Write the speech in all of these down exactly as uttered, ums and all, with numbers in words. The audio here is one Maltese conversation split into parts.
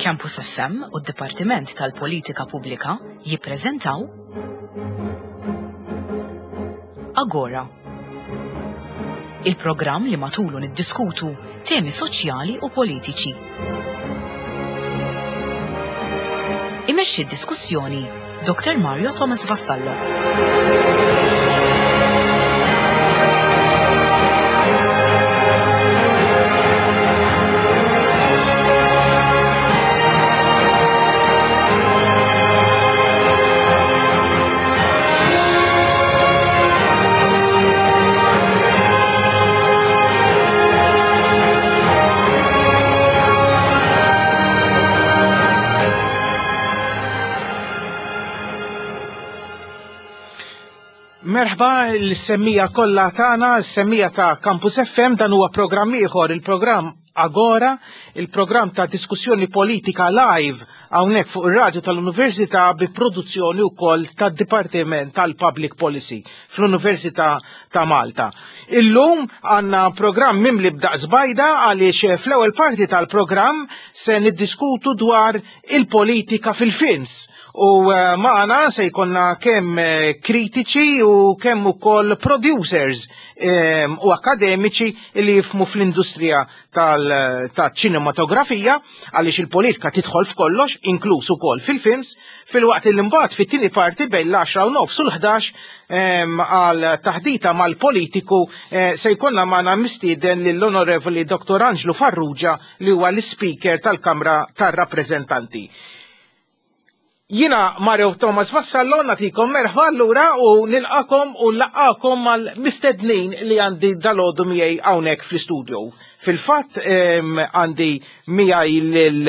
Campus F M u d-Dipartiment tal-Politika Pubblika jippreżentaw Agora. Il-programm li matulu niddiskutu temi soċjali u politiċi. Imexxi d-diskussjoni Doctor Mario Thomas Vassallo. Merħba l-semmija kollha tagħna, l-semmija ta' Campus F M, dan huwa programm ieħor, il-programm Agora, il-programm ta' diskussjoni politika live hawnhekk fuq ir-radju tal-Università bi produzzjoni wkoll tad-Dipartiment tal-Public Policy fl-Università ta' Malta. Illum għandna programm mimli b'daqs bajda għaliex fl-ewwel parti tal-programm se niddiskutu dwar il-politika fil-films. U eh, magħna se jkollna kemm eh, kritiċi u kemm ukoll producers eh, u akademiċi li jifhmu fl-industrija tal-ċinematografija, għaliex il-politika tidħol f'kollox, inkluż ukoll fil-films, filwaqt li mbagħad fit-tieni parti bejn l-għaxra u nofs u l-ħdax għal taħdita mal-politiku eh, se jkollna magħna mistieden lill-Onorevoli Doctor Angelo Farrugia, li huwa l-Speaker tal-Kamra tar-Rappreżentanti. Jiena Mario Thomas Vassallo, nagħtikom merħba allura u nilqakom u nlaqqakom mal-mistednin li għandi dalgħodu miegħi hawnhekk fl-istudio. Fil-fatt għandi miegħi lil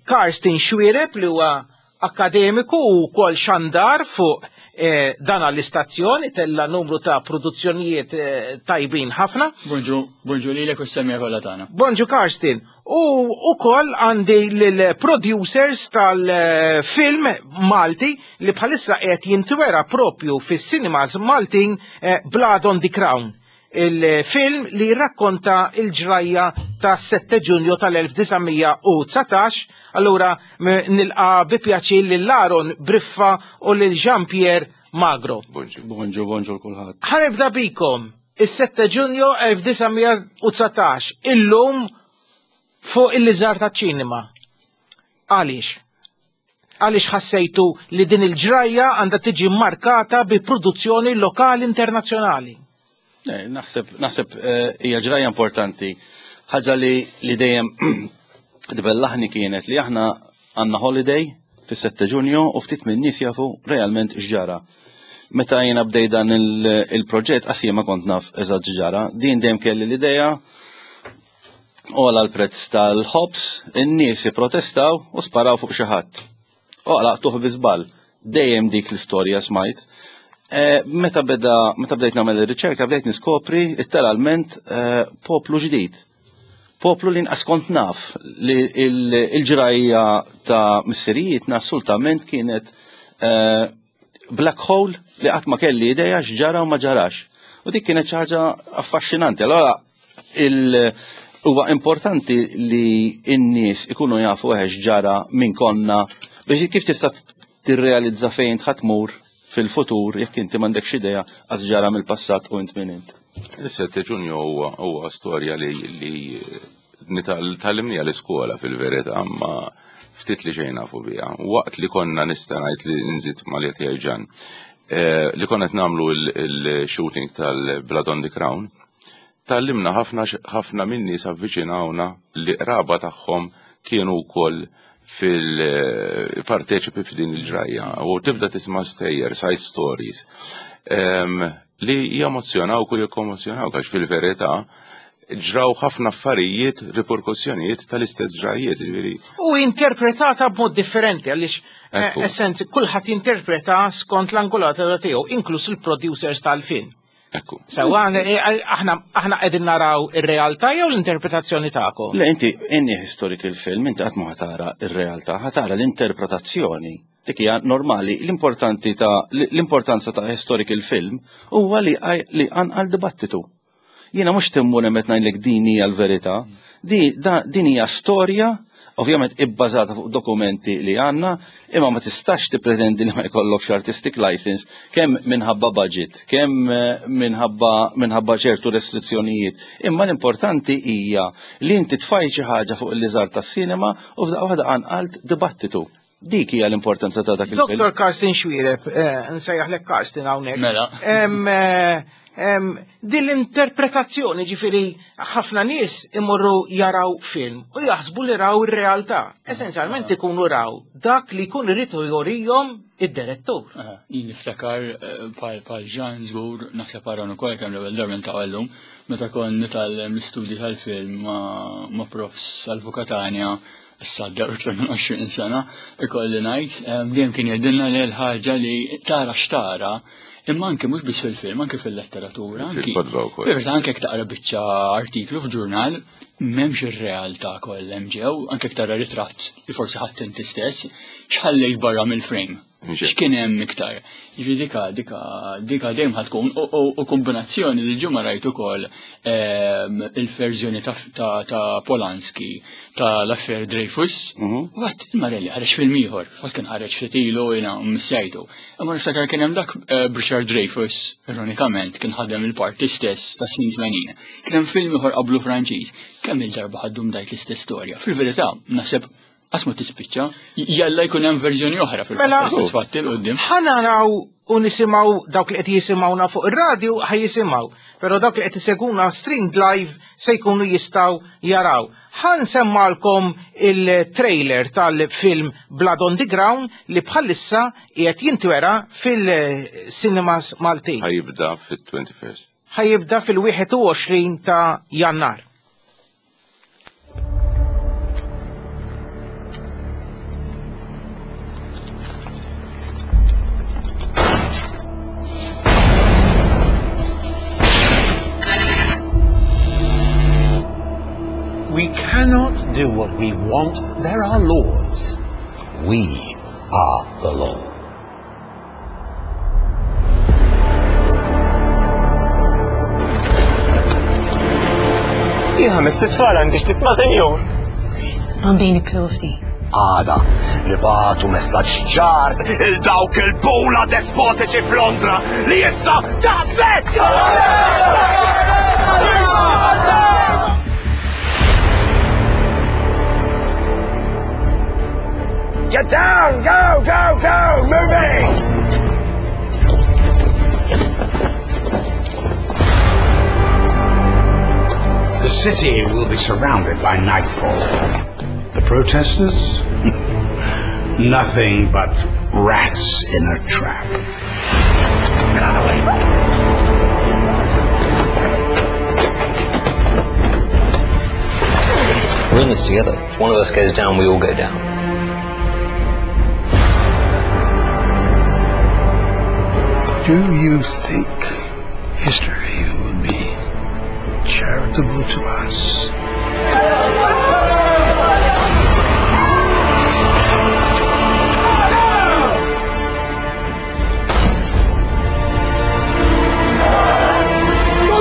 Karsten Xuereb, li huwa akademiku u kol xandar fuq eh, dan l-istazzjon, tella numru ta' produzzjonijiet eh, tajbin ħafna. Bonġu, bonġu lilek u s-semmija kollha tagħna. Bonġu, Karsten. U ukoll għandi l-producers tal-film Malti li bħalissa qed jintwera propju fis-cinemas Maltin, eh, Blood on the Crown. Il-film li rakkonta il-ġrajja ta' sette Ġunju tal-elf disa' mija u dsatax. Allura nilqa bi pjaċir lil Aaron Briffa u lil Jean-Pierre Magro. Bonġu, bonġu, bonġu kulħadd. Ħa nibda bikom, is-sette Ġunju elf disa' mija u dsatax, illum fuq il-liżar ta' ċinema. Għaliex? Għaliex ħassejtu li din il-ġrajja għandha tiġi markata bi produzzjoni lokali internazzjonali? Eh, naħseb, naħseb eh, hija ġrajja importanti. Ħaġa li li dejjem tbellaħni kienet li aħna għandna holiday fis-sette Ġunju u ftit minn nies jafu realment x'ġara. Meta jiena bdej dan il-proġett, qas ma kont naf eżatt x'ġara. Din dejjem kelli l-idea għola l-prezz tal-ħobs, in-nies protestaw u sparaw fuq xi ħadd. U laqtuh bi żball. Dejjem dik l-istorja smajt. Eh, meta beda, meta bdejt nagħmel ir-riċerka, bdejt niskopri literalment eh, poplu ġdid. Poplu li nqas kont naf li il-ġrajja ta' missirijietna assolutament kienet eh, black hole li qatt ma kelli idea x'ġara u ma ġarax. U dik kienet xi ħaġa affaxxinanti. Allora il huwa importanti li n-nies ikunu jafu eħex ġara minn konna, biex kif tista' tirrealizza fejn ħa tmur fil-futur jekk inti m'għandekx idea għax ġara mill-passat u int min int. Is-sette Ġunju huwa huwa storja li li tgħallimnieha l-iskola fil-verità, ma ftit li xejn nafu biha. Waqt li konna, nista' ngħid li nżid ma li Ġan, eh, li konna qed nagħmlu il-shooting tal-Blood on the Crown, tgħallimna ħafna, ħafna minni avviċinawna li qraba tagħhom kienu wkoll fil-parteċipi f'din il-ġrajja u tibda tisma' stejjer, side stories li jemozzjonaw u jikkomozzjonaw, għax fil-verità ġraw ħafna affarijiet, riperkussjonijiet tal-istess ġrajiet. Ġifieri. U interpretata b'mod differenti, għaliex eh, essenz kulħadd interpreta skont l-angolatura tiegħu, inkluż il-producers tal-film. Ekku. Sewa, eh, aħna aħna qegħdin naraw ir-realtà jew l-interpretazzjoni tagħkom? Le, inti inni historical film, inti qatt ma ħa tara ir-realtà, ħa tara l-interpretazzjoni. Dik hija normali, l-importanti ta' l-importanza ta' historical film huwa li li għal dibattitu. Jiena mhux timmur hemm qed ngħidlek din hija l-verità, din hija storja Ovvjament ibbażata fuq dokumenti li għandna, imma ma tistax tippretendi li ma jkollokx artistic license kemm minħabba budget, kemm minħabba minħabba ċertu restrizzjonijiet. Imma l-importanti hija li inti tfaj xi ħaġa fuq il-liżar tas-sinema u f'daqqa waħda qanqalt dibattitu. Dik hija l-importanza ta' dak il-film. Doktor Karsten Xuereb, nsejjaħlek Karsten hawnhekk. Mela. Din l-interpretazzjoni, ġifieri ħafna nies imorru jaraw film u jaħsbu li raw ir-realtà. Essenzjalment ikunu raw dak li jkun irid jorihom id-direttur. Jien niftakar bħal Jean żgur naħseb hawn ukoll kemm l-ewwel darba niltaqgħu llum meta kont nitgħallem l-istudji tal-film ma' profs Salvu Catania issa għaddew iktar minn għoxrin sena, ikolli ngħid, dejjem kien jgħidilna li l-ħaġa li tara x'tara, imma anke mhux biss fil-film, anke fil-letteratura, anke Fil-kotba wkoll. Fil-verità anke jekk taqra biċċa artiklu f'ġurnal, m'hemmx ir-realtà kollha hemm ġew, anke jekk tara ritratt li forsi ħadd inti stess, x'ħallejt barra mill-frame. X'kien hemm iktar? Jiġifieri dika, dika, dika dejjem ħad tkun u kombinazzjoni li ġimgħa rajt ukoll il-verżjoni ta' Polanski ta' l-affair Dreyfus. Watt il-Marelli ħareġ film ieħor, fatt kien ħareġ ftit ilu jiena msejtu. Imma niftakar kien hemm dak Richard Dreyfus, ironikament, kien ħadem il-parti stess ta' snin tmenin. Kien hemm film ieħor qablu Franċiż. Kemm il-darba ħaddum dajt l-istess storja. Fil-verità, naħseb qatt ma tispiċċa, jalla jkun hemm verżjoni oħra fil-fatt fatti l qudiem. Ħa naraw u nisimgħu dawk li qed jisimgħuna fuq ir-radju ħa jisimgħu, però dawk li qed iseguna streamed live se jkunu jistgħu jaraw. Ħa nsemmalkom il-trailer tal-film Blood on the Ground li bħalissa qiegħed jintwera fil-cinemas Maltin. Ħa jibda fit-twenty-first. Ħa jibda fil-wieħed u għoxrin ta' Jannar. We cannot do what we want. There are laws. We are the law. Jien ħames titfal għandi x'nitma' senjur. Bambini provdi. Għada nibatu messaġġ ċar il dawk il-bula despotiċi f'Londra li issa daqshekk! Get down! Go, go, go! Moving! The city will be surrounded by nightfall. The protesters? Nothing but rats in a trap. Get out of the way. We're in this together. If one of us goes down, we all go down. Do you think history will be charitable to us?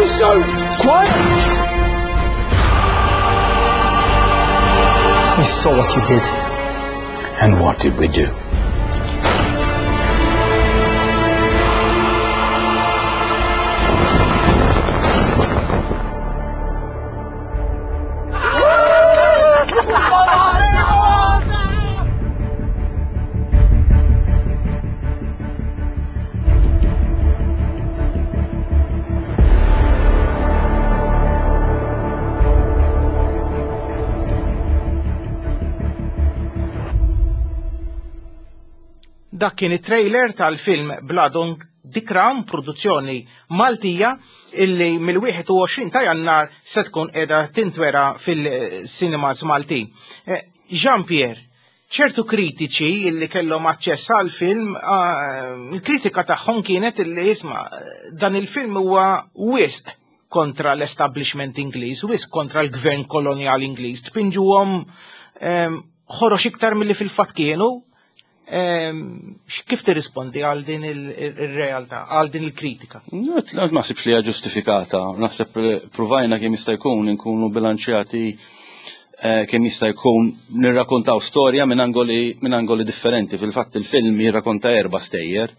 So quiet! We saw what you did. And what did we do? Dak kien it-trailer tal-film Blood on the Crown, produzzjoni Maltija, illi mill-wieħed u għoxrin ta' Jannar se tkun qiegħda tintwera fil-cinemas Maltin. Jean-Pierre, ċertu kritiċi illi kellhom aċċess għal-film, il-kritika tagħhom kienet illi isma' dan il-film huwa wisq kontra l-establishment Ingliż, wisq kontra l-gvern kolonial Ingliż, tpinġuhom ħorox iktar milli fil-fatt kienu. Kif tirrispondi għal din il-realtà, għal din il-kritika? Ma naħsibx li hija ġustifikata, naħseb provajna kemm jista' jkun inkunu bilanċjati eh, kemm jista' jkun nirrakkontaw storja minn angoli minn angoli differenti. Fil-fatt il-film jirrakkonta erba' stejjer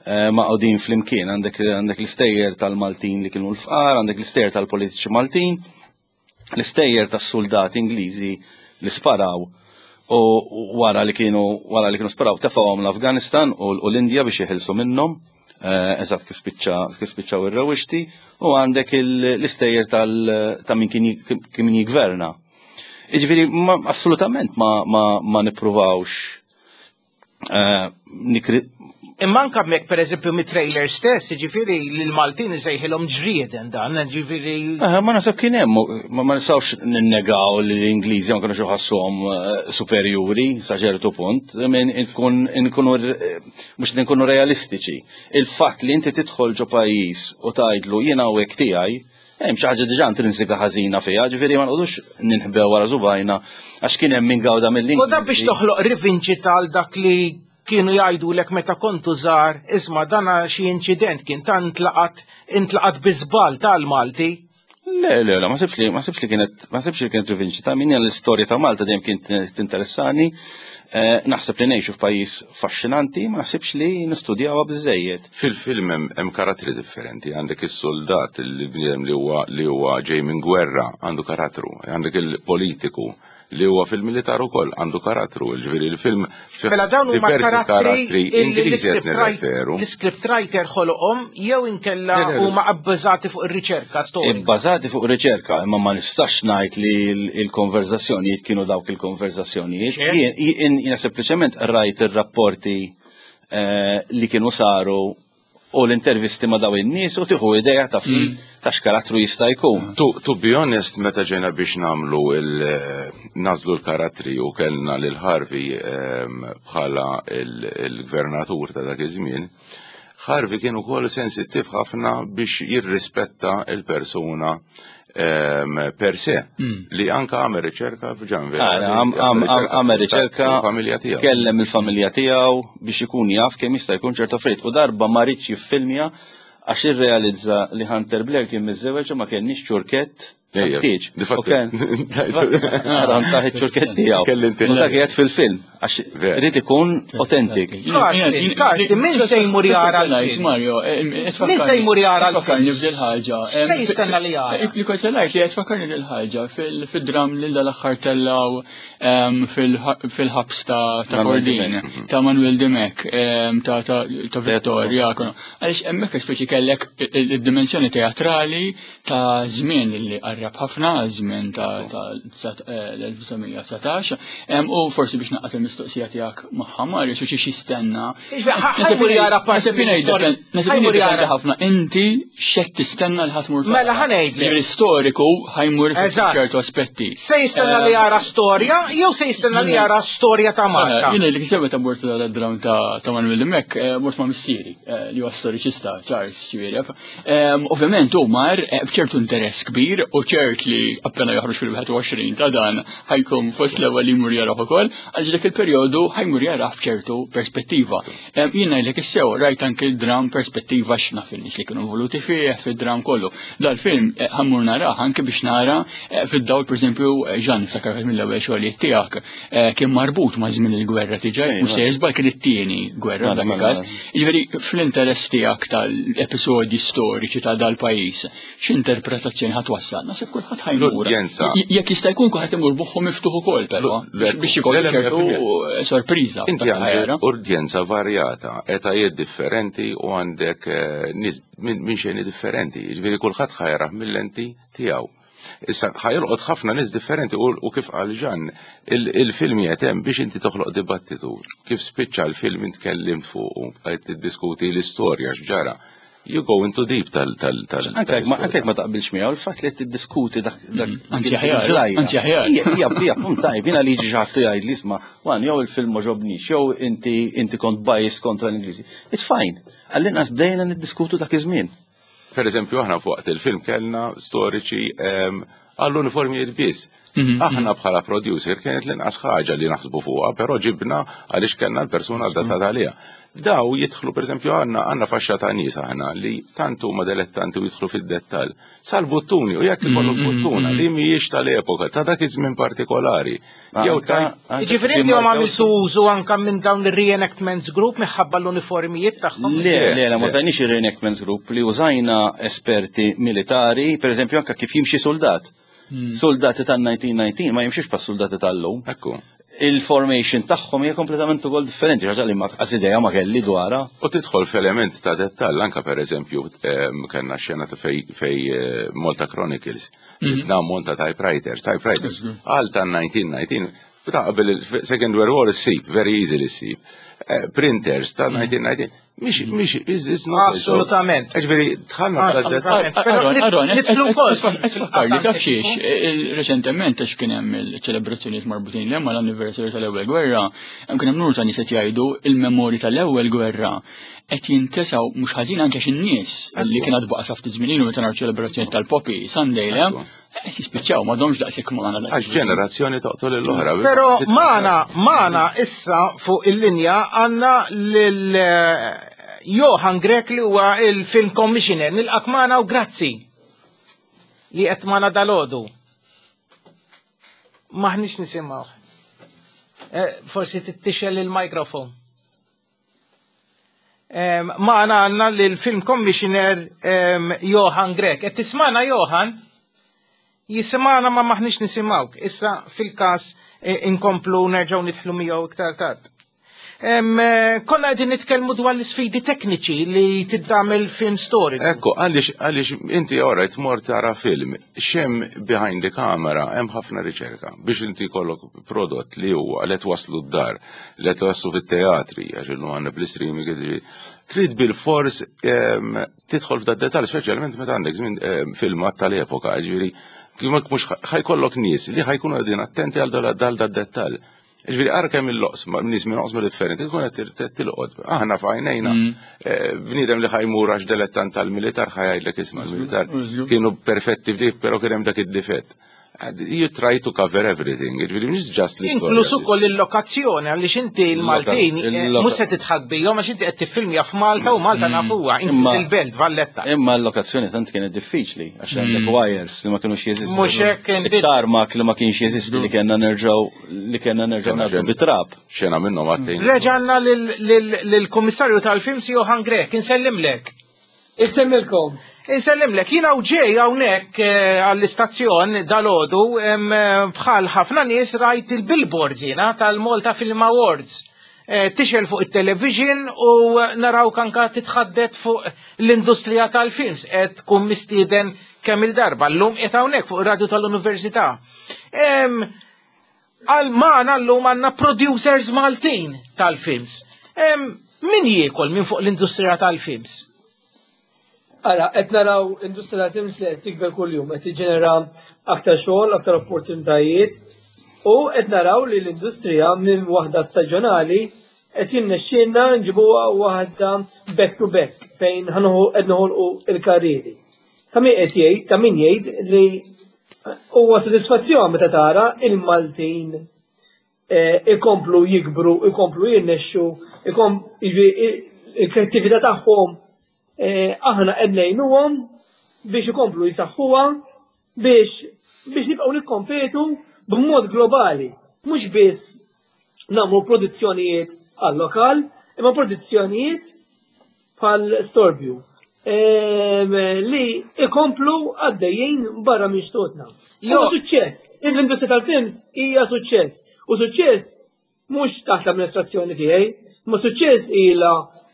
eh, maqgħudin flimkien. Għandek għandek l-istejjer tal-Maltin li kienu l-fqar, għandek l-istejjer tal-politiċi Maltin, l-istejjer tas-soldati Ingliżi li sparaw u wara li kienu wara li kienu sparaw tefgħuhom l-Afganistan u u l-Indja biex jeħilsu minnhom. eh, Eżatt kif spiċċa kif spiċċaw ir-rewwixti u għandek il- l-istejjer tal ta' min kien kien min jigverna. Jiġifieri ma assolutament ma ma ma nippruvawx eh, nikri Imma anka mek per eżempju mit-trailer stess, ġifieri l-Maltin isejħilhom ġrieden dan, ġifieri. Eh, ma nasab kien hemm, ma ma nistgħux ninnegaw li l-Ingliżi ma kinux iħossuhom eh, superjuri sa ċertu punt, min nkun nkunu eh, mhux li nkunu realistiċi. Il-fatt li inti tidħol ġo pajjiż u tgħidlu jiena hawnhekk tiegħi, hemm xi ħaġa diġà intrinsika ħażina fiha, ġifieri ma nqogħdux ninħbew wara subgħajna għax kien hemm min gawda mill-Ingliżi. U dan biex toħloq rivinċita għal dak li kienu jgħidu lek meta kontu żgħar, isma' dana xi inċident kien ta' intlaqat intlaqat bi żball tal-Malti. Le, le, le, ma sibx li, ma sibx li kienet, ma sibx li kienet rivinċita. Min l-istorja ta' Malta dejjem kien tinteressani. Eh, naħseb li ngħixu f'pajjiż affaxxinanti, ma naħsibx li nistudjawha biżejjed. Fil-film hemm hemm karattri differenti, għandek is-soldat il-bniedem li huwa li huwa ġej minn gwerra, għandu karattru, għandek il-politiku li huwa fil-militar ukoll għandu karattru, ġifieri il-film fih Mela dawn huma diversi karattri illi Ingliżi qed l-script nirreferu. l-script writer ħoloqhom jew inkella Le, le, le. huma abbażati fuq ir-riċerka storika. Ibbażati fuq riċerka, imma ma nistax ngħid li l- il-konverzazzjonijiet kienu dawk il-konverzazzjonijiet. Ċert. Jien- Jien jiena sempliċement rajt ir-rapporti eh, li kienu saru u l-intervisti ma' daw in-nies u tieħu idea ta' fi ta' x'karattru jista' jkun. To, to be honest, meta ġejna biex namlu il nażlu l-karattri u kellna lil Harvey em, bħala il- il-gvernatur ta' dak iż-żmien, Harvey kien ukoll sensittiv ħafna biex jirrispetta il-persuna em, per se, li anka għamel riċerka f'Ġanver. Ah, Għamel riċerka, familja tiegħu. kellem il-familja tiegħu biex ikun jaf kemm jista' jkun ċerta affarijiet. U darba ma ridx jiffilmja għax irrealizza li Hunter Blair kien miżżewweġ u ma kenniex ċurkett Ejja, tat-tieġ. di fattu. U kien- Għaram taħ iċ-ċurkett tiegħu. Kelli inti. U dak qiegħed fil-film għax Ver. irid ikun authentic. Karsten, Karsten, min se jmur jara l-film? Mario, eh, eh, Min se jmur jara l-film? Fakkarni f'dil ħaġa. Se jistenna li jara? Li kont ngħid li qed fakkarni dil ħaġa fil-dram li dal-aħħar tellaw em, fil- fil-ħabs ta' ta' Manuel Kordin, Dimech. ta' Manuel Dimech, em, ta' ta' ta' Vittoria. Għaliex hemmhekk speċi kellek il-dimensjoni teatrali ta' żmien li qarrab ħafna, żmien ta' ta' ta' eh, l-elf disa' mija u dsatax, em, u forsi biex naqgħod il-mistoqsija tiegħek magħha Mario, speċi x'jistenna. Iġbe, ħa- ħa jmur jara parti mill-istorja. Nasib Ħa jmur jara. ħafna inti x'qed tistenna li ħa tmur. Mela, ħa ngħidlek. Ġifieri storiku ħa jmur Eżatt. ċertu aspetti. Se jistenna li jara storja jew se jistenna li jara storja ta' Malta? Jiena li kiseb ta' mort dal-dram ta' ta' Manuel Dimech, eh, mort ma' missieri, eh, li huwa storiċista, Charles ġifieri. Em, Ovvjament hu mar eh, b'ċertu interess kbir u ċert li appena joħroġ fil-wieħed u għoxrin ta' dan ħa jkun fost l-ewwel li jmur jarah ukoll, għaliex dak il-perjodu ħa jmur jarah b'ċertu perspettiva. Em, Jiena ngħidlek issew rajt anke il-dram perspettiva x'naf in-nies li kienu involuti fih fid-dram kollu. Dal-film eh, ħa mmur narah anke biex nara eh, fid-dawl pereżempju eh, Jean niftakar wieħed mill-ewwel xogħlijiet tiegħek eh, kien marbut ma' żmien il-gwerra tiġa, Ejja. mhux se żball kien it-tieni gwerra Mela, dak mela, il-każ. Jiġifieri fl-interess tiegħek tal-episodji storiċi ta' dal-pajjiż, x'interpretazzjoni ħa twassal? Naħseb kulħadd ħa jmur. L-udjenza. J- Jekk jista' jkun kulħadd imur b'moħħu miftuħ ukoll però L- biex biex ikollu le, le, ċertu mija sorpriża. Inti dak li ħa jara. għandek udjenza varjata, etajiet differenti u għandek eh, nies minn min xeni differenti. Ġifieri kulħadd ħa jarah mill-lenti tiegħu. Issa ħa jolqot ħafna nies differenti u, u kif qal Ġan, il- il-film hemm biex inti toħloq dibattitu. Kif spiċċa l-film intkellimt fuq u bqajt tiddiskuti l-istorja x'ġara. You go into deep tal tal tal. Anke jekk ma- anke jekk ma taqbilx miegħu, il-fatt li tiddiskuti dak dak Anzi dik aħjar, il-ġrajja. anzi aħjar. Hija hija hija punt tajb, jiena li jiġi xi ħadd jgħid li isma' wan jew il-film ma għoġobnix, jew inti inti kont biased kontra l-Ingliżi. It's fine. Għall-inqas bdejna niddiskutu dak iż-żmien. Per eżempju, aħna fuq il-film kellna storiċi em, għall-uniformijiet biss. Aħna bħala producer kienet l-inqas ħaġa li naħsbu fuqha, però ġibna għaliex kellna l-persuna adattata għaliha. Daw jidħlu, pereżempju, għandna għandna faxxa ta' nies aħna li tant huma dilettanti u jidħlu fid-dettall. Sal-buttuni, u jekk ikollok buttuna li mhijiex tal-epoka, ta' dak iż-żmien partikolari. Jew ta' Ġifieri inti ma għamiltu użu anka minn dawn ir-reenactments group minħabba l-uniformijiet tagħhom? Le, le, le, ma użajniex ir-reenactments group, li użajna esperti militari, per eżempju, anka kif jimxi soldat. Soldati tal-elf disa' mija u tnax ma jimxiex pa' soldati tal-lum. Ekku. Il-formation tagħhom hija kompletament ukoll differenti, ħaġa li ma qas idea ma kelli dwarha. U tidħol f'element ta' dettall, anka per eżempju, em, kellna xena ta' fej, fej eh, Malta Chronicles, mm monta typewriters, typewriters, għal ta' elf disa' mija u tnax, ta' qabel il-Second World War issib, very easily issib. Eh, Printers ta' elf disa' mija u tnax, mhix, mhix, is is not. Assolutament. Ġifieri, dħalna ta' dettall. Assolutament. Però Aaron, Aaron, nidħlu wkoll Fakkarli, taf xiex, reċentement għax kien hemm il-ċelebrazzjonijiet marbutin l mal-anniversary tal-ewwel gwerra, hemm kien hemm numru ta' nies qed jgħidu il-memorji tal-ewwel gwerra qed jintesaw mhux ħażin anke x'in-nies li kien għad baqa' sa ftit żmien ilu meta naraw ċelebrazzjoni tal-Poppy Sunday, le, qed jispiċċaw m'għadhomx daqshekk magħna daqshekk. Għax ġenerazzjoni toqtol l-oħra. Pero magħna, magħna issa fuq il-linja għandna lil eh, Johan Grech li huwa il-film commissioner. Nilqak magħna u grazzi li qed magħna dalgħodu. Maħniex nisimgħu. Eh, Forsi tixgħel il-mikrofon. Em, Magħna għandna l-film commissioner em, Johan Grech. Qed tismana, Johan? Jismana ma maħniex nisimgħuk. Issa fil-kas eh, inkomplu nerġgħu nidħlu miegħu iktar tard. Em, eh, Konna qegħdin nitkellmu dwar l-isfidi tekniċi li tagħmel film story. Ekku, għaliex, għaliex inti alright mor tara film, x'hemm behind the camera, hemm ħafna riċerka biex inti kollok prodott li huwa li twaslu d-dar, li twaslu fit-teatri, għax illum għandna bl-streaming, ġifieri, trid bil-fors em, tidħol f'da detal, speċjalment meta għandek żmien em, filmat tal-epoka, ġifieri, kif mhux ħa jkollok nies li ħa jkunu qegħdin attenti għal dal dal dal dettal. Ġifieri, ara kemm il-loqsma, nies minn oqsma differenti, tkun qed tilqod. Aħna f'għajnejna eh, bniedem li ħa jmur għax dilettant tal-militar ħa jgħidlek, isma', l-militar kienu perfetti f'dik, però kien hemm dak id-difett. You try to cover everything, ġifieri mhux just l-istorja. Inkluż ukoll il-lokazzjoni, għaliex inti l-Maltin eh, il-loka- mhux se tidħak bihom għax inti qed tiffilmja f'Malta u Malta nafuha, inkluż Imma- il-belt Valletta. Imma l-lokazzjoni tant kienet diffiċli, għax għandek wires li ma kienux jeżistu. Mhux hekk inti- Il-tarmac li ma kienx jeżisti, li kellna nerġgħu li kellna nerġgħu Kena ngħaddu ġen- bit-trab. Xena minnhom għattejn. Reġanna lill-Kummissarju tal-Films Johan Grech, insellimlek. Insemmilkom. Insellimlek, jiena u ġej hawnhekk eh, għall-istazzjon dalgħodu em, eh, bħal ħafna nies rajt il-billboards jiena tal-Malta Film Awards. Eh, Tixgħel fuq il-television u naraw anka titħaddet fuq l-industrija tal-films qed tkun mistieden kemm il-darba. Llum qed hawnhekk fuq ir-radju tal-Università. Em, Għal magħna llum għandna producers Maltin tal-films. Em, Min jiekol minn fuq l-industrija tal-films? Ara, qed naraw industrija tal-films li qed tikber kuljum, qed tiġġenera aktar xogħol, aktar opportunitajiet u qed naraw li l-industrija minn waħda staġjonali qed jirnexxielna nġibuha waħda back to back fejn ħa nħu qed noħolqu il-karrieri. Ta' min qed jgħid, ta' min jgħid li huwa sodisfazzjon meta tara il-Maltin eh, ikomplu jikbru, ikomplu jirnexxu, ikom jiġifieri il-kreattività tagħhom eh, aħna qed ngħinuhom biex ikomplu jisaħħuha biex biex nibqgħu nikkompetu b'mod globali, mhux biss nagħmlu produzzjonijiet għal-lokal, imma produzzjonijiet bħal Storbju em, li ikomplu għaddejjin barra minn xtutna. Jo. Huwa suċċess. L-industrija tal-films hija suċċess. U suċċess mhux taħt l-amministrazzjoni tiegħi, ma suċċess ilha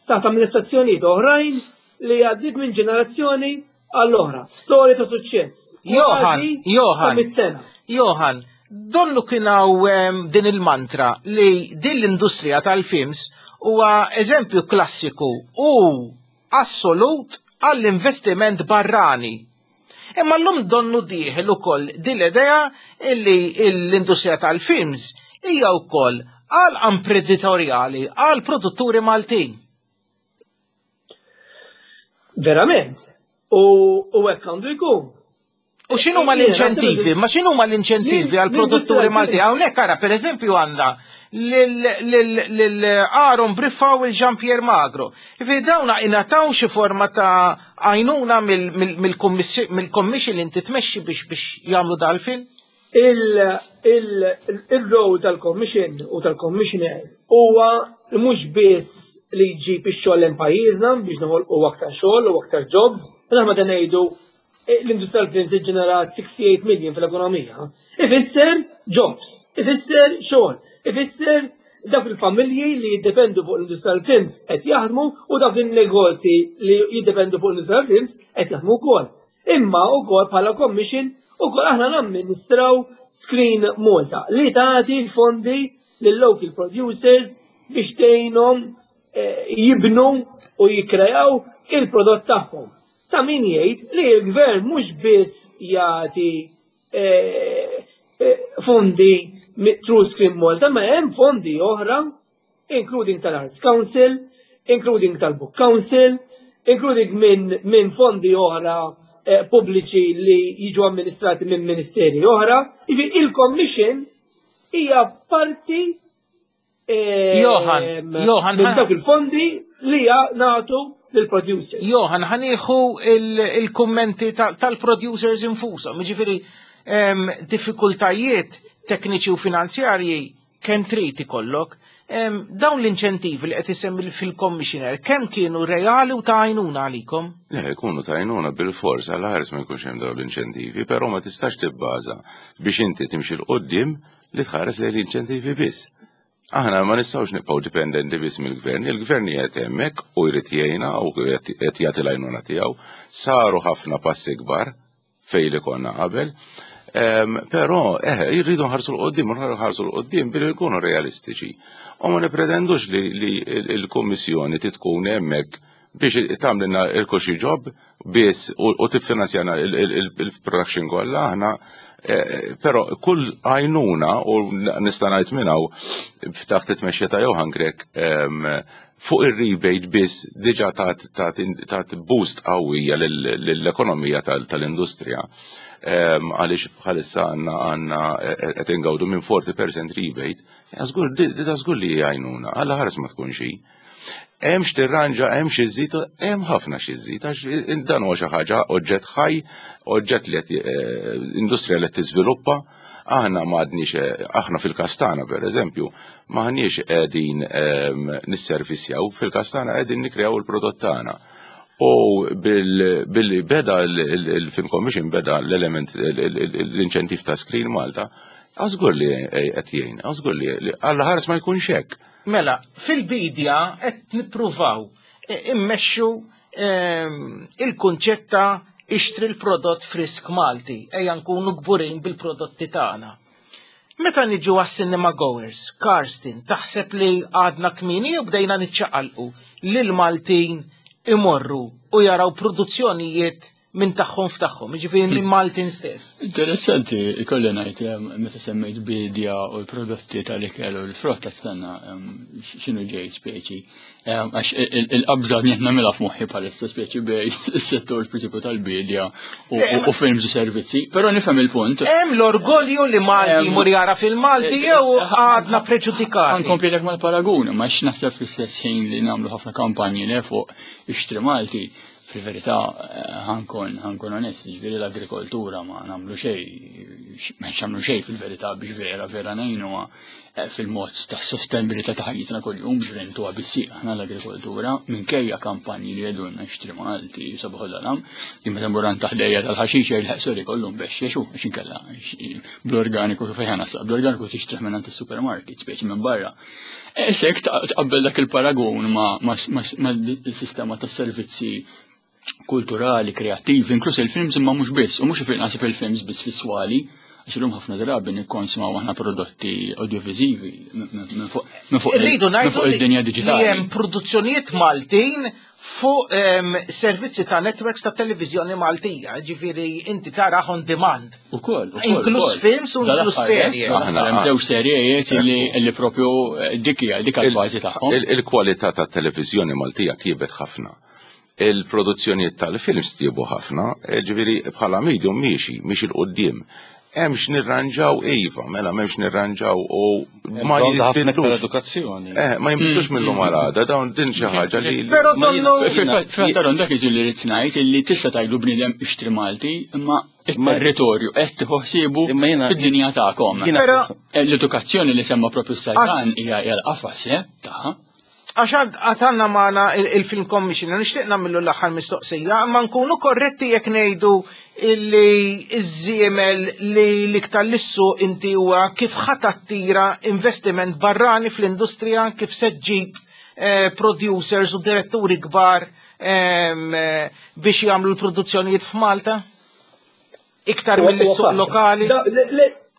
taħt amministrazzjonijiet oħrajn li għaddiet minn ġenerazzjoni għall-oħra. Storja ta' suċċess. Johan, Kważi Johan. ta' mit sena. Johan, donnu kien hawn em, din il-mantra li din l-industrija tal-films huwa eżempju klassiku u assolut għall-investiment barrani. Imma l-lum donnu dieħel ukoll din l-idea illi l-industrija tal-films hija wkoll għal imprenditorjali, għal produtturi Maltin. Verament. U u hekk għandu jkun. U x'inhuma l-inċentivi? Ma x'inhuma l-inċentivi għal produtturi Malti? Hawnhekk ara, pereżempju għandna lil Aaron Briffa u Jean Pierre Magro. Ifi dawna ingħataw xi forma ta' għajnuna mill-commission li inti tmexxi biex biex jagħmlu dal-film? Il-role tal-commission u tal-commissioner huwa mhux biss li jġib ix-xogħol lejn pajjiżna biex noħolqu aktar xogħol u aktar jobs, aħna meta ngħidu l-industrial films ġenerat sixty-eight million fl-ekonomija. Ifisser jobs, ifisser xogħol, ifisser dak il-familji li jiddependu fuq l-industrial films qed jaħdmu u dak il-negozji li jiddependu fuq l-industrial films qed jaħdmu wkoll. Imma wkoll bħala commission ukoll aħna namministraw Screen Malta li tagħti fondi lil local producers biex tgħinhom jibnu u jikkrejaw il-prodott tagħhom. Ta' min jgħid li l-gvern mhux biss jagħti fondi through Screen Malta, ma hemm fondi oħra, including tal-Arts Council, including tal-Book Council, including minn min fondi oħra eh, pubbliċi li jiġu amministrati minn ministeri oħra. Il-Commission hija parti eh, Johan, Johan, minn dawk il-fondi li nagħtu lill-producers. Johan, ħa nieħu il-kummenti tal-producers infushom, jiġifieri diffikultajiet tekniċi u finanzjarji kemm trid ikollok. Dawn l-inċentivi li qed isemmi fil-commissioner, kemm kienu reali u ta' għajnuna għalikom? Le, jkunu ta' għajnuna bil-fors, għal ħares ma jkunx hemm dawn l-inċentivi, però ma tistax tibbaża biex inti timxi 'l quddiem li tħares lejn l-inċentivi biss. Aħna ma nistgħux nibqgħu dipendenti biss mill-gvern, il-gvern qiegħed hemmhekk u jrid jgħinna u qed jagħti l-għajnuna tiegħu. Saru ħafna passi kbar fejn li konna qabel. Però, eh, jirridu nħarsu 'l quddiem, nħarsu 'l quddiem billi nkunu realistiċi. U ma nipretendux li l-Kummissjoni tkun hemmhekk biex tagħmlilna il-cushy job biss u tiffinanzjana il-production kollha aħna. Però kull għajnuna, u nista' ngħid minn hawn ftaħt it-tmexxija ta' Johan Grech, fuq ir-rebate biss diġà tat boost qawwija lill-ekonomija tal-industrija. Għaliex bħalissa għandna għandna qed ingawdu minn forty percent rebate, żgur li għajnuna, għalla ħares ma tkun xi. Hemm x'tirranġa, hemm xi żżid, hemm ħafna xi żżid, għax dan huwa xi ħaġa oġġett ħaj, oġġett li qed industrija li qed tiżviluppa. Aħna m'għadniex, aħna fil-każ tagħna pereżempju, m'aħniex qegħdin nisservisjaw, fil-każ tagħna qegħdin nikkreaw il-prodott tagħna. U billi beda il-Film Commission beda l-element l-inċentiv ta' Screen Malta, għażgur li qed jgħin, għażgur li għalla ħares ma jkunx hekk. Mela, fil-bidja qed nippruvaw immexxu il-kunċett ta' ixtri l-prodott frisk Malti, ejja nkunu kburin bil-prodotti tagħna. Meta niġu għas-cinema goers, Karsten, taħseb li għadna kmieni u bdejna niċċaqalqu lil Maltin imorru u jaraw produzzjonijiet minn tagħhom f'tagħhom, jiġifieri minn Maltin stess. Interessanti, ikolli ngħid, meta semmejt bidja u l-prodotti tal-ikel u l-frott stanna x'inhu ġej speċi. Għax il-qabża li qed nagħmilha f'moħħi bħalissa speċi bej is-settur prinċipju tal-bidja u films u servizzi, però nifhem il-punt. Hemm l-orgolju li Malti jmur jara fil-Malti jew għadna preġudikati. Nkomplilek mal-paragun, ma x'naħseb fl-istess ħin li nagħmlu ħafna kampanji le fuq ixtri Malti. Fil-verità, ħankun, ħankun onest, ġifieri l-agrikoltura ma nagħmlu xejn, ma nagħmlu xejn fil-verità biex vera, vera ngħinuha fil-mod ta' sostenibilità ta' ħajjitna kuljum, ġifieri ntuha bis-sieq aħna l-agrikoltura, minkejja kampanji li jgħidulna xtri Malti, sabaħ dalam, imma tmur għand taħdejja tal-ħaxix jgħid sorry kollu mbexxex u għax inkella bl-organiku fejn ħanasab, bl-organiku tixtrih minn għand is-supermarket, speċi minn barra. Issa jekk tqabbel dak il-paragun ma' ma' sistema tas-servizzi kulturali, kreattivi, inkluż il-films imma mhux biss, u mhux naħseb il-films biss fis-swali, għax illum ħafna drabi nikkonsumaw aħna prodotti audiovisivi minn fuq Irridu minn fuq ngħidu id-dinja li diġitali. hemm produzzjonijiet Maltin fuq servizzi ta' networks ta' televiżjoni Maltija, ġifieri inti tara on demand. Ukoll, ukoll, Inkluż ukoll. films u inkluż Dal-aħħar, serje. eh, Aħna- hemm żewġ serjejiet li li propju dik hija dik Il- il-bażi tagħhom. Il-kwalità tat-televiżjoni Maltija tjiebet ħafna. Il-produzzjonijiet tal-films tjiebu ħafna, ġifieri bħala medium miexi, miexi 'l quddiem. Hemmx nirranġaw iva, mela m'hemmx nirranġaw u ma jinbidlux. Edukazzjoni. Eh, ma jinbidlux mill-lum għal għada, dawn din xi ħaġa li. Però donnu. Fil-fatt dak iġi li rrid ngħid illi tista' tgħidlu bniedem ixtri Malti, imma it-territorju qed tieħu ħsiebu fid-dinja tagħkom. L-edukazzjoni li semma propju s-Sajdan hija l-qafas, eh, tagħha. Għax għatanna maħna il-Film Commissioner, nixtieq nagħmillu l-aħħar mistoqsija, ma nkunu korretti jekk ngħidu li iż-żiemel li l-iktar lissu inti huwa kif ħa tattira investiment barrani fl-industrija, kif se ġġib producers u diretturi kbar biex jagħmlu l-produzzjonijiet f'Malta? Iktar mill-suq lokali?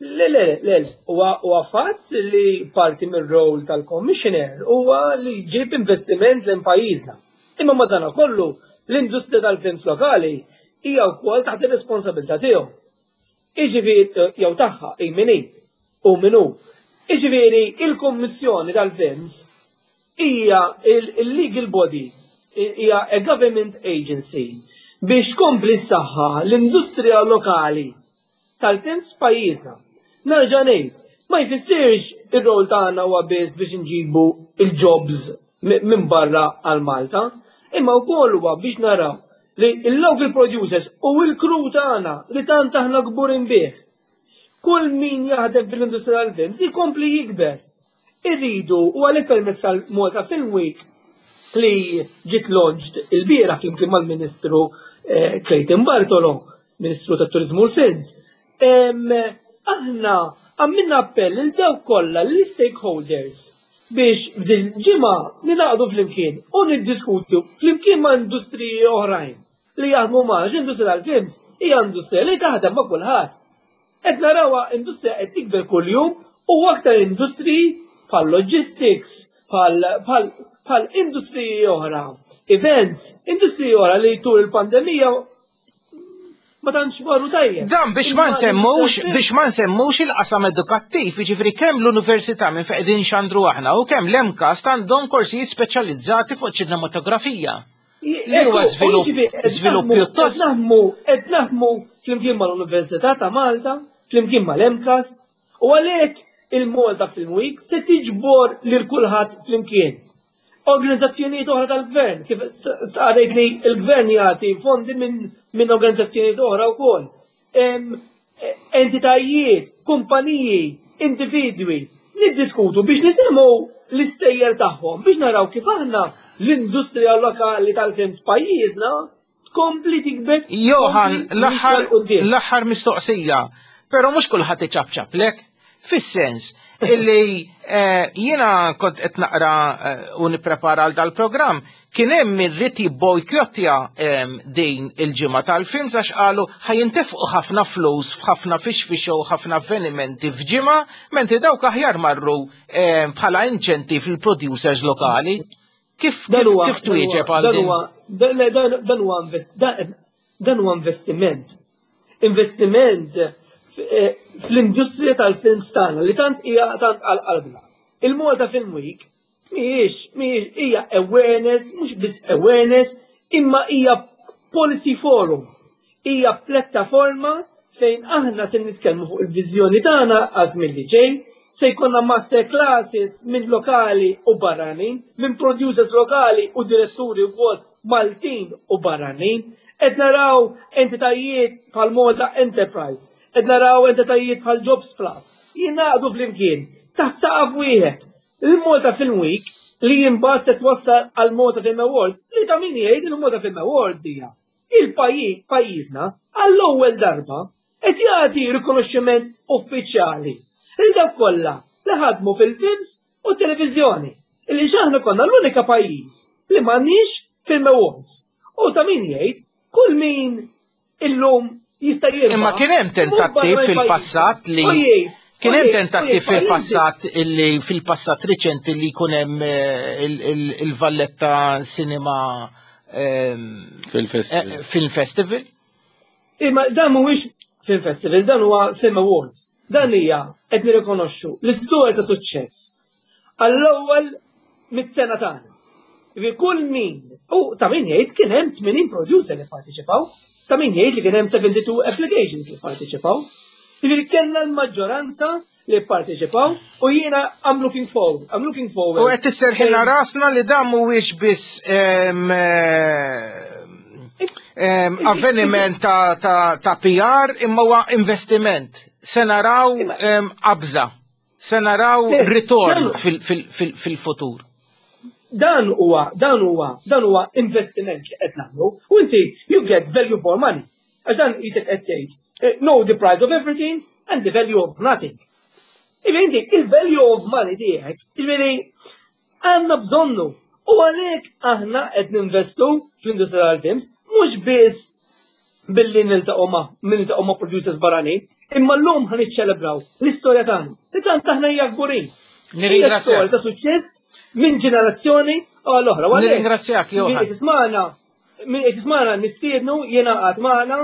Le, le, le, huwa fatt li parti mir-rol tal-commissioner huwa li jġib investiment lejn pajjiżna. Imma madana kollu l-industrija tal-films lokali hija wkoll taħt ir-responsabilità tiegħu. Jiġifieri jew tagħha hi min hi u min hu. Jiġifieri il-Kummissjoni tal-Films hija il-legal body, hija a government agency biex tkompli s-saħħa l-industrija lokali tal-films f'pajjiżna. Nerġa' ngħid, ma jfissirx ir-rol tagħna huwa biss biex inġibu il-jobs minn barra għal Malta, imma wkoll huwa biex naraw li il-local producers u l-crew tagħna li tant aħna kburin bih. Kull min jaħdem fil-industrija tal-films jkompli jikber. Irridu u għalhekk permezz tal-Malta Film Week li ġiet launched il-bieraħ flimkien mal-Ministru Clayton Bartolo, Ministru tat-Turizmu u l-Films. Aħna għamilna appell lil dawk kollha l-stakeholders biex f'dil-ġimgħa ningħaqdu flimkien u niddiskutu flimkien ma' industriji oħrajn li jaħdmu ma' l-industrija tal-films hija industrija li taħdem ma' kulħadd. Qed narawha industrija qed tikber kuljum u aktar industriji bħal logistics, bħal industriji oħra, events, industriji oħra li tul il-pandemija ma tantx marru tajjeb. Dan biex ma nsemmux, biex ma nsemmux il-qasam edukattiv, jiġifieri kemm l-università minn fejn qegħdin xandru aħna u kemm l-MCAST għandhom korsijiet speċjalizzati fuq ċinematografija. Li huwa żvilupp pjuttost. Qed naħdmu flimkien mal-Università ta' Malta, flimkien mal-MCAST, u għalhekk il-Malta Film Week se tiġbor lil kulħadd flimkien. Organizzazzjonijiet oħra tal-gvern, kif sqarrejt li l-gvern jagħti fondi minn organizzazzjonijiet oħra wkoll. Entitajiet, kumpaniji, individwi, niddiskutu biex nisimgħu l-istejjer tagħhom biex naraw kif aħna l-industrija lokali tal-films pajjiżna tkompli tikber. Johan, l-aħħar mistoqsija, però mhux kulħadd iċapċaplek, fis-sens illi jiena kont qed naqra u nipprepara għal dal-programm, kien hemm min ried jibbojkottja din il-ġimgħa tal-films għax qalu ħajintefqu ħafna flus f'ħafna fixfixo u ħafna avvenimenti f'ġimgħa, mentri dawk aħjar marru bħala inċentiv fil-producers lokali. Kif kif twieġeb għal din? Dan huwa investiment. Investiment fl-industrija tal-films tagħna li tant hija tant għal qalbna. Il-Malta Film Week mhijiex mhijiex hija awareness, mhux biss awareness, imma hija policy forum. Hija pjattaforma fejn aħna se nitkellmu fuq il-viżjoni tagħna għaż-żmien li ġej, se jkollna master classes minn lokali u barranin, minn producers lokali u diretturi wkoll Maltin u barranin, qed naraw entitajiet bħal Malta Enterprise, qed naraw entitajiet bħal Jobs Plus, jingħaqdu flimkien taħt saqaf wieħed. Il-Malta Film Week li imbagħad se twassal għal Malta Film Awards, li ta' min jgħid il-Malta Film Awards hija il-pajjiż pajjiżna għall-ewwel darba qed jagħti rikonoxximent uffiċjali lil dawk kollha li ħadmu fil-films u televiżjoni. Illi aħna konna l-unika pajjiż li m'għandniex Film Awards. U ta' min jgħid kull min illum jista' jirbaħ. Imma kien hemm tentattiv fil-passat li kien hemm tentattiv fil-passat illi fil-passat riċenti li jkun hemm il-Valletta Cinema Film Festival. Film Festival. Imma dan mhuwiex Film Festival, dan huwa Film Awards. Dan hija qed nirrikonoxxu l-istorja ta' suċċess għall-ewwel mit-sena tagħna. Jiġifieri kull min, u ta' min jgħid kien hemm tmenin producer li parteċipaw, ta' min jgħid li kien hemm seventy-two applications li parteċipaw. Jiġifieri kellna l-maġġoranza li parteċipaw u jiena I'm looking forward, I'm looking forward. U qed tisserħilna rasna li dan mhuwiex biss em, em, avveniment ta', ta, ta' P R imma huwa investiment. Se naraw em, qabża, se naraw Le, ritorn dan- fil- fil- fil- fil-futur. Dan huwa, dan huwa, dan huwa investiment li qed nagħmlu u inti you get value for money. Għax dan jisek qed tgħid, eh, know the price of everything and the value of nothing. Jiġifieri inti il-value of money tiegħek, jiġifieri għandna bżonnu. U għalhekk aħna qed ninvestu fl-industrija tal-films mhux biss billi niltaqgħu ma' niltaqgħu ma' producers barranin, imma llum ħa niċċelebraw l-istorja tagħna li tant aħna hija kburin. Hija Nirringrazzjak. storja ta' suċċess minn ġenerazzjoni għal oħra. U għalhekk, Nirringrazzjak, Johan. Min qed jismagħna, min qed jismagħna nistiednu jiena qatt magħna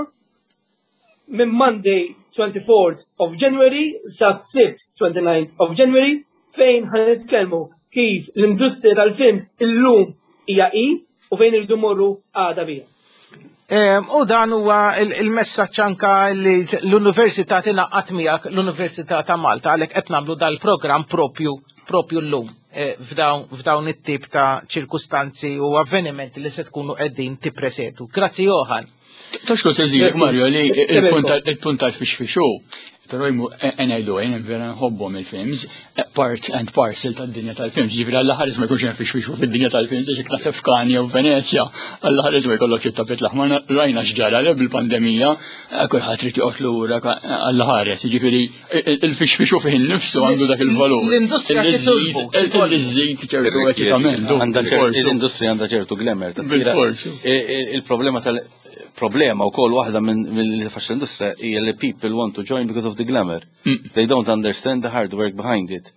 minn Monday twenty-fourth of January sa Sibt twenty-ninth of January fejn ħa nitkellmu kif l-industrija tal-films illum hija i u fejn irridu morru għada bija. Em, U dan huwa il- il-messaġġ anka li l-Università tingħaqad miegħek, l-Università ta' Malta, għalhekk qed nagħmlu dal-programm propju propju llum eh, f'dawn f'dawn it-tip ta' ċirkustanzi u avvenimenti li se tkunu qegħdin tippresedu. Grazzi, Johan. Taf x'kont se nżidlek, Grazzi. Mario, li Kebelko. il-punt tal-fixfixu, pero jmu ngħidu għajn vera nħobbhom il-films, part and parcel tad-dinja tal-films, ġifieri Alla ħares ma jkunx hemm fixfixu fid-dinja tal-films, għax naħseb f'Cannes jew Venezia, Alla ħares ma jkollok it-tapit l-aħmar, rajna x'ġara le bil-pandemija, kulħadd trid joqgħod lura, Alla ħares, ġifieri il-fixfixu fih innifsu għandu dak il-valur. L-industrija titolbu. Li żżid ċertu eċitament. Għandha ċertu, l-industrija għandha ċertu glamour. ta' tira- Bil-forsu. I- i- Il-problema tal problema u kol waħda minn mill faċ l-industrija hija li people want to join because of the glamour. They don't understand the hard work behind it.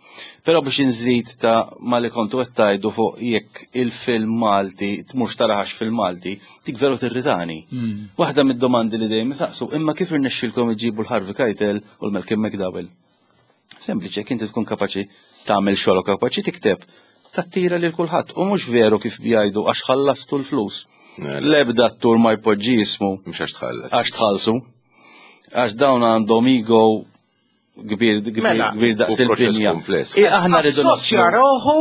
Però biex inżid ta' ma li kontu qed tgħidu fuq jekk il-film Malti tmurx taraħax fil-Malti, dik veru tirritani. Waħda mid-domandi li dejjem saqsu, imma kif irnexxilkom iġibu l-Harvey Keitel u l-Malcolm McDowell? Sempliċi, jekk inti tkun kapaċi tagħmel xogħol u kapaċi tikteb, tattira lil kulħadd. U mhux veru kif jgħidu għax ħallastu l-flus. L-ebda attur ma jpoġġi ismu Mhux għax tħallas. għax tħallsu. Għax dawn għandhom ego kbir kbir Mela, kbir daqs u proċess il-binja. kumpless. I aħna rridu Assoċja naslu- roħu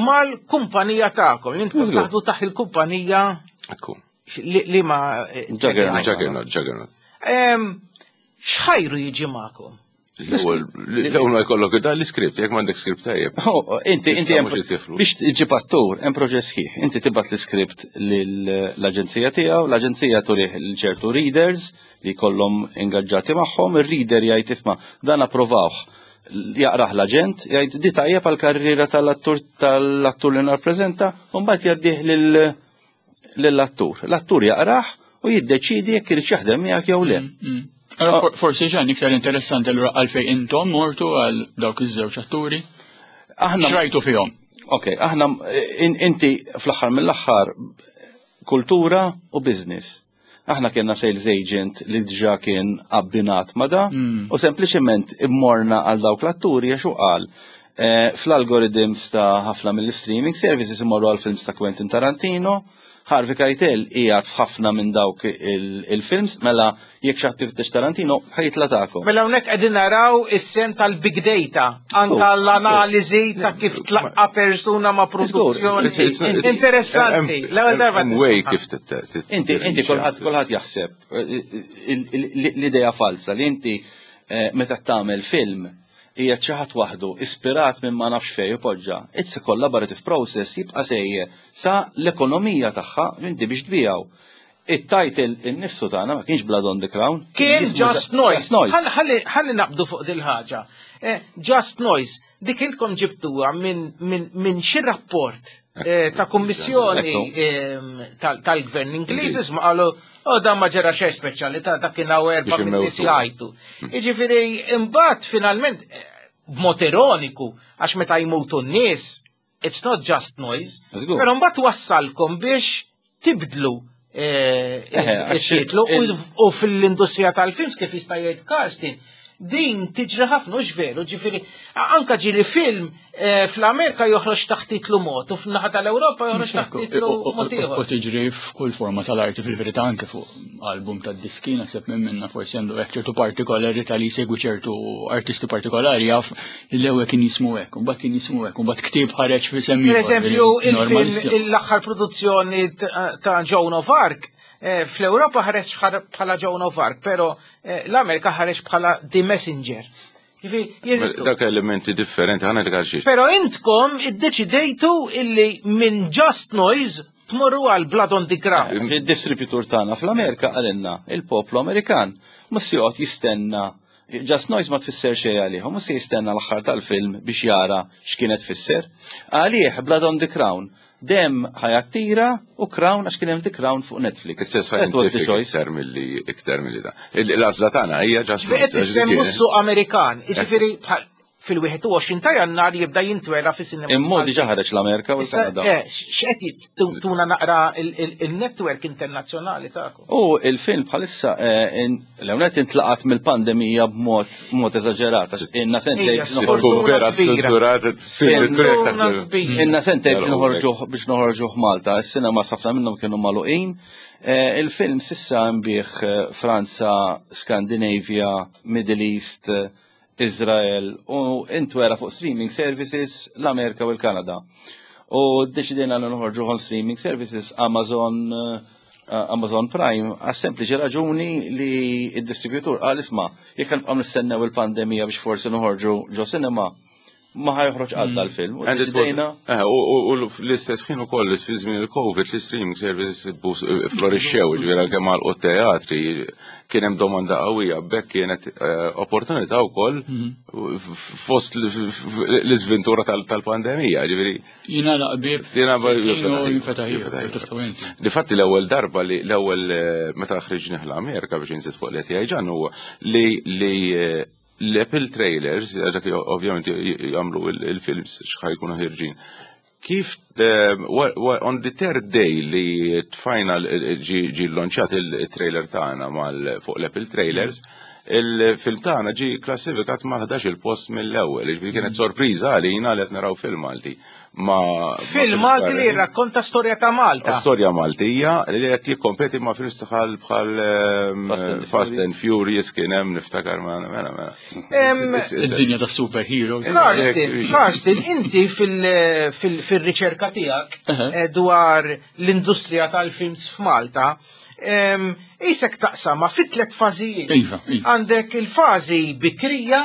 mal-kumpanija tagħkom. Intom Żgur. taħdu taħt il-kumpanija Ekku. li, li ma eh, Juggernaut. Juggernaut, Juggernaut. Em, X'ħajru jiġi magħkom? L-ewwel l-ewwel ma jkollok dan l-iskript, jekk m'għandek skript tajjeb. Oh, inti, inti Tista' hemm- mhux ittiflu. biex tġib attur, hemm proċess sħiħ. Inti tibgħat l-iskript lill-aġenzija tiegħu, l-aġenzija turih l ċertu readers li jkollhom ingaġġati magħhom, ir-reader jgħid, "Isma', dan approvawh." Jaqrah l-aġent, jgħid, "Di tajjeb għall-karriera tal-attur tal-attur li narpreżenta", u mbagħad jgħaddih lil lill-attur. L-attur jaqrah u jiddeċidi jekk irid jaħdem miegħek jew le. Allora, for- forsi ġan iktar interessanti allura għalfej intom mortu għal dawk iż-żewġ atturi. Aħna X'rajtu fihom? Ok, aħna in, inti fl-aħħar mill-aħħar kultura u business. Aħna kienna sales agent li diġà kien abbinat ma da Mm. u sempliċement immorna għal dawk l-atturi għax u qal eh, fl-algorithms ta' ħafna mill-streaming services imorru għal films ta' Quentin Tarantino, Harvey Keitel qiegħed f'ħafna minn dawk il- il-films, mela jekk xi ħadd tiftex Tarantino ħa jitla' tagħkom. Mela hawnhekk qegħdin naraw is-sehem tal-big data, anka Oh, l-analiżi ta' kif tlaqqa persuna ma' produzzjoni. It's- it's- Interessanti. L-ewwel darba Hemm way tisma'. kif tit- tit- Inti, inti kulħadd kulħadd jaħseb eh, il- il- l-idea falsa li inti eh, meta tagħmel film hija xi ħadd waħdu ispirat minn ma nafx fejn ipoġġa. It's a collaborative process jibqa' sejjer sa l-ekonomija tagħha inti biex tbijaw. It-title innifsu tagħna ma kienx Blood on the Crown. Kien Jismu Just Noise. Just Noise. Ħalli- Ħalli ħalli naqbdu fuq dil-ħaġa. Eh, Just Noise, dik intkom ġibtuha minn min, min xi rapport eh, ta' kummissjoni Ekku. em, tal- tal-gvern Ingliż isma' qalu, "Oh, dan ma ġara xejn speċjali ta' dak kien hawn erba' Biex min nies immewtu. jgħajtu." Jiġifieri imbagħad finalment eh, b'mod ironiku għax meta jmutu n-nies it's not just noise. Żgur. Però mbagħad wassalkom biex tibdlu eh, Eh, għax it-titlu il- u u fil-industrija tal-films kif jista' jgħid Karsten, Din tiġri ħafna, hux veru, ġifieri anka ġieli film eh, fl-Amerika joħroġ taħt titlu mod u f'naħa tal-Ewropa joħroġ taħt titlu mod U ieħor. tiġri f'kull forma tal-arti fil-verità, anke fuq album ta' diski, naħseb minn minna forsi għandu hekk ċertu partikolarità li jsegwi ċertu artisti partikolari, jaf li l-ewwel kien jismu hekk, u mbagħad kien jismu hekk, u mbagħad ktieb ħareġ fi semmi. Per eżempju, il-film, l-aħħar produzzjoni ta' ta' Joan of Arc, eh, fl-Ewropa ħareġ ħar- bħala Joan of Arc, pero eh, l-Amerika ħareġ bħala The Messenger. Ġifieri, jeżistu. Dak elementi differenti, ħana li għalxiex. Pero intkom iddeċidejtu illi minn Just Noise tmorru għal Blood on the Crown. Il-distributur tagħna fl-Amerika qalilna il-poplu Amerikan mhux se joqgħod jistenna. Just Noise ma tfisser xejn għalih, mhux se jistenna l-aħħar tal-film biex jara x'kienet tfisser. Għalih Blood on the Crown dem ħa jattira u Crown għax kien hemm The Crown fuq Netflix. It's a That was the scientific choice. iktar milli iktar milli da. L-għażla tagħna hija Just Qed Noise. issemmu s-suq Amerikan, jiġifieri bħal fil-wieħed u għoxrin ta' Jannar jibda jintwera fis-sinema. Imma diġà ħareġ l-Amerika u Issa, l-Kanada. eh, x'qed tuna naqra il-network internazzjonali tagħkom? U il-film bħalissa eh, in- l-ewnet intlaqat mill-pandemija b'mod mod eżaġerat. Għax Inna sentejn Ija, noħorġu sfortuna Vera kbira. strutturat, Sfortuna kbira. Inna sentejn biex noħorġuh biex noħorġuh Malta. Is-sinema ħafna minnhom kienu magħluqin. Eh, Il-film s'issa nbiegħ eh, Franza, Scandinavia, Middle East, eh, Israel u intwera fuq streaming services l-Amerika u l-Kanada. U deċidejna li noħorġu on streaming services Amazon, eh, Amazon Prime għas sempliċi raġuni li id-distributur qal, isma', jekk nibqgħu nistennew il-pandemija biex forsi noħorġu ġo cinema, ma ħa joħroġ qatt dal-film. U And it was, deċidejna eh, u u- u l-istess ħin ukoll fi żmien il-Covid l-streaming services bus- florixxew, ġifieri anke mal teatri kien hemm domanda qawwija, bekk kienet eh, opportunità wkoll fost l-iżventura tal- tal-pandemija, ġifieri Jina laqbib. Jina ba- Jinfetaħ jinfetaħ. Difatti l-ewwel darba li l-ewwel eh, meta ħriġni l-Amerika biex inżid fuq l-E T I ġan huwa li li eh, l-Apple trailers, dak ovvjament jagħmlu il-films x'ħa jkunu ħirġin. Kif eh, wa- wa- on the third day li tfajna ġi ġi launchjat il-trailer tagħna mal fuq l-Apple trailers, il-film tagħna ġi klassifikat ma' ħdax il-post mill-ewwel, ġifieri kienet sorpriża għalina li qed naraw film Malti. Ma Film Malti li jirrakkonta storja ta' Malta. Storja Maltija li qed jikkompeti ma' films bħal bħal ehm, Fast and Fast and Furious kien hemm, niftakar, ma mela mela. Em, It's- it's- Id-dinja ta' superhero. Karsten, Karsten, inti fil- fil- fil-riċerka tiegħek Aha. eh, dwar l-industrija tal-films f'Malta, em, isek taqsama fit tlet fażijiet. Iva, iva. Għandek il-fażi bikrija,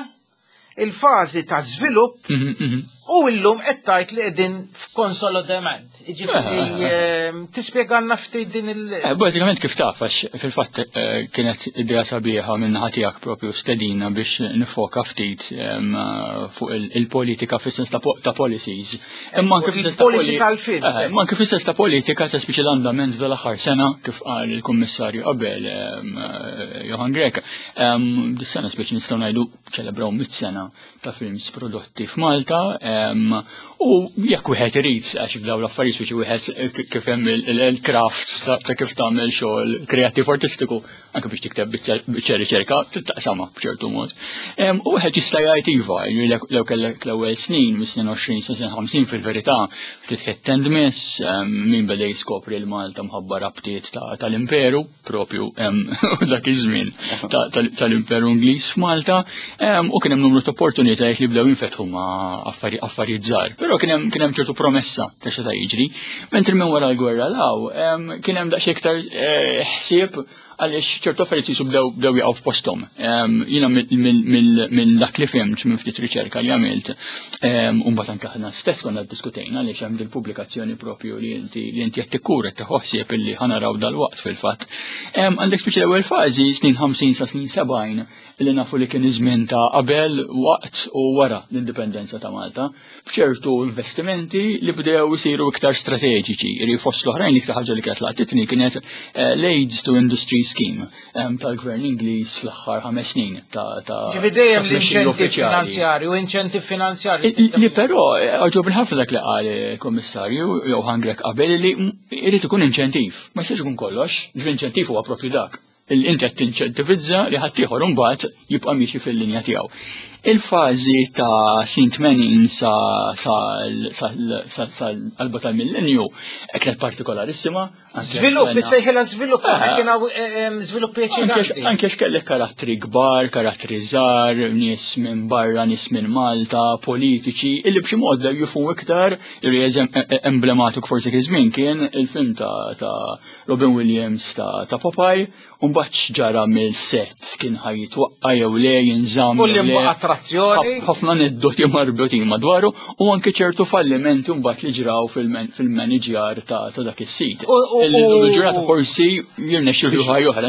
il-fażi ta' żvilupp Mhm, mhm. u illum qed tgħid li qegħdin f'konsolidament. Jiġifieri em, tispjegalna ftit din il- Eh, Bażikament kif taf, għax fil-fatt eh, kienet idea sabiħa minn naħa tiegħek propju stedina biex nifoka ftit em, eh, fuq il- il-politika fis-sens ta' po- ta' policies. Imma anke fis-sens ta' Il-policy poli- tal-films, Eh, eh. Imma anke fis-sens ta' politika ta' speċi l-andament fl-aħħar sena, kif qal il-Kummissarju qabel em, eh, Johann Grech. em, Dis-sena speċi nistgħu ngħidu ċelebraw mit sena ta' films prodotti f'Malta em, u jekk wieħed irid, għax f'dawn l-affarijiet speċi wieħed eh, kif hemm il- il- il-craft ta' ta' kif tagħmel xogħol kreattiv artistiku, anke biex tikteb biċċa biċċa riċerka taqsama b'ċertu mod. Em, U wieħed jista' jgħid iva, li lew kellek l-ewwel snin, mis-snin għoxrin sa snin ħamsin, fil-verità ftit hit and miss, em, min beda jiskopri l-Malta mħabba rabtiet ta- tal-Imperu, propju em, dak iż-żmien ta- tal- tal-Imperu Ingliż f'Malta, em, u kien hemm numru ta' opportunitajiet li bdew jinfetħu ma' affari- affarijiet żgħar. Però kien hemm kien hemm ċertu promessa ta' xi ta' jiġri. Mentri minn wara l-gwerra law, em, kien hemm daqsxejn iktar eh, ħsieb għaliex ċertu affarijiet jisu bdew bdew jaqgħu f'posthom. Em, Jiena mill dak li fhimt minn ftit riċerka li għamilt, em, u mbagħad anke aħna stess konna ddiskutejna għaliex hemm dil-pubblikazzjoni propju li inti li inti qed tikkura qed ħsieb illi ħa naraw dal-waqt fil-fatt. Em, Għandek speċi l-ewwel fażi snin ħamsin sa snin sebgħin, li nafu li kien iż-żmien ta' qabel, waqt u wara l-indipendenza ta' Malta, b'ċertu investimenti li bdew isiru iktar strateġiċi. Iri fost l-oħrajn li ħaġa li kienet laqtitni kienet eh, l-Aids to Industry Scheme em, tal-Gvern Ingliż fl-aħħar ħames snin ta' ta' Ġifieri dejjem ta' tmexxija l-inċentiv uffiċjali. finanzjarju, inċentiv finanzjarju. Li però eh, għoġobni ħafna dak li qal il-Kommissarju Johann Grech qabel li m- irid ikun inċentiv. Ma jistax ikun kollox, ġifieri inċentiv huwa propju dak. Inti qed tinċentivizza li ħaddieħor imbagħad jibqa' miexi fil-linja tiegħu. Il-fażi ta' snin tmenin sa sal-qalba tal-millenju kienet partikolarissima. Żvilupp, issejħilha żvilupp, kien hawn żvilupp eċitanti. Anke x'kellek karattri kbar, karattri żgħar, nies minn barra, nies minn Malta, politiċi, illi b'xi mod bdew jifhmu iktar, li emblematiku forsi kien żmien kien il-film ta' Robin Williams ta' Popeye, u mbagħad x'ġara mill-set kien ħa jitwaqqa' jew le jinżamm. U li mbagħad attrazzjoni. Ħafna aneddoti marbutin madwaru u anke ċertu fallimenti mbagħad li ġraw fil-manager ta' dak is-sit. Il-ġurnata forsi jirnexxilu ħajja oħra.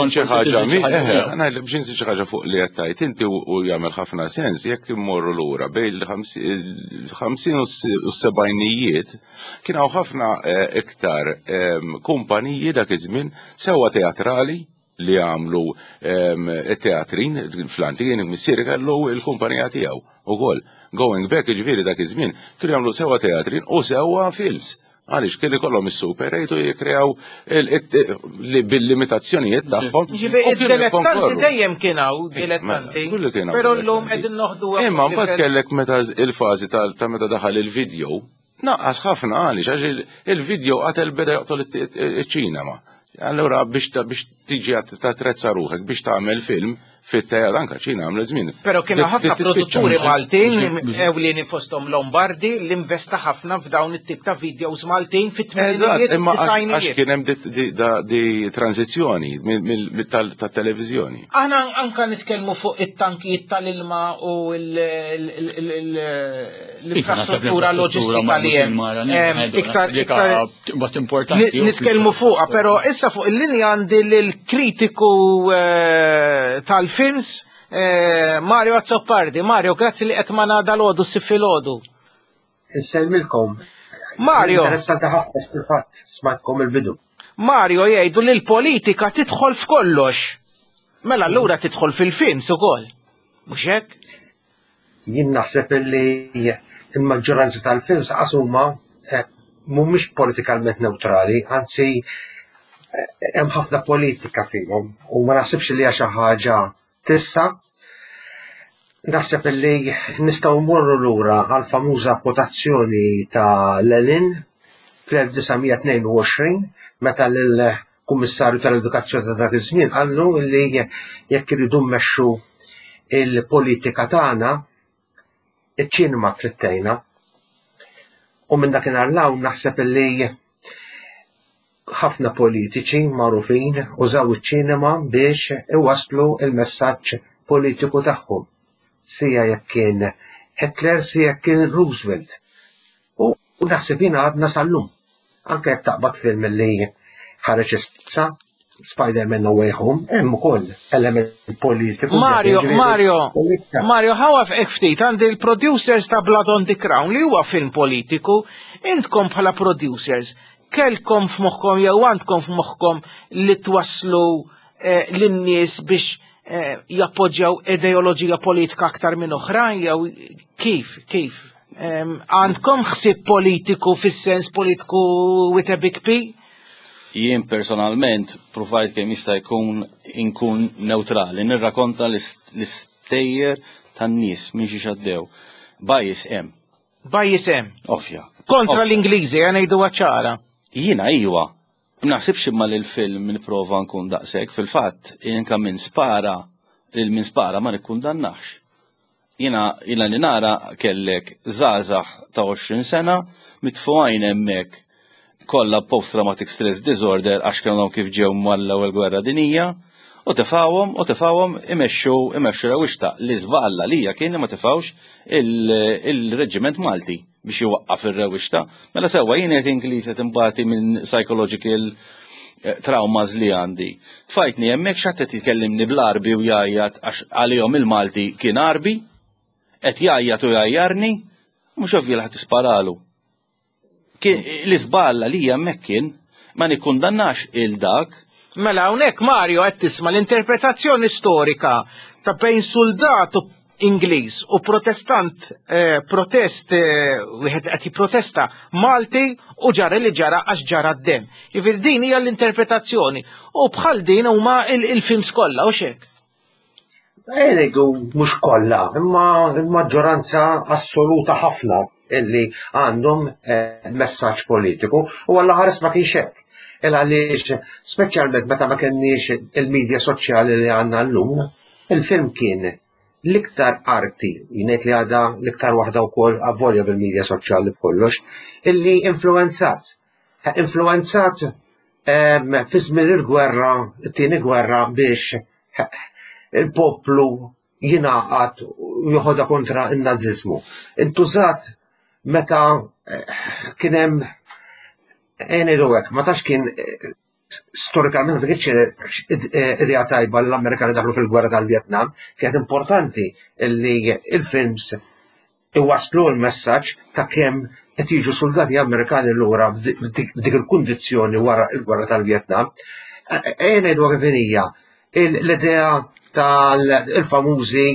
Xi ħaġa, biex insi xi ħaġa fuq li qed tgħid inti u jagħmel ħafna sens jekk immorru lura bejn il-ħamsin u s-sebgħinijiet kien hawn ħafna iktar kumpaniji dak iż-żmien sewwa teatrali li għamlu teatrin fl-antik, missieri kellu il-kumpanija tiegħu ukoll. Going back, ġifieri dak iż-żmien kienu jagħmlu sewwa teatrin u sewwa films. Għaliex kelli kollhom is-Super eight u jikkreaw bil-limitazzjonijiet tagħhom. Ġifieri id-dilettanti dejjem kien hawn dilettanti. Però llum qegħdin noħdu. Imma mbagħad kellek meta il-fażi ta' meta daħal il-video, naqqas ħafna għaliex għax il-video qatel beda joqtol iċ-ċinema. Allura biex tiġi tatrezza ruħek biex tagħmel film fit-teatru anke ċina għamlet żmien. Però kienu ħafna produtturi Maltin ewlieni fosthom Lombardi li investa ħafna f'dawn it-tip ta' videos Maltin fit-tmeninijiet u d-disgħinijiet. Għax kien hemm di tranzizzjoni tat-televiżjoni. Aħna anke nitkellmu fuq it-tankijiet tal-ilma u l-infrastruttura loġistika li hemm. Iktar importanti. Nitkellmu fuqha, però issa fuq il-linja għandi lill-kritiku tal films eh, Mario Azzopardi. Mario, grazzi li qed magħna dal-għodu s-filgħodu. Insellmilkom. Mario. Interessanti ħafna fil-fatt smajtkom il-bidu. Mario jgħidu li l-politika tidħol f'kollox. Mela allura tidħol fil-films ukoll. Mhux hekk? Jien naħseb li l-maġġoranza tal-films qas huma eh, mhumiex politikalment neutrali, anzi hemm ħafna politika fihom u ma naħsibx li hija xi ħaġa tissa. Naħseb li nistgħu mmorru lura għal famuża kwotazzjoni ta' Lenin fl-elf disa' mija tnejn u għoxrin meta lill-Kummissarju tal-Edukazzjoni ta' dak iż-żmien qallu li jekk iridu mmexxu il-politika tagħna iċ-ċinema trid tgħinna. U minn dakinhar 'l hawn naħseb li ħafna politiċi magħrufin użaw iċ-ċinema biex iwasslu il-messaġġ politiku tagħhom. Sija jekk kien Hitler, sija jekk kien Roosevelt. U naħseb jiena għadna sal-lum. Anke jekk taqbad film li ħareġ issa, Spider-Man No Way Home, hemm ukoll element politiku. Mario, Ġifieri, Mario, politika. Mario, ħawaf hekk ftit għandi l-producers ta' Blood on the Crown li huwa film politiku, intkom bħala producers kelkom f'moħħkom jew għandkom f'moħħkom li twasslu eh, lin-nies biex eh, jappoġġjaw ideoloġija politika aktar minn oħrajn jew kif, kif? Em, Għandkom ħsieb politiku fis-sens politiku with a big P? Jien personalment provajt kemm jista' jkun inkun neutrali, nirrakonta l-istejjer tan-nies minn xi xaddew. Bias hemm. Bias hemm. Ovvja. Kontra Ovvja. l-Ingliżi, għana jgħidu ċara. Jiena iwa. Naħsibx imma li l-film nipprova nkun daqshekk, fil-fatt inka min spara, il min spara ma nikkundannax. Jiena jiena li nara kellek żgħażagħ ta' għoxrin sena mitfuqajn hemmhekk kollha post-traumatic stress disorder għax kellhom kif ġew mal-ewwel gwerra dinija u tefawhom u tefawhom imexxu imexxu rewwixta. Li żballa lija kien li ma tefawx il-reġiment Malti biex iwaqqaf ir-rewwixta. Mela sewwa jien qed Ingliż qed imbati minn psychological eh, traumas li għandi. Tfajtni hemmhekk x'ħadd qed jkellimni bl-Arbi u jgħajjat għax għalihom il-Malti kien Arbi, qed jgħajjat u jgħajjarni, mhux ovvju li ħadd isparalu. L-iżballa li hemmhekk kien ma nikkundannax il dak. Mela hawnhekk Mario qed tisma' l-interpretazzjoni storika ta' bejn soldat u Ingliż u protestant eh, protest eh, wieħed qed jipprotesta Malti u ġara li ġara għax ġara d-dem. Jiġifieri din hija l-interpretazzjoni u bħal din huma il-films kollha u xek. Ngħidu mhux kollha, imma l-maġġoranza assoluta ħafna illi għandhom eh, messaġġ politiku u għalla ħares ma kienx hekk. Il għaliex speċjalment meta ma kenniex il-medja soċjali li għandna llum, il-film kien l-iktar arti, jien li għadha l-iktar waħda wkoll avolja bil-medja soċjali b'kollox, illi influenzat. Influenzat ehm, fi żmien il-gwerra, it-tieni gwerra biex il-poplu jingħaqad u joħodha kontra n-nazizmu. Intużat meta eh, kien hemm ngħidu hekk, ma tax kien eh, storikament ma kienx eh, idea tajba l-Amerikani daħlu fil-gwerra tal-Vietnam, kienet importanti li il-films iwaslu l-messaġġ ta' kemm qed jiġu soldati Amerikani lura f'dik il-kundizzjoni wara l-gwerra tal-Vietnam. Ejja ngħidu kif hija l-idea tal-famużi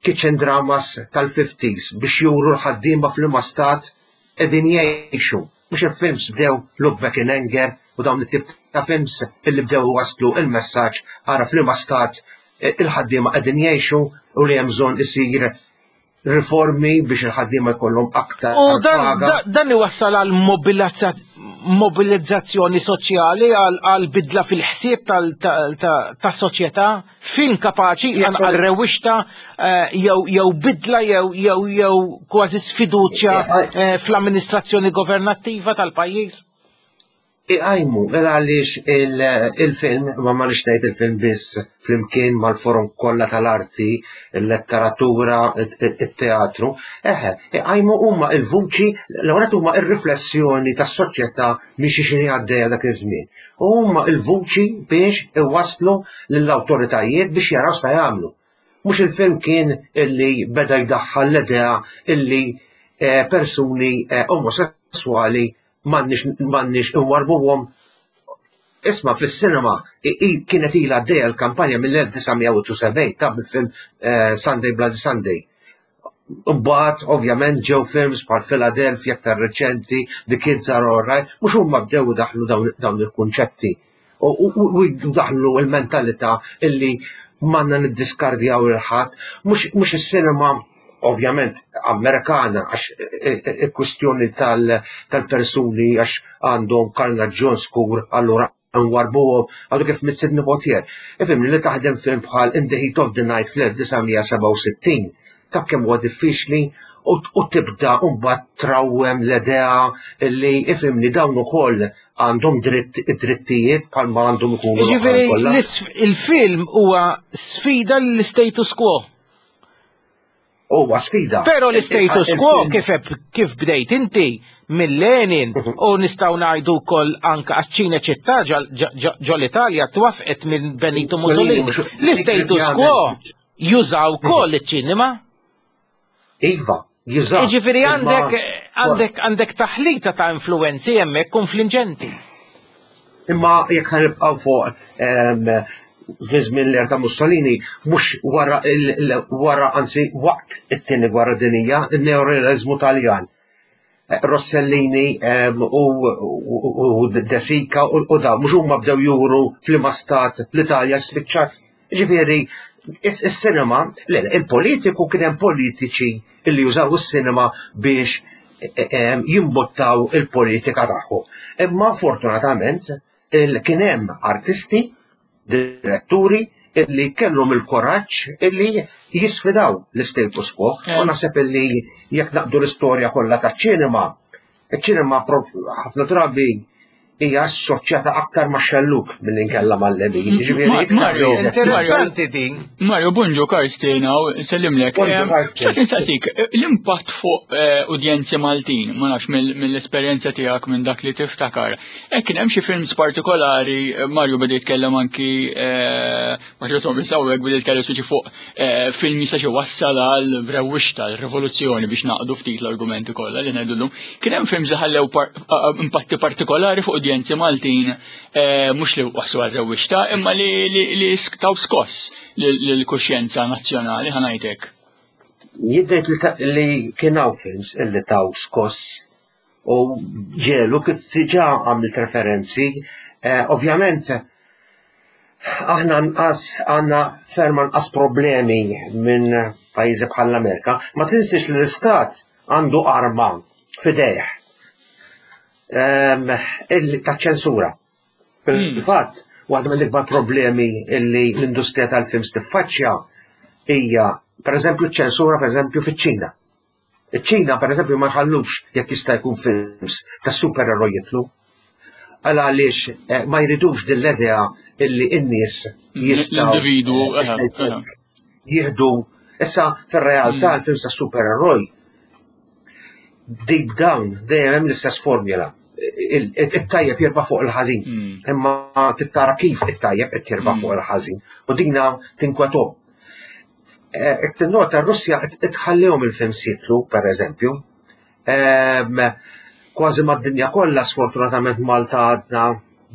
kitchen dramas tal-fifties biex juru l-ħaddiema f'liema stat qegħdin jgħixu. Mhux il-films bdew Look Back in Anger u dawn it-tip ta' films illi bdew waslu il-messaġġ ara f'liema stat il-ħaddiema qegħdin jgħixu u li hemm bżonn isir riformi biex il-ħaddiema jkollhom aktar. U dan, dan iwassal għal mobilizzazzjoni soċjali, għal bidla fil-ħsieb tas-soċjetà, film kapaċi għal rewwixta eh, jew bidla jew jew jew kważi sfiduċja eh, fl-amministrazzjoni governattiva tal-pajjiż. Iqajmu, għaliex il-film, ma ma ngħid il-film biss, flimkien mal-forom kollha tal-arti, il-letteratura, il-teatru, eħe, iqajmu huma il-vuċi, l-għonet huma il-riflessjoni tas-soċjetà minn xi xini għaddejja dak iż-żmien. U huma il-vuċi biex iwasslu lill-awtoritajiet biex jaraw sa jagħmlu. Mhux il-film kien illi beda jdaħħal l-idea illi eh, persuni eh, omosessuali m'għandniex inwarbuhom. Isma' fis-sinema kienet ilha għaddejja l-kampanja mill-elf disa' mija u sebgħin ta' bil-film eh, Sunday Bloody Sunday. Mbagħad ovvjament ġew films bħal Philadelphia aktar reċenti, The Kids Are Alright, mhux huma bdew daħlu dawn il-kunċetti. U daħlu il-mentalità illi m'għandna niddiskardjaw il-ħadd, mhux is-sinema ovvjament Amerikana għax il-kwistjoni tal-persuni għax għandhom karnaġġjon skur allura nwarbuhom għadu kif mit Sidney Poitier. Ifhimni li taħdem film bħal In the Heat of the Night fl-elf disa' mija sebgħa u sittin ta' kemm huwa diffiċli u tibda mbagħad trawwem l-idea li ifhimni dawn ukoll għandhom dritt id-drittijiet bħalma għandhom ikunu. Jiġifieri il-film huwa sfida l-status quo. Huwa sfida. Però l-status quo kif kif bdejt inti mill-Lenin u nistgħu ngħidu wkoll anka għaċ-Ċinecittà ġol Italja twafqet minn Benito Mussolini. L-status quo jużaw ukoll iċ-ċinema. Iva, jużaw. Jiġifieri għandek għandek għandek taħlita ta' influenzi hemmhekk konfliġenti. Imma jekk ħanibqgħu fuq fi żmien l ta' Mussolini, mhux wara wara anzi waqt it-tieni gwerra dinija, il-neorealizmu Taljan. Rossellini u De Sica u da, mhux huma bdew juru f'liema stat l-Italja spiċċat. Ġifieri, is-sinema, il-politiku kien hemm politiċi illi jużaw is-sinema biex jimbottaw il-politika tagħhom. Imma fortunatament kien hemm artisti, diretturi illi kellhom il-koraġġ illi jisfidaw l-status quo. U naħseb illi jekk naqdu l-istorja kollha taċ-ċinema, iċ-ċinema ħafna drabi hija assoċjata aktar ma' xelluk milli nkella mal-lemin. Ġifieri, Mario, Interessanti din. Mario, bonġu, Karsten, hawn, sellimlek. Bonġu, Karsten. Xtaqt insaqsik, l-impatt fuq eh, udjenzi Maltin, ma nafx mill-esperjenza tiegħek minn dak li tiftakar. E kien hemm xi films partikolari, eh, Mario beda jitkellem anki eh, Mario Thomas hawnhekk beda jitkellem speċi fuq eh, film jista' xi wassal għal rewwixta, rivoluzzjoni biex naqdu ftit l-argumenti kollha li ngħidulhom. Kien hemm films li ħallew par- impatti partikolari fuq udjenzi Maltin, eh, mhux li waslu għal rewwixta, imma li li li taw skoss lill-kuxjenza nazzjonali ħa ngħidlek. Jidher li kien hawn films illi taw skoss u ġelu kif diġà għamilt referenzi. Eh, ovvjament, aħna nqas għandna ferm nqas problemi minn pajjiżi bħal l-Amerika. Ma tinsiex li l-istat għandu arma f'idejh ehm, ta' ċensura. Fil-fatt, waħda mill-ikbar problemi illi l-industrija tal-films tiffaċċja hija, pereżempju, ċensura, pereżempju, fiċ-Ċina. Iċ-Ċina, pereżempju, ma jħallux jekk jista' jkun films ta' supereroj jitlu. Għal għaliex eh, ma jridux din l-idea illi n-nies jistgħu l-individwu eh, jieħdu. Issa fir-realtà mm. l-films ta' supereroj deep down dejjem hemm l-istess formula. It-tajjeb jirbaħ fuq il-ħażin. Mm. Imma tittara kif it-tajjeb qed jirbaħ mm. fuq il-ħażin. U dina tinkwetom. Eh, Tinnota r-Russja tħallihom il-films jitlu, per eżempju. Ehm, kważi mad-dinja kollha, sfortunatament Malta għadna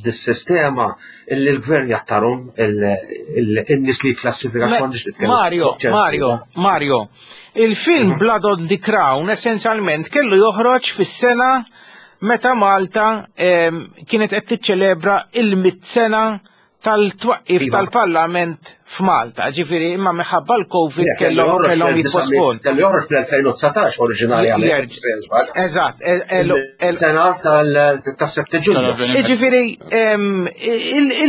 dis-sistema illi l-gvern jattarum il-nies li klassifika. Mario, Mario, Mario, il-film mhm. Blood on the Crown essenzjalment kellu joħroġ fis-sena meta Malta ehm, kienet qed tiċċelebra il-mit sena tal-twaqqif iva. tal-Parlament f'Malta, ġifieri imma minħabba l-Covid kellhom kellhom jitpospon. Kellu joħroġ fl-elfejn u dsatax oriġinarjament. Eżatt. Sena tas-sette Ġunju. Ġifieri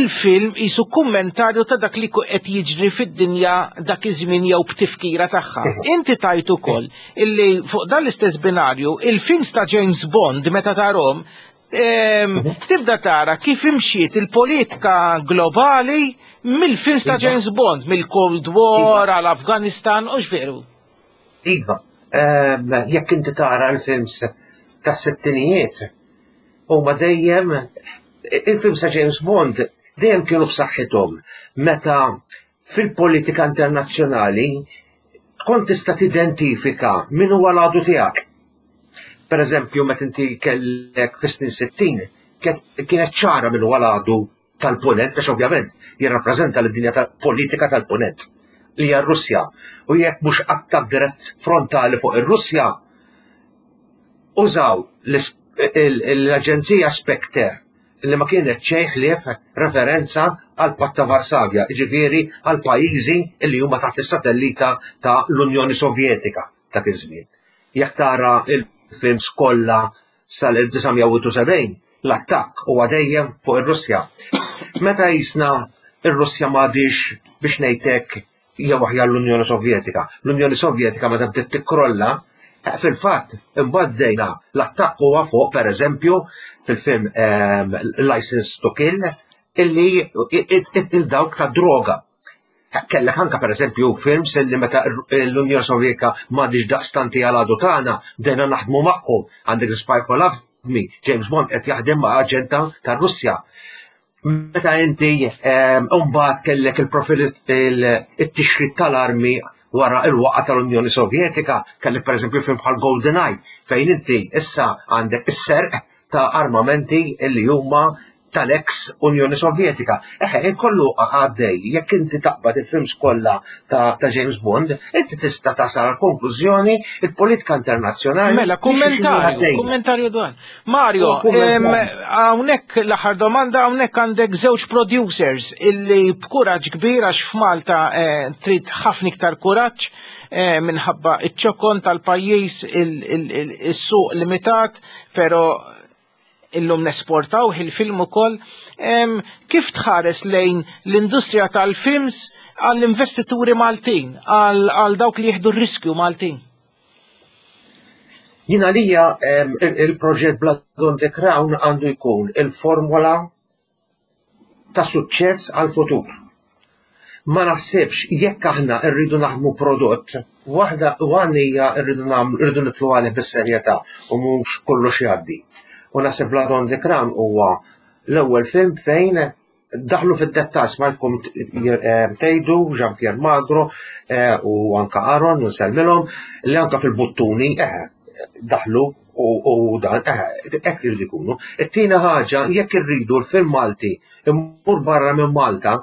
il-film jisu kummentarju ta' dak li qed jiġri fid-dinja dak iż-żmien jew b'tifkira tagħha. Inti tajt ukoll illi fuq dan l-istess binarju il-films ta' James Bond meta tarhom tibda tara kif imxiet il-politika globali mill-films ta' James Bond, mill-Cold War għal Afganistan u x'veru. Iva, jekk inti tara l-films tas-sittinijiet, huma dejjem il-films ta' James Bond dejjem kienu b'saħħithom meta fil-politika internazzjonali tkun tista' tidentifika min huwa l-għadu tiegħek. Per eżempju, meta inti kellek fis-snin sittin, kienet ċara min huwa l-għadu tal-punent, għax ovvjament jirrappreżenta l-dinja politika tal-punent, li hija r-Russja. U jekk mhux attakk dirett frontali fuq ir-Russja, użaw l-Aġenzija Spectre li ma kienet xejn ħlief referenza għal Patt ta' Varsavja, jiġifieri għal pajjiżi li huma taħt is-satellita ta' l-Unjoni Sovjetika dak iż-żmien. Jekk tara il-films kollha sal-elf disa' mija u sebgħin, l-attakk huwa dejjem fuq ir-Russja. Meta jisna ir-Russja m'għadix biex ngħidlek jew aħjar l-Unjoni Sovjetika. L-Unjoni Sovjetika meta bdiet tikkrolla, fil-fatt imbagħad bdejna l-attakk huwa fuq pereżempju fil-film ehm, License to Kill illi il-dawk ta' droga. Kellek anka pereżempju films illi meta l-Unjoni Sovjetika m'għadix daqstanti għal għadu tagħna bdejna naħdmu magħhom. Għandek Spy Who Loved Me, James Bond qed jaħdem ma' aġenta tar-Russja. Meta inti ehm, mbagħad kellek il-profil it-tixrid tal-armi wara il-waqa tal-Unjoni Sovjetika, kellek pereżempju film bħal GoldenEye fejn inti issa għandek is-serq ta' armamenti illi huma tal-ex Unjoni Sovjetika. Eħe, kollu għaddej, jekk inti taqbad il-films kollha ta', ta James Bond, inti tista' tasal konklużjoni il-politika internazzjonali. Mela, kummentarju, kummentarju dwar. Mario, hawnhekk l-aħħar domanda, hawnhekk għandek żewġ producers illi b'kuraġġ kbir għax f'Malta eh, trid ħafna iktar kuraġġ eh, minħabba iċ-ċokon tal-pajjiż, il-suq limitat, pero illum nesportaw il-film ukoll. Kif tħares lejn l-industrija tal-films għall-investituri Maltin, għal dawk li jieħdu r-riskju Maltin? Jien għalija il-proġett Blood on the Crown għandu jkun il-formula ta' suċċess għal-futur. Ma naħsibx jekk aħna rridu naħdmu prodott, waħda għanija rridu nagħmlu rridu nitlu għalih bis-serjetà u mhux kollox jgħaddi. U naħseb Blood on the Crown huwa l-ewwel film fejn daħlu fid-dettall smajtkom tgħidu Jean-Pierre Magro eh, u anka Aaron u nsellmilhom li anka fil-buttuni eh, daħlu u dan eh, hekk irid ikunu. It-tieni ħaġa jekk irridu l-film Malti immur barra minn Malta,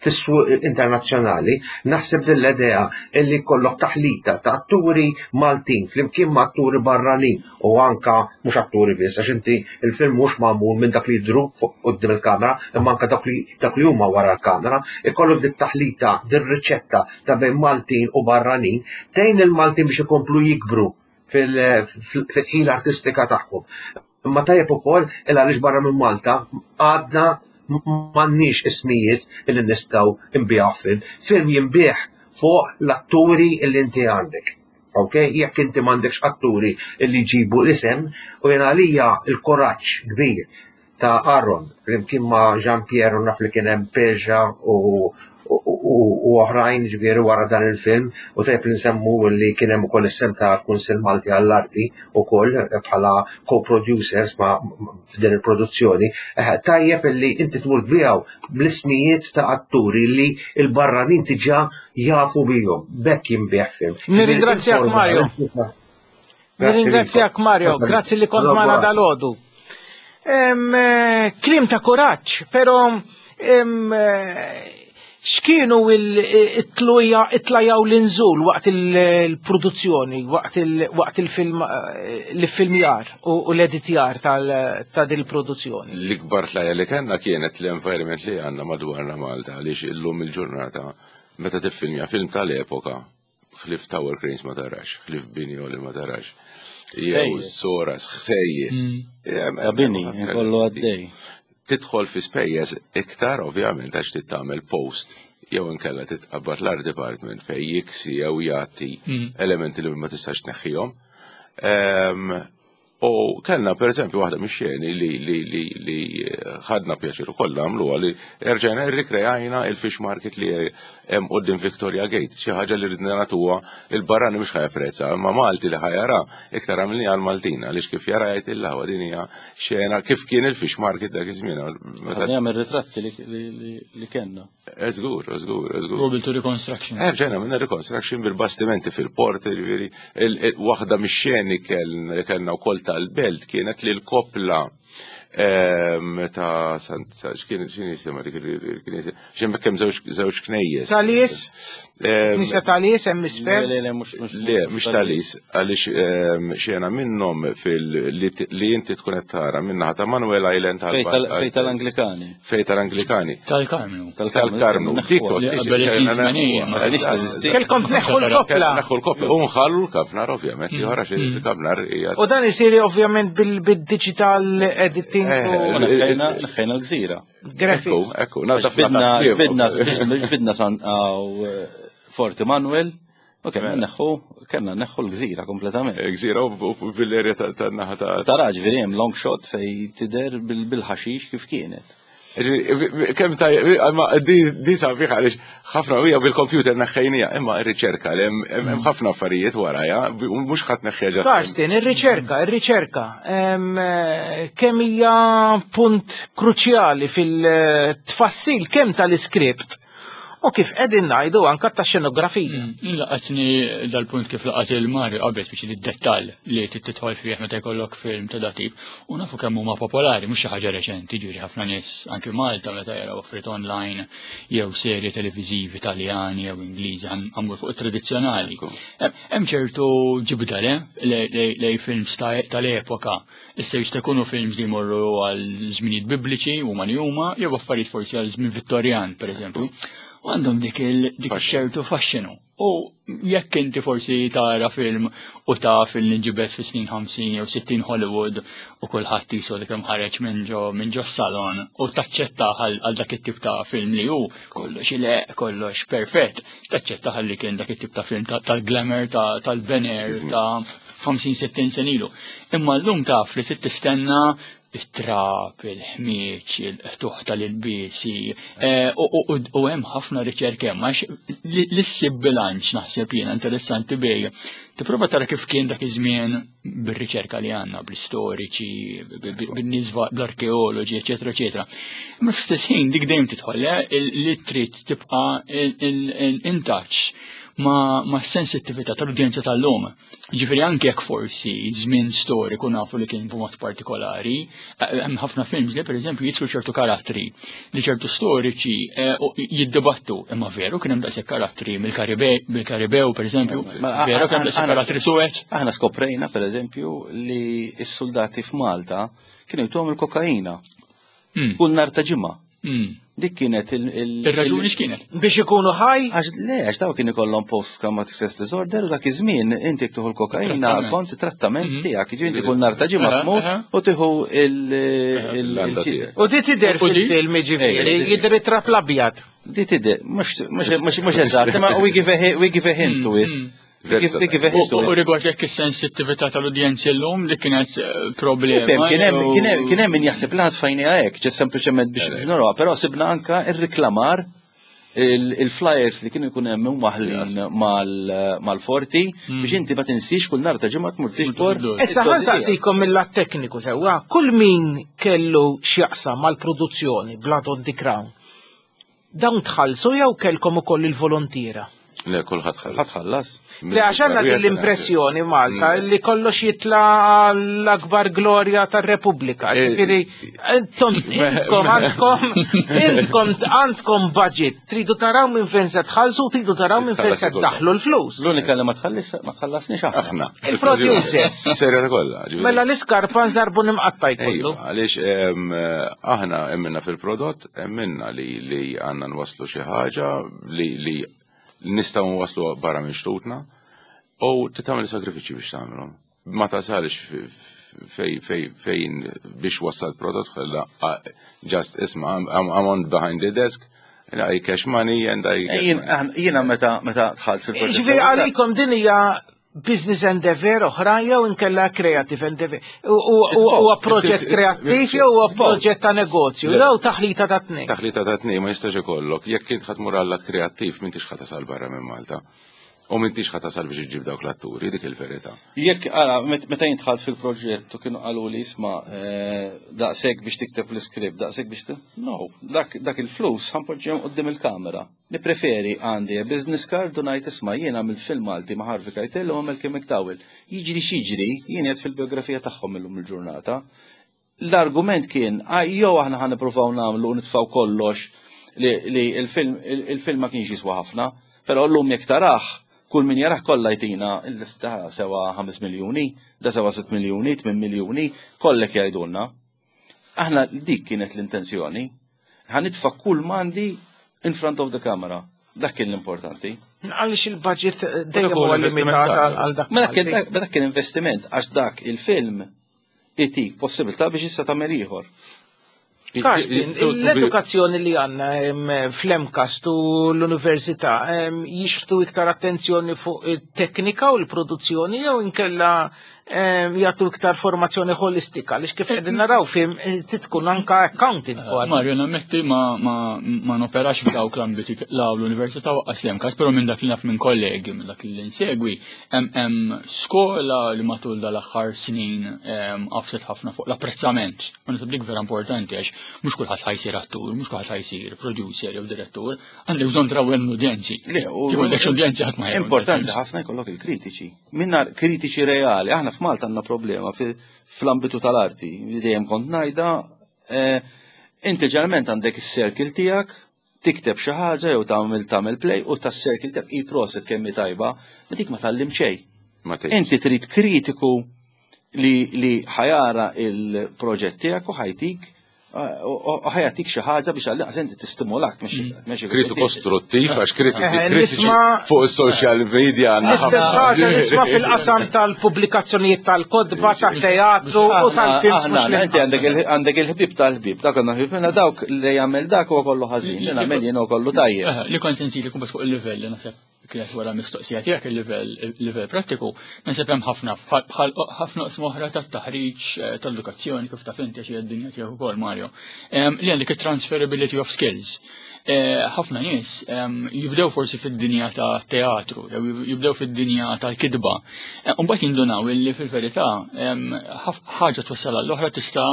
fis-suq internazzjonali, naħseb din l-idea illi jkollok taħlita ta' atturi Maltin flimkien ma' atturi barranin u anka mhux atturi biss, għax inti il-film mhux magħmul minn dak li jidhru quddiem il-kamera, imma anka dak li dak li huma wara l-kamera, ikollok dit taħlita, din riċetta ta' bejn Maltin u barranin, tgħin il-Maltin biex ikomplu jikbru fil-ħila artistika tagħhom. Imma tajjeb ukoll il għaliex barra minn Malta għadna m'għandniex ismijiet illi nistgħu nbigħu film. Film jinbiegħ fuq l-atturi illi inti għandek. Ok? Jekk inti m'għandekx atturi illi jġibu l-isem, u jien għalija il-kuraġġ kbir ta' Aaron flimkien ma' Jean Pierre u naf li kien hemm Peja u u oħrajn, ġifieri, wara dan il-film, u tajjeb li nsemmu li kien hemm ukoll is-sehem ta' Kunsill Malti għall-Arti ukoll bħala co-producers ma' f'din il-produzzjoni. Tajjeb li inti tmur tbigħu bl-ismijiet ta' atturi li l-barranin diġà jafu bihom. B'hekk jinbiegħ film. Nirringrazzjak, Mario. Nirringrazzjak, Mario, grazzi li kont magħna dalgħodu. Kliem ta' kuraġġ, però x'kienu it-tluja it-tlajaw l-inżul waqt il-produzzjoni, waqt il-film, l-filmjar u l-editjar ta' din il-produzzjoni? L-ikbar tlajja li kellna kienet l-environment li għandna madwarna Malta, għaliex illum il-ġurnata meta tiffilmja film tal-epoka, ħlief tower cranes ma tarax, ħlief bini li ma tarax. Jew soras, ħsejjes. Ta' bini, kollu għaddej. Tidħol fi spejjeż iktar, ovvjament, għax trid tagħmel post jew inkella titqabbad l-art department fej jiksi jew jagħti elementi li ma tistax tneħħihom. U kellna per eżempju waħda mix-xeni li li li li ħadna pjaċir ukoll nagħmluha, li erġajna rrikrejajna il-fish market li hemm quddiem Victoria Gate, xi ħaġa li ridna nagħtuha il-barrani mhux ħa japprezza, imma Malti li ħa jara iktar għamilni għal Maltin, għaliex kif jara jgħid il-ħawa din hija xena kif kien il-fish market dak iż-żmien. Ħadna jagħmel ritratti li kellna. Żgur, żgur, żgur. Go to reconstruction. Erġajna minna reconstruction bil-bastimenti fil-port, ġifieri, waħda mix-xeni li kellna wkoll tal-belt kienet li l-kopla ta' Sant, x'kien x'inhi jisimha dik il-knisja, x'hemm hemm żewġ knejjes. Ta' Lies? Knisja ta' Lies hemm isfel? Le, le, mhux Le, mhux ta' Lies, għaliex xena minnhom fil li inti tkun qed tara minnaħa ta' Manuel Island. Fej tal-Anglikani. Fej tal-Anglikani. Tal-Karmnu. Tal-Karmnu. Kelkom tneħħu l-kopla. Neħħu l-kopla. U nħallu l-kafnar, ovvjament, li ħarax il-kafnar hija. U dan isir ovvjament bil-digital editing. Neħħejna l-gżira. Graphics. Ekku, Bidna, bidna San Forti Manuel, u kellna neħħu, kellna neħħu l-gżira kompletament. Gżira u bil-erja tan-naħa ta' Tara, ġifieri hemm long shot fej tidher bil-ħaxix kif kienet. Kemm ta' ma di sabiħ għaliex ħafna hija bil-computer neħħejnija, imma r-riċerka li hemm ħafna affarijiet warajha, mhux ħadd neħħejja. Karsten, ir-riċerka, ir-riċerka, kemm hija punt kruċjali fil-tfassil kemm tal-iskript u kif qegħdin ngħidu anka ta' xenografija. Laqatni dal-punt kif laqat il-Mario qabel, biex id-dettall li tidħol fih meta jkollok film ta' dat-tip, u nafu kemm huma popolari, mhux xi ħaġa reċenti, ġifieri ħafna nies anki Malta meta jaraw offrit online jew serje televiżivi Italjani jew Ingliżi, għamur fuq tradizzjonali. Hemm ċertu ġibda le lej films tal-epoka. Issa jista' jkunu films li jmorru għal żminijiet bibliċi huma li huma, jew affarijiet forsi għal żmien Vittorjan, pereżempju. U għandhom dik dik ċertu faxxinu. U jekk inti forsi tara film u taf li nġibet fi snin ħamsin jew sittin Hollywood u kulħadd jisu li kemm ħareġ minn ġo minn ġo salon u taċċetta għal dak it-tip ta' film li hu kollox ile kollox perfett, taċċetta li kien dak it-tip ta' film tal-glamour tal-Ben Air ta' ħamsin sittin sena ilu. Imma llum taf li trid tistenna it-trab, il-ħmieġ, il-ħtuħ tal-ilbiesi, u hemm ħafna riċerka hemm, għax li ssib bilanċ naħseb jiena interessanti bej. Tipprova tara kif kien dak iż-żmien bir-riċerka li għandna, bl-istoriċi, bin-nies, bl-arkeoloġi, eċetera, eċetera. Imma fl-istess ħin dik dejjem tidħol li trid tibqa' in touch ma' sensittività tal-udjenza tal-lum. Ġifieri anke jekk forsi żmien storiku nafu li kien b'mod partikolari, eh, hemm ħafna films li pereżempju jidħlu ċertu karattri li ċertu storiċi eh, u jiddibattu, imma veru kien hemm daqshekk karattri mill-Karibew pereżempju, veru kien hemm daqshekk karattri suwed. Aħna skoprejna pereżempju li s-soldati f'Malta kienu jtuhom il-kokaina. Hmm. Kull nhar ta' ġimgħa. Hmm. Dik kienet il- Ir-raġuni x'kienet? Biex ikunu ħaj? Għax le, għax daw kien ikollhom post-traumatic stress disorder u dak iż-żmien inti tieħu l-kokaina kont trattament mhm. tiegħek, jiġifieri inti kull nhar ta' ġimgħa tmur u tieħu il- U di tidher fil-film ġifieri, jidher it-trap l-abjad. Di tidher, mhux eżatt, ma we give a we give a hint to it. Mhm. U rigward jekk is-sensittività tal-udjenzi llum li kienet eh, problema. Kien hemm min jaħseb li tfajniha hekk, ġest sempliċement biex noruha, però sibna anka ir-riklamar il-flyers li kienu jkun hemm maħlin mal-forti hmm. biex inti ma tinsix kull nhar ta' ġimgħa tmur tiġbor. Issa ħa nsaqsikom mill-lat tekniku sewwa, kull min kellu x'jaqsam mal-produzzjoni Blood on the Crown. Dawn tħallsu jew kellkom ukoll il-volontiera? Le, kulħadd ħallas. ħallas. Le, għax għandna din l-impressjoni Malta mm. li kollox jitla l-akbar glorja tar-Repubblika. Eh, Ġifieri, intom intkom għandkom intkom għandkom budget, tridu taraw minn fejn se tħallsu, tridu taraw minn fejn se tdaħlu l-flus. L-unika li ma tħallis ma tħallasniex aħna. Il-producers. Serja ta' kollha. Mela l-iskarpa nżarbu nimqatta jkollu. Għaliex aħna emminna fil-prodott, emminna li li għandna nwaslu xi ħaġa li li nistgħu nwaslu barra minn xtutna u titgħamel sagrifiċi biex tagħmelhom. Ma tasalx fej fej fejn biex wassal prodott ħalla just isma' I'm, I'm on behind the desk I cash money and I Jiena meta meta dħalt fil-proġett. Ġifieri għalikom din hija business endeavor oħra jew inkella creative endeavor. Huwa proġett kreattiv jew huwa proġett ta' negozju jew taħlita ta' tnejn. Taħlita ta' tnejn ma jistax ikollok. Jekk int ħa tmur għal kreattiv m'intix ħa tasal barra minn Malta. U m'intix ħa tasal biex iġġib dawk l-atturi, dik il-verità. Jekk ara, meta jien dħalt fil-proġett u kienu qalu li isma' eh, daqshekk biex tikteb l-iskript, daqshekk biex No, dak il-flus ħa npoġġihom quddiem il-kamera. Nipreferi għandi business card u ngħid isma' jien għamilt film Malti ma' Harvey Keitel u għamil Kim McDowell. Jiġri x'jiġri, jien qed fil-biografija tagħhom illum il-ġurnata. L-argument kien, jew aħna ħa nippruvaw nagħmlu u nitfgħu kollox li il-film il-film ma kienx jiswa ħafna, però llum jekk tarah kull min jarah kollha jtina il-lista sewa ħames miljuni, da sewa sitt miljuni, tmien miljuni, kollek jgħidulna. Aħna dik kienet l-intenzjoni. Ħa nitfa' kull m'għandi in front of the camera. Dak kien l-importanti. Għaliex il-budget dejjem huwa limitat għal dak. Ma dak kien investiment għax dak il-film itik possibilità biex issa tagħmel ieħor. Karsten, l-edukazzjoni li għandna fl-MCAST u l-università jixtu iktar attenzjoni fuq it-teknika u l-produzzjoni jew inkella jagħtu iktar formazzjoni holistika għaliex kif qegħdin naraw film titkun anka accounting kważi. Mario, nammetti ma, ma, ma noperax f'dawk l-ambiti la l-università u lanqas l-MCAST, però minn dak li naf minn kollegi, minn dak li nsegwi, hemm skola li matul dal-aħħar snin għafset ħafna fuq l-apprezzament. U naħseb dik vera importanti għax mhux kulħadd ħa jsir attur, mhux kulħadd ħa jsir producer jew direttur, għandek bżonn trawwem l-udjenzi. Kif udjenzi ħadd ma Importanti ħafna jkollok il-kritiċi. Minna kritiċi reali, aħna f'Malta għandna problema fl-ambitu tal-arti, dejjem kont ngħidha, eh, inti ġeneralment għandek is-circle tiegħek, tikteb xi ħaġa jew tagħmel tagħmel play u tas-circle tiegħek i proset kemm tajba, ma dik ma tgħallim xejn. Inti trid kritiku li li ħa jara il-proġett tiegħek u ħa jtik u ħa jagħtik xi ħaġa biex għalli inti tistimulak mhux Kritiku kostruttiv għax kritiċi fuq is-social media. L-istess ħaġa nisma' fil-qasam tal-pubblikazzjonijiet tal-kotba, tat-teatru u tal-films mhux Inti għandek il-ħbib tal-ħbib, dak għandna ħbib minna dawk li jagħmel dak huwa kollu ħażin, li nagħmel jien kollu tajjeb. Li kont sensili kumbat fuq il-livell li naħseb kienet wara mistoqsija tiegħek il-livell il-livell prattiku, naħseb hemm ħafna bħal ħafna oqsma oħra tat-taħriġ eh, tal-edukazzjoni kif taf inti għax id-dinja tiegħek ukoll Mario. Li għandek it-transferability of skills. Eh, ħafna nies jibdew forsi fid-dinja ta' teatru, jew jibdew fid-dinja tal-kidba. Eh, Mbagħad jindunaw illi fil-verità ħaġa twassal l-oħra tista'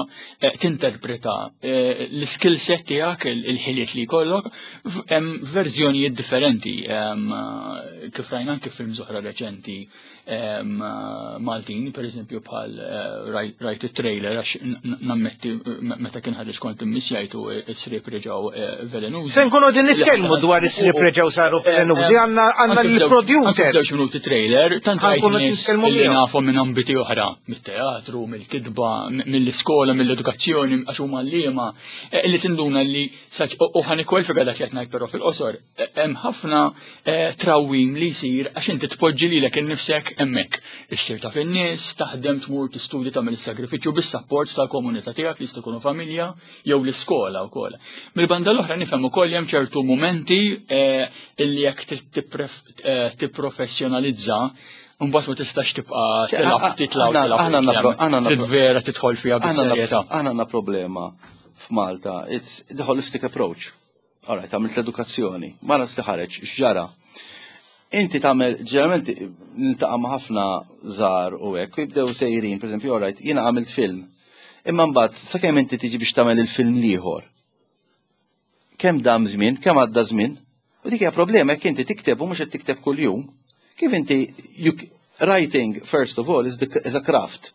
tinterpreta l-skill set tiegħek, il-ħiliet li jkollok, f'verżjonijiet differenti. kif rajna anke films oħra reċenti Maltin, per eżempju bħal rajt it-trailer, għax nammetti meta kien ħareġ kont immissjajtu, Is-Sriep Reġgħu Velenużi. Se nkunu din nitkellmu dwar Is-Sriep Reġgħu Saru Velenużi, għandna l-producer. Żewġ minuti trailer, tant rajt nies li nafhom minn ambiti oħra, mit-teatru, mill-kitba, mill-iskola, mill-edukazzjoni, għax huma liema, li tinduna li u ħa nikkwalifika dak li qed ngħid però fil-qosor, hemm ħafna trawwim li jsir għax inti tpoġġi lilek innifsek hemmhekk. Issir taf in-nies, taħdem, tmur tistudja, tagħmel is-sagrifiċċju bis-sapport tal-komunità tiegħek li jista' jkunu familja jew l-iskola wkoll. Mill-banda l-oħra nifhem ukoll hemm ċertu mumenti illi jekk trid tipprofessjonalizza mbagħad ma tistax tibqa' tilgħab titla' tilgħab vera tidħol fiha bis-serjetà. Aħna għandna problema f'Malta, it's the holistic approach. All right, għamilt l-edukazzjoni, ma nafx li ħareġ, x'ġara. Inti tagħmel, ġeneralment niltaqa' ma' ħafna żgħar u hekk, u jibdew sejrin, pereżempju, all right, jiena għamilt film. Imma mbagħad sakemm inti tiġi biex tagħmel il-film l-ieħor. Kemm dam żmien, kemm għadda żmien? U dik hija problema jekk inti tikteb u mhux qed tikteb kuljum. Kif inti you, writing first of all is, the, is a craft.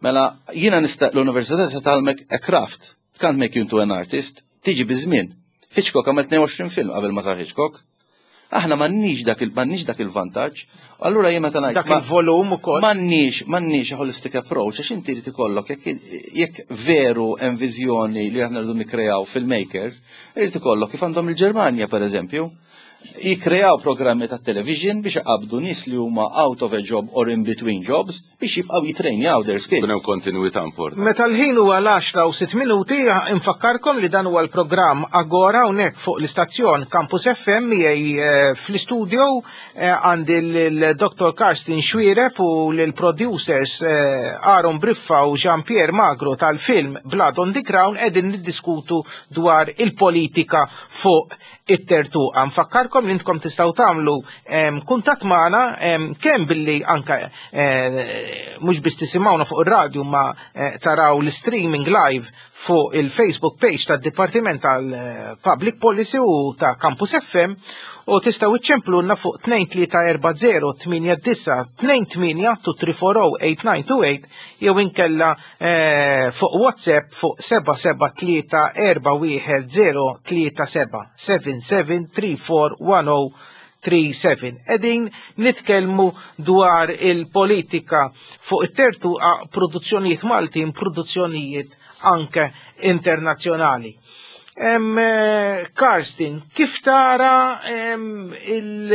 Mela jiena nista' l-università se tgħallmek a craft. Can't make you into an artist. Tiġi biż-żmien. Hitchcock għamel tnejn u għoxrin film qabel ma sar Hitchcock. Aħna m'għandniex dak il m'għandniex dak il-vantaġġ. Allura jien meta ngħid dak il-volum ukoll. M'għandniex m'għandniex holistic approach, għax inti irid ikollok, jekk jekk veru hemm viżjoni li aħna rridu nikkreaw filmmaker, irid ikollok kif għandhom il-Ġermanja, pereżempju, jikreaw programmi ta' television biex iqabdu nies li huma out of a job or in between jobs biex jibqgħu jitrejnjaw their skills. Kun hemm kontinuità importanti. Meta l-ħin huwa l-għaxra u sitt minuti, infakkarkom li dan huwa l-programm Agora hawnhekk fuq l-istazzjon Campus F M. Miegħi eh, fl-istudio eh, għandi l-Dottor Karsten Xuereb u l-producers eh, Aaron Briffa u Jean-Pierre Magro tal-film Blood on the Crown, qegħdin niddiskutu dwar il-politika fuq it-tertuqa. Nfakkarkom li intkom tistgħu tagħmlu em, kuntatt magħna em, kemm billi anka eh, mhux biss tisimgħuna fuq ir-radju ma eh, taraw l-streaming live fuq il-Facebook page tad-Dipartiment tal-Public Policy u ta' Campus F M, u tistgħu iċċemplulna fuq tnejn tlieta erba' żero tmienja disgħa tnejn tmienja tnejn tlieta erba' żero tmienja disgħa tnejn tmienja jew inkella eh, fuq WhatsApp fuq seba' seba' tlieta erba' wieħed żero tlieta seba' seba' seba' tlieta erba' wieħed żero tlieta seba. Qegħdin nitkellmu dwar il-politika fuq it-tertuqa, produzzjonijiet Maltin, produzzjonijiet anke internazzjonali. Em, eh, Karsten, kif tara em, il-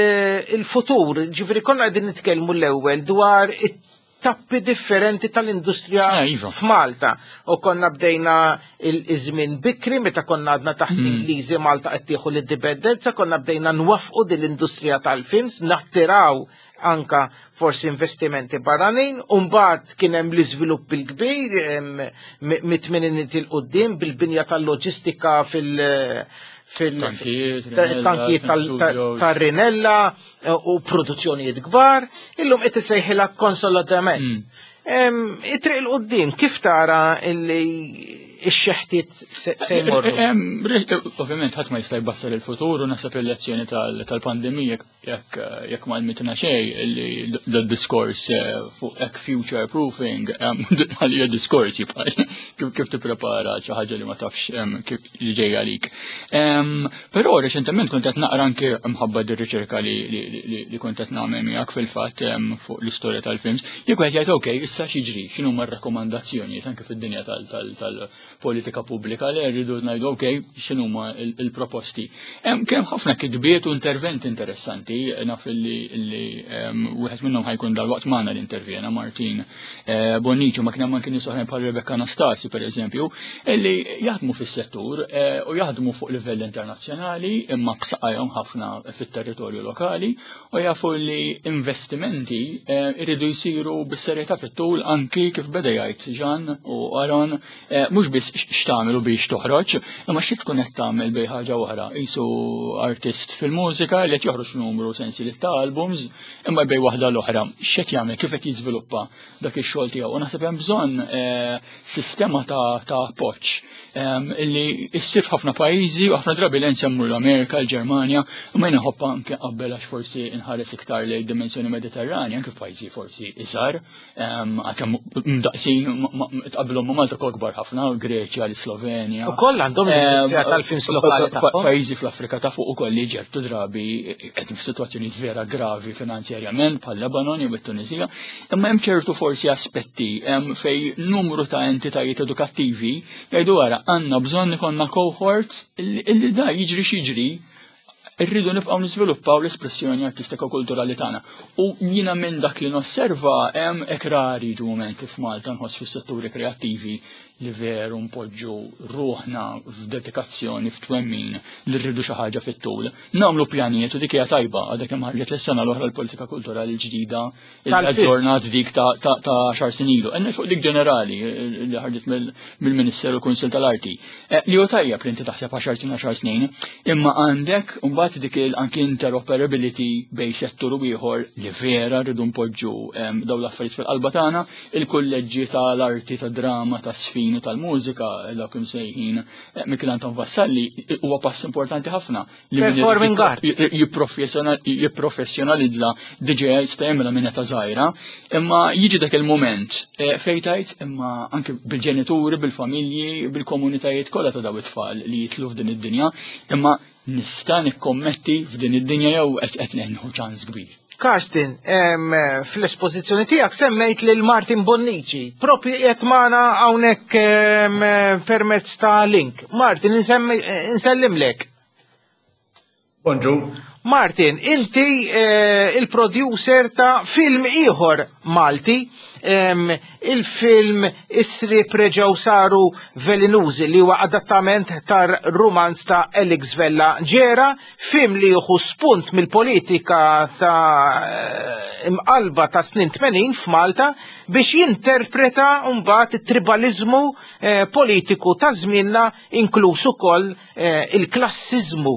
il-futur? Ġifieri konna qegħdin nitkellmu l-ewwel dwar it-tappi differenti tal-industrija Ah, iva. f'Malta. U konna bdejna il-żmien bikri meta konna għadna taħt l-Ingliżi, Malta qed tieħu l-indipendenza, konna bdejna nwaffqu din l-industrija tal-films, nattiraw anka forsi investimenti barranin, u mbagħad kien hemm l-iżvilupp il-kbir em, mi- mit-tmeniniet 'il quddiem bil-binja tal-loġistika fil- fil Tankijiet, ta- Rinella, tankijiet tal- ta- studios. tar-Rinella eh, u produzzjonijiet kbar, illum qed isejħilha konsolidament. Mm. Em, It-triq 'il quddiem, kif tara illi ix-xeħtiet se se jmorru? Em, ri- Ovvjament ħadd ma jista' jbassar il-futur u naħseb il-lezzjoni tal- tal-pandemija jekk jekk ma għallmitna xejn li d-diskors eh, fuq hekk future proofing em, għalija diskors jibqa' kif kif tipprepara xi ħaġa li ma tafx em, kif li ġejja għalik. Em, Però reċentement kont qed naqra anke mħabba dir-riċerka li li- li li kont qed nagħmel miegħek fil-fatt em, fuq l-istorja tal-films, jekk wieħed jgħid, okej, issa x'jiġri, x'inhuma r-rakkomandazzjonijiet anke fid-dinja tal- tal- tal-politika pubblika li rridu ngħidu, okej, x'inhuma il- il-proposti. Hemm Kien hemm ħafna kitbiet u interventi interessanti, naf li li em, wieħed minnhom ħa jkun dalwaqt magħna li intervjena Martin eh, Bonnici, ma kien hemm anke nies oħrajn bħal Rebecca Anastasi, pereżempju, illi jaħdmu fis-settur eh, u jaħdmu fuq livell internazzjonali imma b'saqajhom ħafna fit-territorju lokali u jafu li investimenti eh, iridu jsiru bis-serjetà fit-tul, anki kif beda jgħid Ġan u Aaron, eh, mhux biss x'tagħmel u biex toħroġ, imma xi tkun qed tagħmel bejn ħaġa oħra. Qisu artist fil-mużika li qed joħroġ numru sensieli ta' albums, imma bejn waħda l-oħra. X'qed jagħmel, kif qed jiżviluppa dak ix-xogħol tiegħu. U naħseb hemm bżonn eh, sistema ta' appoġġ illi issir f'ħafna pajjiżi u ħafna drabi l nsemmu l-Amerika, l-Ġermanja, u ma nħobb anke qabel għax forsi nħares iktar lejn dimensjoni Mediterranja, anke f'pajjiżi forsi iżgħar, għalkemm mdaqsin tqabbilhom ma' Malta kbar ħafna, Greċja, l-Slovenja. Ukoll għandhom l-industrija tal-films lokali tagħhom. Pajjiżi fl-Afrika ta' fuq ukoll li ċertu drabi qed f'sitwazzjonijiet vera gravi finanzjarjament bħal Lebanon jew it-Tunisija, imma hemm ċertu forsi aspetti fejn numru ta' entitajiet edukattivi jgħidu wara għandna bżonn ikollna cohort illi da jiġri x'jiġri irridu nibqgħu niżviluppaw l-espressjoni artistika u kulturali tagħna. U jiena minn dak li nosserva hemm hekk rari jiġu mumenti f'Malta nħoss fis-setturi kreattivi li veru npoġġu ruħna f'dedikazzjoni f'twemmin li rridu xi ħaġa fit-tul. Nagħmlu pjanijiet u dik hija tajba għadha kemm ħarġet l-sena l-oħra l-politika kulturali l-ġdida il-aġġornat dik ta' għaxar snin ilu. Enna fuq dik ġenerali li ħarġet mill-Ministeru Kunsil tal-Arti. Li hu tajjeb li inti taħseb għaxar snin għaxar snin, imma għandek mbagħad dik anki interoperability bejn settur u ieħor li vera rridu npoġġu dawn l-affarijiet fil-qalba tagħna, il-kulleġġi tal-arti, tad-drama, tas-sfin tal-mużika, dawk imsejħin Mikiel Anton Vassalli, huwa pass importanti ħafna. Performing arts. Jipprofessjonalizza D J jista' jagħmilha minn età żgħira, imma jiġi dak il-mument fejn tgħid imma anke bil-ġenituri, bil-familji, bil-komunitajiet kollha ta' daw it-tfal li jitlu f'din id-dinja, imma nista' nikkommetti f'din id-dinja jew qed qed nieħu ċans kbir. Karsten, fl-espożizzjoni tiegħek semmejt lil Martin Bonnici, propri qiegħed magħna hawnhekk permezz ta' link. Martin, insellimlek. Bonġu. Martin, inti eh, il-producer ta' film ieħor Malti, il-film Is-Sriep Reġgħu Saru Velinużi, li huwa adattament tar-rumanz ta' Alex Vella Ġera, film li jieħu spunt mill-politika ta' imqalba ta' snin tmenin f'Malta biex jinterpreta mbagħad it-tribalizmu eh, politiku ta' żmienna, inkluż ukoll eh, il-klassiżmu,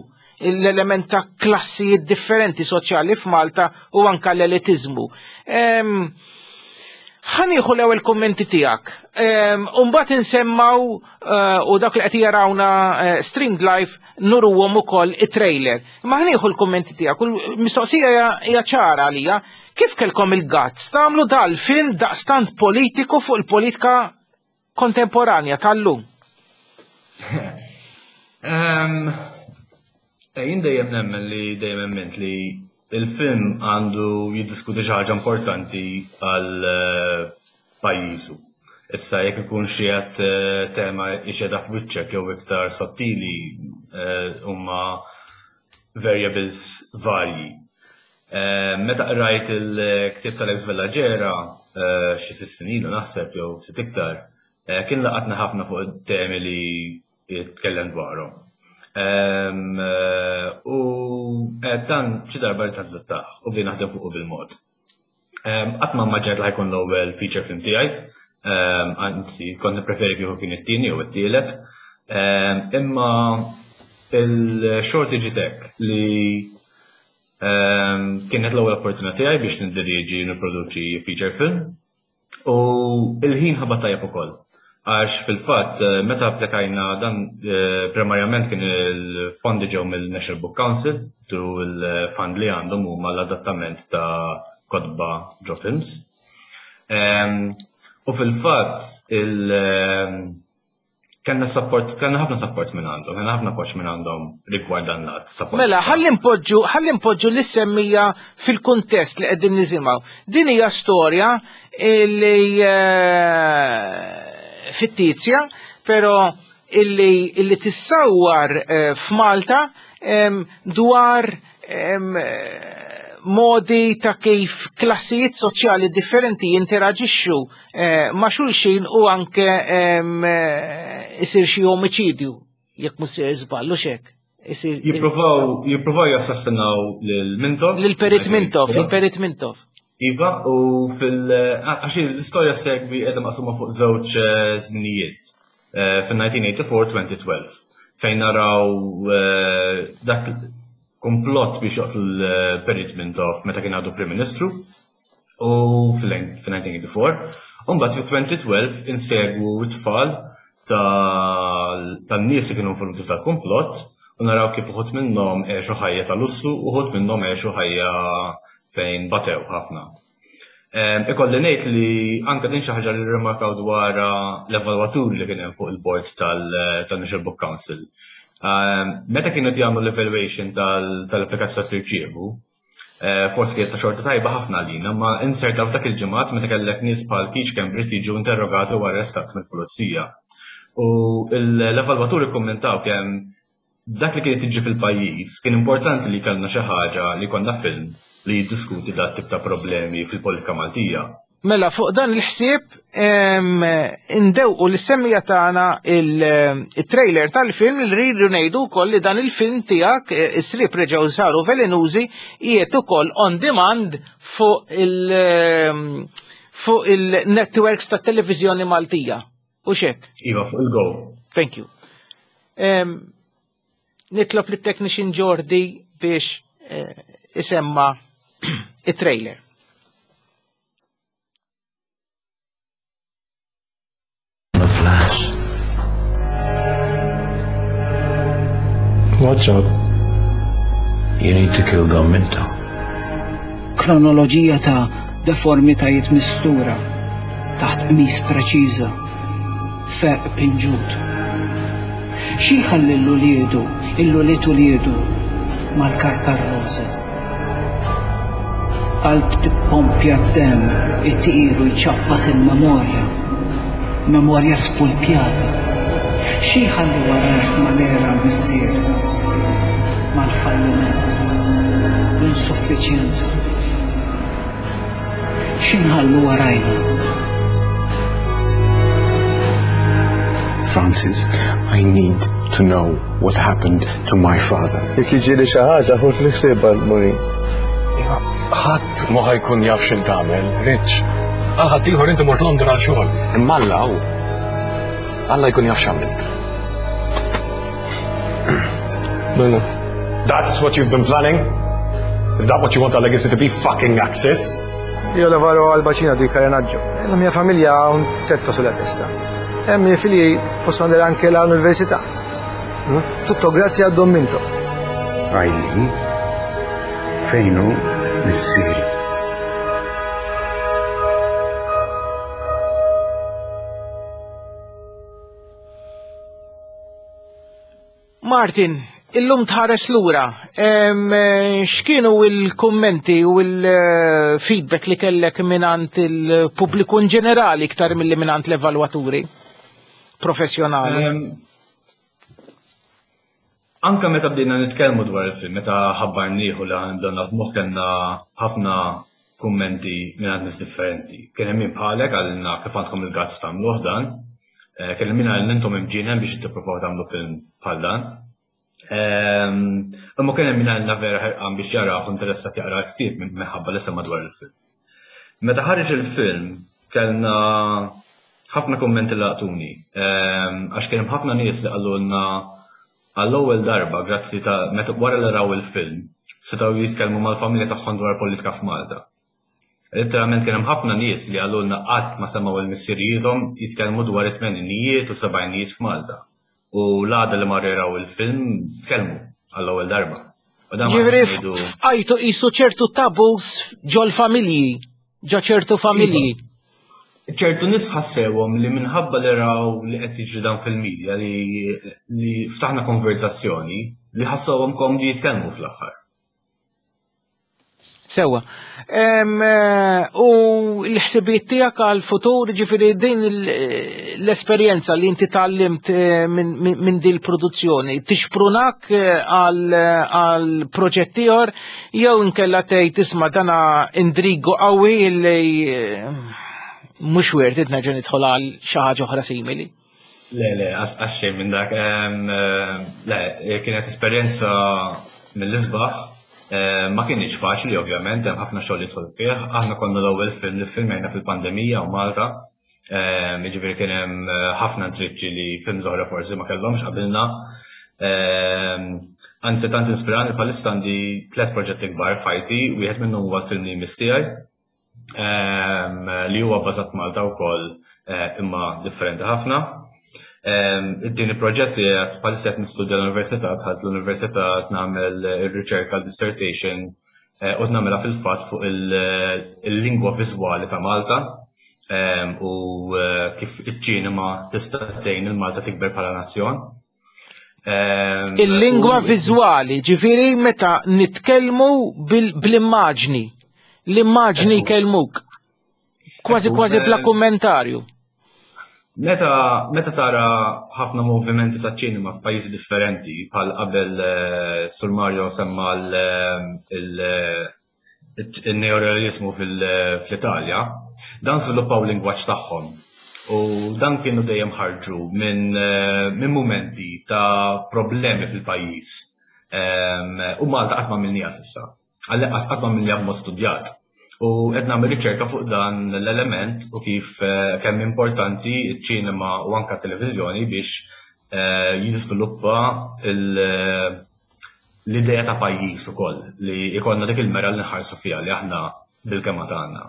l-element ta' klassijiet differenti soċjali f'Malta u anka l-elitizmu. Ħa nieħu l-ewwel kummenti tiegħek. U mbagħad insemmaw eh, u dak li qed jarawna eh, streamed live nuruhom ukoll it-trailer. Ma ħa nieħu l-kummenti tiegħek. U l-mistoqsija hija ċara għalija. Kif kelkom il-guts tagħmlu dal-film daqstant politiku fuq il-politika kontemporanja tal-lum? Ehm, eh, Jien dejjem nemmen li dejjem emmint li il-film għandu jiddiskuti xi ħaġa importanti għal eh, pajjiżu. Issa jekk ikun xi qed eh, tema ixeda f'wiċċek jew iktar sottili, eh, huma variables varji. Eh, Meta qrajt il-ktieb tal-Alex Vella Ġera eh, xi sitt snin ilu naħseb jew sitt iktar, eh, kien laqatna ħafna fuq it-temi li jitkellem dwarhom. Em, eh, U eh, dan xi darba li tadattah u bdejna naħdem fuqu bil-mod. Em, Qatt ma immaġinajt li ħa jkun l-ewwel feature film tiegħi, em, anzi kont nippreferi kieku kien it-tieni jew it-tielet. Em, Imma il-xorti ġiet hekk li em, kienet l-ewwel opportunità tiegħi biex niddirieġi u nipproduċi feature film. U il-ħin ħabat tajjeb ukoll. Għax fil-fatt, eh, meta applikajna dan, eh, primarjament kien il-fondi ġew mill-National Book Council, through il-fund li għandhom huma l-adattament ta' kotba ġo films. Em, U fil-fatt il em, kellna support, kellna ħafna support minn għandhom, kellna ħafna appoġġ minn għandhom rigward dan l-att ta' politika. Mela, ħalli npoġġu, ħalli npoġġu lis-semmija fil-kuntest li qegħdin nisimgħu. Din hija storja li eh, fittizja, però illi, illi tissawwar eh, f'Malta em, dwar em, eh, modi ta' kif klassijiet soċjali differenti jinteraġixxu eh, ma' xulxin u anke em, eh, isir xi omiċidju, jekk mhux se żballu xek. Isir Jippruvaw jippruvaw jassassinaw lil Mintoff. Lil Perit Mintoff, il-Perit Mintoff. Iva, u fil- għax l-istorja segwi qiegħda maqsuma fuq żewġ eh, żminijiet. fin-nineteen eighty-four twenty twelve, fejn naraw dak komplott biex joqtlu l-Perit Mintoff meta kien għadu Prim Ministru u fil-nineteen eighty-four. Umbagħad fi twenty twelve insegwu t-tfal tan-nies li kienu involuti tal-komplott u naraw kif uħud minnhom għexu ħajja ta' lussu u uħud minnhom għexu ħajja fejn batew ħafna. Ikolli ngħid li anke din xi ħaġa li rrimarkaw dwar l-evalwaturi li kien hemm fuq il-board tal-National Book Council. Meta kienu jagħmlu l-evaluation tal-applikazzjoni tirċievu, eh, forsi kienet ta' xorta tajba ħafna għalina, ma inserta f'dak il-ġimgħat meta kellek nies bħal Keith Schembri jiġu interrogati u arrestat mill-pulizija. U l-evalwaturi kommentaw kemm dak li kienet tiġi fil-pajjiż kien importanti li kellna xi ħaġa, li konna film li jiddiskuti dat tip ta' problemi fil-politika Maltija. Mela, fuq dan il-ħsieb indewqu lis-semmiegħa tagħna il-trailer tal-film, li rridu ngħidu wkoll li dan il-film tiegħek, Is-Sriep Reġgħu Saru Velenużi, qiegħed ukoll on demand fuq il- fuq il-networks ta' televiżjoni Maltija. U xek? Iva, fuq il-Go. Thank you. Nitlob lit technician Jordi biex eh, isemma il-trailer. A flash. What's up? You need to kill Dom Mintoff. Kronoloġija ta' deformitajiet mistura taħt qmis preċiża, ferq pinġut. Xi jħalli l-uliedu, il-ulied uliedu mal-karta roza? Qalb tippompja d-dem, itir u jċappas il-memorja, memorja spulpjata. Xi jħalli warajh mal-era missier, mal-falliment, l-insuffiċjenza? X'inħallu warajna? Francis, I need to know what happened to my father. Jekk jiġri xi ħaġa, ħud ħsiebha l-Maureen. Ħadd ma ħa jkun jaf x'int tagħmel, Rich. Għal ħadd ieħor inti mort London għal xogħol. Imma Alla hu. Alla jkun jaf x'għamilt. Mela. That's what you've been planning? Is that what you want our legacy to be? Fucking Axis? Io lavoro al bacino di Carenaggio e la mia famiglia ha un tetto sulla testa. E i miei figli possono andare anche all'università. Mm? Tutto grazie a Don Mintoff. Eileen, fejn hu missieri? Martin, illum tħares lura, em, eh, x'kienu il-kummenti u il-feedback li kellek minant il-pubbliku in ġenerali iktar milli minant l-evalwaturi professjonali? Em, Anka meta bdejna nitkellmu dwar il-film, meta ħabbarnieh li ħa nibdew naħdmuh, kellna ħafna kummenti minn nies differenti. Kien hemm min bħalek qalilna kif għandkom il-guts tagħmluh dan. Eh, Kien hemm min qalilna intom imġienen biex tippruvaw tagħmlu film bħal dan. Ehm, Imma kien hemm min qalilna vera ħerqan biex jaraw, interessat jaqra l-ktieb minħabba li sema dwar il-film. Meta ħareġ il-film kellna ħafna kummenti li laqtuni. Ehm, Għax kien hemm ħafna nies li qalulna għall-ewwel darba, grazzi ta' meta wara li raw il-film, setgħu jitkellmu mal-familja tagħhom dwar politika f'Malta. Literalment kien hemm ħafna nies li qalulna qatt ma semgħu il-missirijiethom jitkellmu dwar it-tmeninijiet u sebgħinijiet f'Malta. U l-għada li marru jaraw il-film tkellmu għall-ewwel darba. U dan ma Ġifieri ngħidu- fqajtu qisu ċertu tabus ġol familji, ġo ċertu familji. ċertu nies ħassewhom li minħabba li raw li qed jiġri dan fil-medja li, li ftaħna konverzazzjoni li ħassewhom komdi jitkellmu fl-aħħar. Sewa. Em, eh, U l-ħsibiet tiegħek għal-futur, ġifieri din il- l-esperjenza li inti tgħallimt eh, minn min, min din il-produzzjoni, tixprunak eh, għal għal proġett ieħor jew inkella tgħid isma' dana indrigu qawwi li eh, mhux worth it nerġa' nidħol għal xi ħaġa oħra simili? Le, le, għax xejn minn dak. Em, eh, Le, kienet esperjenza mill-isbaħ. Eh, Ma kienx faċli, ovvjament, hemm ħafna xogħol jidħol fih. Aħna konna l-ewwel film li filmejna fil-pandemija u Malta. Jiġifieri kien hemm ħafna intriċċi li films oħra forsi ma kellhomx qabilna. Anzi tant inspirani bħalissa għandi tliet proġetti kbar f'ħajti, wieħed minnhom huwa l-film li jmiss tiegħi li huwa bbażat Malta wkoll imma differenti ħafna. It-tieni proġett li bħalissa qed nistudja l-università, dħalt l-università nagħmel ir-riċerka dissertation u nagħmilha fil-fatt fuq il-lingwa viżwali ta' Malta u kif iċ-ċinema tista' tgħin il-Malta tikber bħala nazzjon. Il-lingwa viżwali, ġifieri meta nitkellmu bl-immaġni, l-immaġni jkellmuk. Kważi kważi bla kummentarju. Meta meta tara ħafna movimenti ta' ċinema f'pajjiżi differenti, bħal qabel Sur Mario semma il-neorealismu fl-Italja, dan żviluppaw lingwaġġ tagħhom. U dan kienu dejjem ħarġu minn minn mumenti ta' problemi fil-pajjiż. U Malta qatt ma għamilniha s'issa. Għall-inqas qatt ma għamilniha b'mod studjat. U qed nagħmel riċerka fuq dan l-element u kif kemm importanti ċ-ċinema u anke t-televiżjoni biex jiżviluppa l-idea ta' pajjiż ukoll li jkollna dik il-mera li nħarsu fiha li aħna bil-kema tagħna.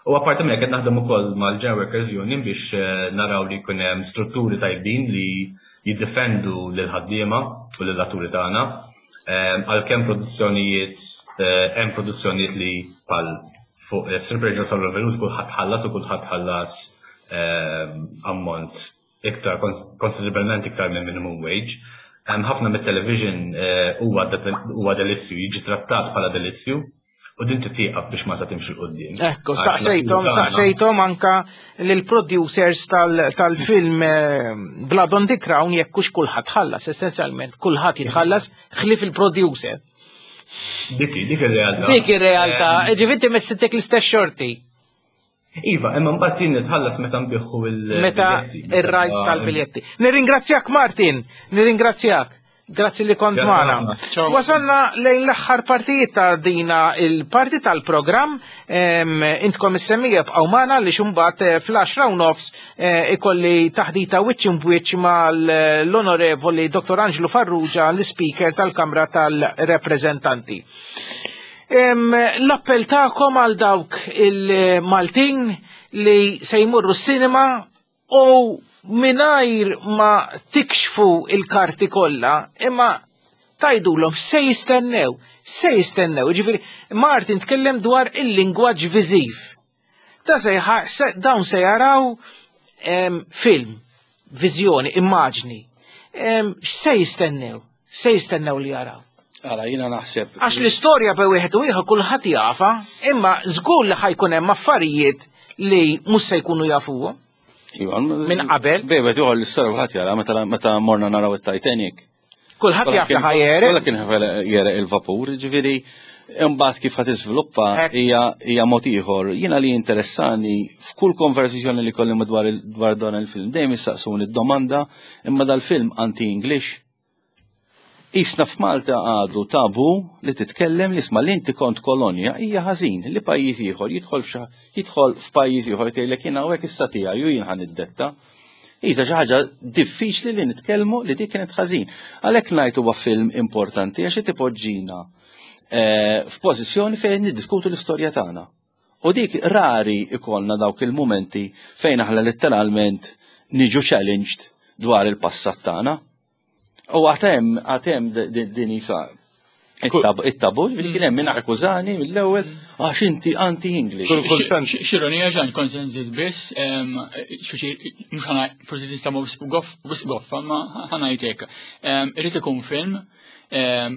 U apparti minn hekk qed naħdem ukoll mal-General Workers Union biex naraw li jkun hemm strutturi tajbin li jiddefendu lil ħaddiema u lill atturi tagħna. Għalkemm produzzjonijiet hemm produzzjonijiet li bħal fuq Stripper Angels of Revolution kulħadd ħallas u kulħadd ħallas ammont iktar konsiderevolment iktar minn minimum wage. Hemm ħafna mit-television huwa delizzju, jiġi trattat bħala delizzju u din titieqaf biex ma timxi 'l quddiem. Ekku, saqsejthom, saqsejthom anka lill-producers tal-film Blood on the Crown jekk hux kulħadd ħallas, essenzjalment kulħadd jitħallas ħlief il-producer. Dik dik ir-realtà. Dik ir-realtà, ġifieri messitek l-istess xorti. Iva, imma mbagħad jien nitħallas meta nbiħħu il- Meta ir-rights tal-biljetti. Nirringrazzjak Martin, nirringrazzjak. Grazzi li kont magħna. Wasalna lejn l-aħħar partijiet ta' dina il-parti tal-programm. Intkom is-semmija bqgħu magħna li xumbat fl-għaxra u nofs ikolli taħdita wiċċ imbwiċċ mal-Onorevoli Dottor Angelo Farrugia, l-Speaker tal-Kamra tal-Reprezentanti. L-appell tagħkom għal dawk il-Maltin li se jmurru s-sinema u mingħajr ma tikxfu il-karti kollha, imma tajdulhom se jistennew, se jistennew. Ġifieri Martin tkellem dwar il-lingwaġġ viżiv. Da se dawn se jaraw film, viżjoni, immaġni. X'se jistennew? Se jistennew li jaraw? Għala, jiena naħseb. Għax l-istorja bej wieħed u ieħor kulħadd jafa, imma żgur li ħajkun hemm affarijiet li mhux se jkunu jafuhom. Minn qabel. Bejbet uħor l-istorja kulħadd jara meta morna naraw it-Titanic. Kulħadd jaf li ħajjere. Kollha kien jere il-vapur, ġifieri imbagħad kif ħadd iżviluppa hija mod ieħor. Jiena li interessani f'kull konversazzjoni li kolli madwar dwar dan il-film dejjem issaqsuni d-domanda imma dal-film anti-English. Isna f'Malta għadu tabu li titkellem li isma' li inti kont kolonja hija ħażin li pajjiż ieħor jidħol jidħol f'pajjiż ieħor tgħidlek jien hawnhekk issa tiegħi u jien ħa niddetta. Iżda xi ħaġa diffiċli li nitkellmu li dik kienet ħażin. Għalhekk ngħid huwa film importanti għax qed ipoġġina f'pożizzjoni fejn niddiskutu l-istorja tagħna. U dik rari ikollna dawk il-mumenti fejn aħna letteralment niġu challenged dwar il-passat tagħna. U għatem, għatem din isa it-tabu, li kien hemm min akkużani mill-ewwel għax inti anti-English. X'ironija ġan kont se nżid biss, mhux ħana forsi tista' wisq goffa, ma ħanajtek. Irid ikun film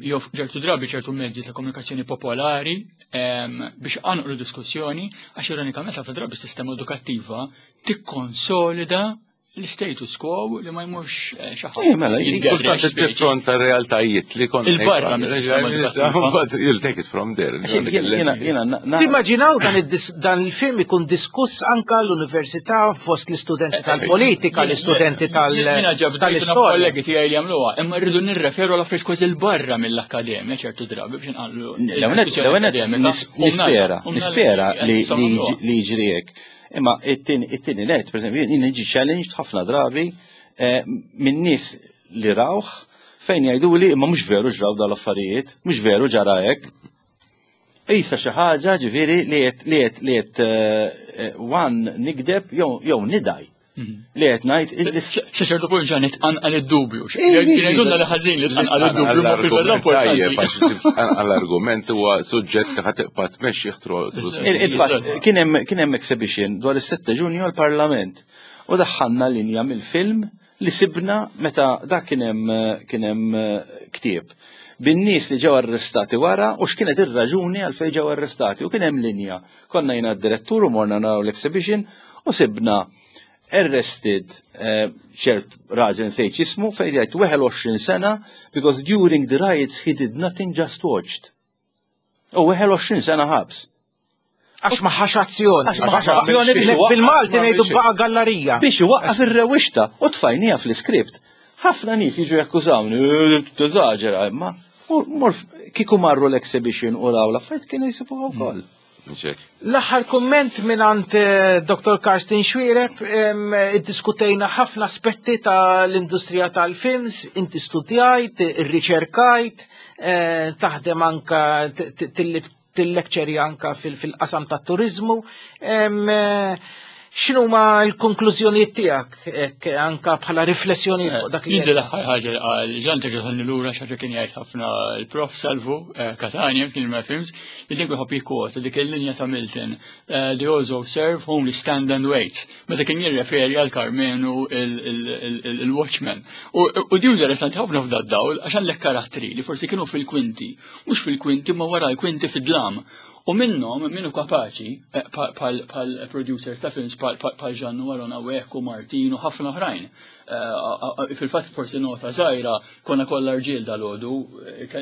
jew ċertu drabi ċertu mezzi ta' komunikazzjoni popolari biex anqlu diskussjoni għax ironikament ħafna drabi s-sistema edukattiva tikkonsolida l-status quo li ma jmurx xi ħadd. Eh, mela, kultant tifronta realtajiet li kont. Il-barra mis-sistema edukattiva. You'll take it from there. Timmaġinaw dan il-film ikun diskuss anka l-università fost l-istudenti tal-politika, l-istudenti tal-istorja. Kollegi tiegħi li jagħmluha, imma rridu nirreferu għal affarijiet kważi l-barra mill-akkademja ċertu drabi biex nqallu. Nispera, nispera li jiġri hekk. Imma it-tieni net, per eżempju, jien niġi challenged ħafna drabi minn nies li rawh fejn jgħiduli imma mhux veru ġraw dal-affarijiet, mhux veru ġara hekk. Issa xi ħaġa ġifieri li qed li qed li qed one nikdeb jew nidaj. Li qed ngħid sa ċertu punt ġan nitqanqal id-dubju. Jgħidulna li ħażin li tqanqal id-dubju ma fil-verità importanti. Għall-argument huwa suġġett li ħa tibqa' tmexxi Il-fatt kien hemm kien hemm exhibition dwar is-sitta Ġunju għall-Parlament u daħħalna linja mill-film li sibna meta dak kien hemm kien hemm ktieb bin-nies li ġew arrestati wara u x'kienet ir-raġuni għalfejn ġew arrestati u kien hemm linja. Konna jiena d-direttur u morna naraw l-exhibition u sibna arrested ċert raġel nsejt ismu fejn jgħid wieħed u għoxrin sena because during the riots he did nothing, just watched. U wieħed u għoxrin sena ħabs. Għax ma ħax azzjoni. Għax ma ħax azzjoni biex bil-Malti ngħidu baqa' gallarija. Biex iwaqqaf ir-rewwixta u tfajnija fl-iskript. Ħafna nies jiġu jakkużawni, teżaġera, imma mor kieku marru l-exhibition u raw l-affarijiet kienu jsibuha wkoll. L-aħħar kumment mingħand Doktor Karsten Xuereb, iddiskutejna ħafna aspetti tal-industrija tal-films, inti studjajt, irriċerkajt, taħdem anka til-lekċeri anka fil-qasam tat-turizmu. X'inhuma l-konklużjonijiet tiegħek anka bħala riflessjoni fuq dak li Jiddi l-aħħar ħaġa li qal Ġan terġa' ħalli lura xi kien jgħid ħafna l-Prof Salvu Catania kien ma films li dik iħobb jikkwota dik il-linja ta' Milton, "Those who serve only stand and wait", meta kien jirreferi għal Karmenu il-Watchman. U din interessanti ħafna f'da dawl għax għandek karattri li forsi kienu fil-kwinti, mhux fil-kwinti ma wara l-kwinti fid-dlam. U minnhom minnu kapaċi pal producers ta' films pal Ġannu Arona Wek u Martin u ħafna oħrajn. Fil-fatt forsi nota żgħira konna kollha rġiel dal-għodu,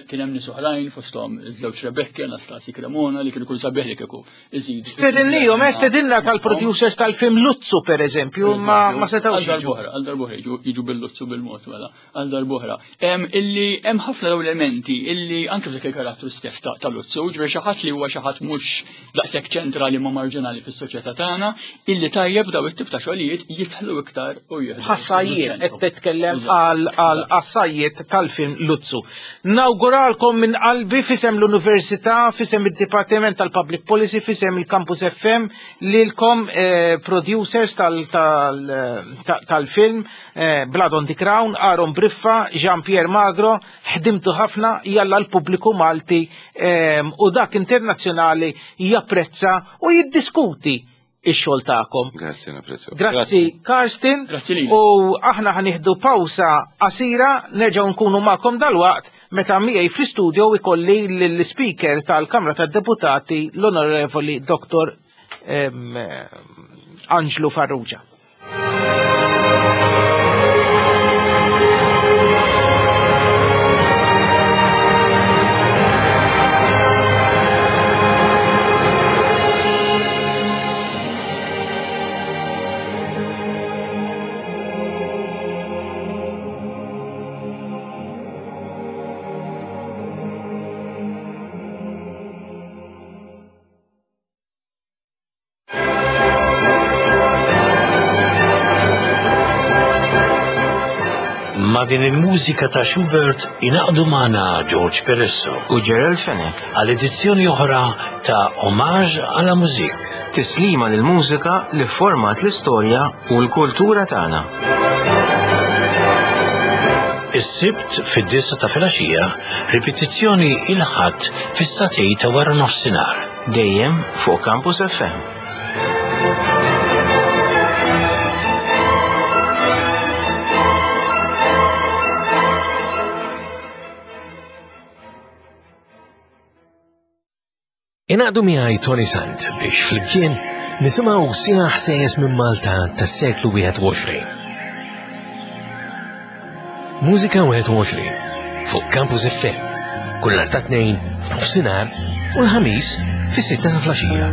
kien hemm nies oħrajn fosthom iż-żewġ Rebecca, Anastasi Cremona li kienu kull sabiħ li kieku iżidu. Stedinlihom, stedinna tal-producers tal-film Luzzu pereżempju, ma ma setgħux. Għal darb'oħra, għal darb'oħra jiġu bil-Luzzu bil-mod mela, għal darb'oħra. Illi hemm ħafna dawn elementi illi anke f'dak il-karattru stess ta' Luzzu, ġifieri xi ħadd li huwa xi ħadd mhux daqshekk ċentrali ma marġinali fis-soċjetà tagħna, illi tajjeb daw it-tip ta' xogħlijiet jidħlu iktar u jieħdu. Ħassajiet qed titkellem għal qassajiet tal-film Luzzu. Nawguralkom minn qalbi fisem l-Università, fisem id-Dipartiment tal-Public Policy, fisem il-Campus F M lilkom producers tal-film Blood on the Crown, Aaron Briffa, Jean-Pierre Magro, ħdimtu ħafna, jalla l-pubbliku Malti u dak internazzjonali japprezza u jiddiskuti ix-xogħol tagħkom. Grazzi, napprezzaw. Grazzi Karsten. U aħna ħanieħdu pawsa qasira, nerġgħu nkunu magħkom dalwaqt meta miegħi fl-istudio ikolli l-speaker tal-Kamra tad-Deputati l-Onorevoli Doktor Anġlu Farrugia. Ma din il-mużika ta' Schubert inaqdu magħna George Peresso u Gerald Fenech għal edizzjoni oħra ta' Omaġ għala Mużik. Tislima lil mużika li format l-istorja u l-kultura tagħna. Is-Sibt fid-disa ta' filgħaxija, ripetizzjoni il-Ħadd fis-satej ta' wara nofsinhar. Dejjem fuq Campus F M. Inaqdu miegħi Tony Sant biex flimkien nisimgħu siegħa ħsejjes minn Malta tas-seklu wieħed u għoxrin. Mużika wieħed u għoxrin fuq Campus F M kull nhar ta' tnejn f'nofsinhar u l-Ħamis fis-sitta ta' flaxija.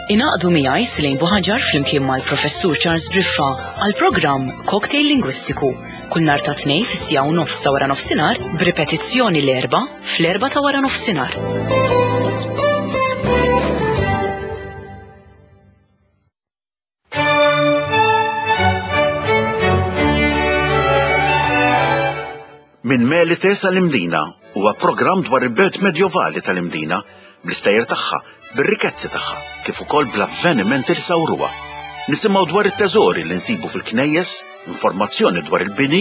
Ingħaqdu miegħi Slejn Buħaġar flimkien mal-Professur Charles Briffa għal programm Cocktail Lingwistiku kull nhar ta' tnejn fis-siegħa u nofs ta' wara nofsinhar b'ripetizzjoni l-erba' fl-erba' ta' wara nofsinhar. Minn Melite sal-Imdina huwa programm dwar il-belt medjovali tal-Imdina bl-istejjer tagħha, bir-rikkezzi tagħha, kif ukoll bl-avvenimenti li sawruha. Nisimgħu dwar it-teżori li nsibu fil-knejjes, informazzjoni dwar il-bini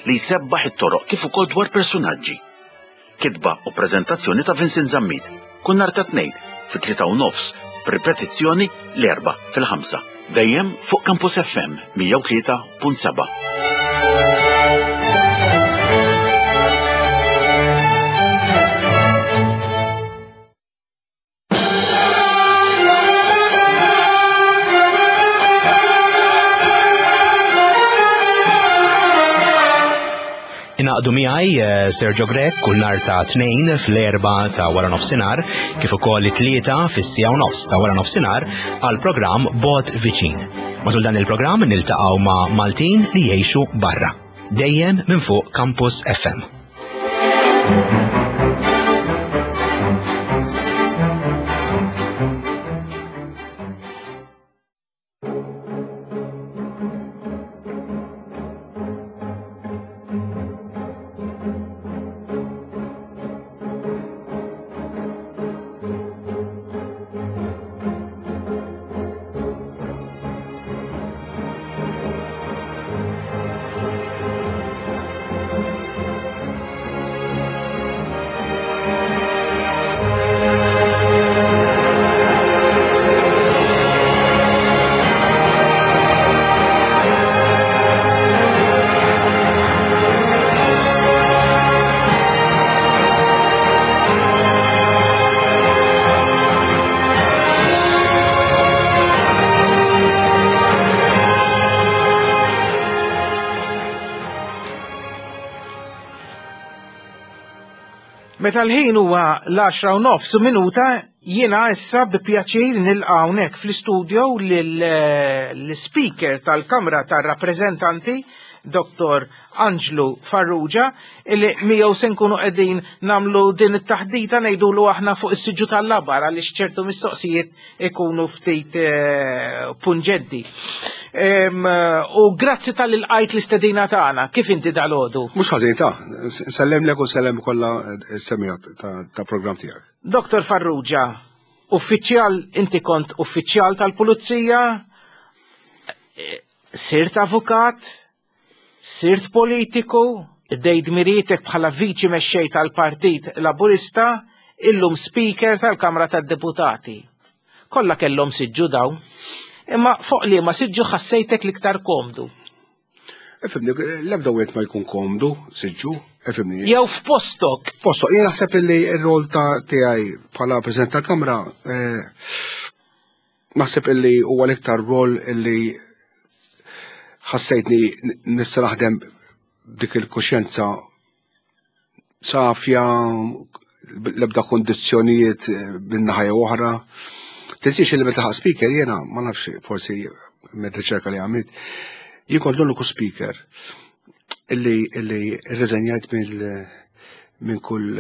li jsebbaħ it-toroq kif ukoll dwar personaġġi. Kitba u preżentazzjoni ta' Vincent Zammit, kull nhar ta' tnejn fit-tlieta u nofs, b'ripetizzjoni l-erba' fil-ħamsa. Dejjem fuq Campus F M mija u tlieta punt seba'. Ingħaqdu miegħi Sergio Grech kull nhar ta' tnejn fl-erba' ta' wara nofsinhar kif ukoll it-tlieta fis-siegħa u nofs ta' wara nofsinhar għal programm Bot Viċin. Matul dan il-programm niltaqgħu ma' Maltin li jgħixu barra. Dejjem minn fuq Campus F M. Meta l-ħin huwa l-għaxra u nofs u minuta, jiena issa bi pjaċir nilqa' hawnhekk fl-istudio lill-Speaker tal-Kamra tar-Rappreżentanti, Doktor Anġlu Farrugia, illi miegħu se nkunu qegħdin nagħmlu din it-taħdita ngħidulu aħna fuq is-siġġu tal-labar għaliex ċertu mistoqsijiet ikunu ftit punġenti. U grazzi tal-ilqajt l-istedina tagħna, kif inti dal-għodu? Mhux ħażin ta' nsellemlek u nsellem kollha s-semija ta' programm tiegħek. Doktor Farrugia, uffiċjal, inti kont uffiċjal tal-Pulizija, sirt avukat, sirt politiku, dejt dmirietek bħala viċi mexxej tal-Partit Laburista, illum speaker tal-Kamra tad-Deputati. Kollha kellhom siġġu dawn. Imma fuq li ma siġġu ħassejtek l-iktar komdu. Ifhimni, l-ebda wieħed ma jkun komdu, siġġu, ifhimni. Jew f'postok. Postok, jien naħseb li r-rol ta' tiegħi bħala President tal-Kamra, naħseb illi huwa l-iktar rol illi ħassejtni nista' naħdem b'dik il-kuxjenza safja, l-ebda kondizzjonijiet minn naħa jew oħra. Tinsiex li meta ħaq speaker jiena, ma nafx forsi minn riċerka li għamilt, jien kont l-uniku speaker illi illi rreżenjajt minn kull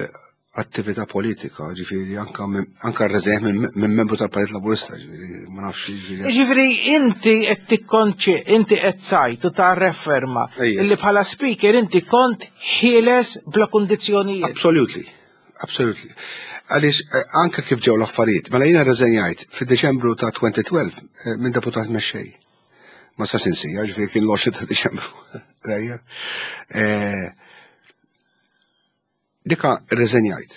attività politika, ġifieri anka anka rreżenjajt minn membru tal-Partit Laburista, ġifieri ma nafx ġifieri. Ġifieri inti qed tikkonċi, inti qed tgħid u tarreferma illi bħala speaker inti kont ħieles bla kundizzjonijiet. Absolutely, absolutely. Għaliex anke kif ġew l-affarijiet, mela jiena rreżenjajt fid-Deċembru ta' twenty twelve minn deputat mexxej. Ma sax insija, ġifieri kien l-għoxrin ta' Deċembru. Dika rreżenjajt.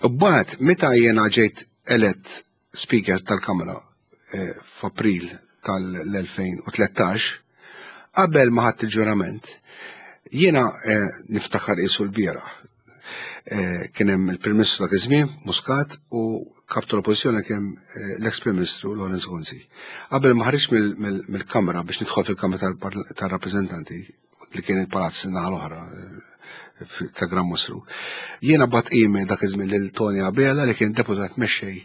U mbagħad meta jiena ġejt elett speaker tal-Kamra f'April tal-elfejn u tlettax, qabel ma ħadt il-ġurament, jiena niftakar qisu l-bieraħ. Kien hemm il-Prim Ministru dak iż-żmien, Muscat, u kap tal-Oppożizzjoni kien l-ex Prim Ministru Lawrence Gonzi. Qabel ma ħariġ mill-Kamra biex nidħol fil-Kamra tar-Rappreżentanti, li kien il-palazz naħa l-oħra ta' Gran Mostru, jiena bat email dak iż-żmien lil Tony Abela li kien deputat mexxej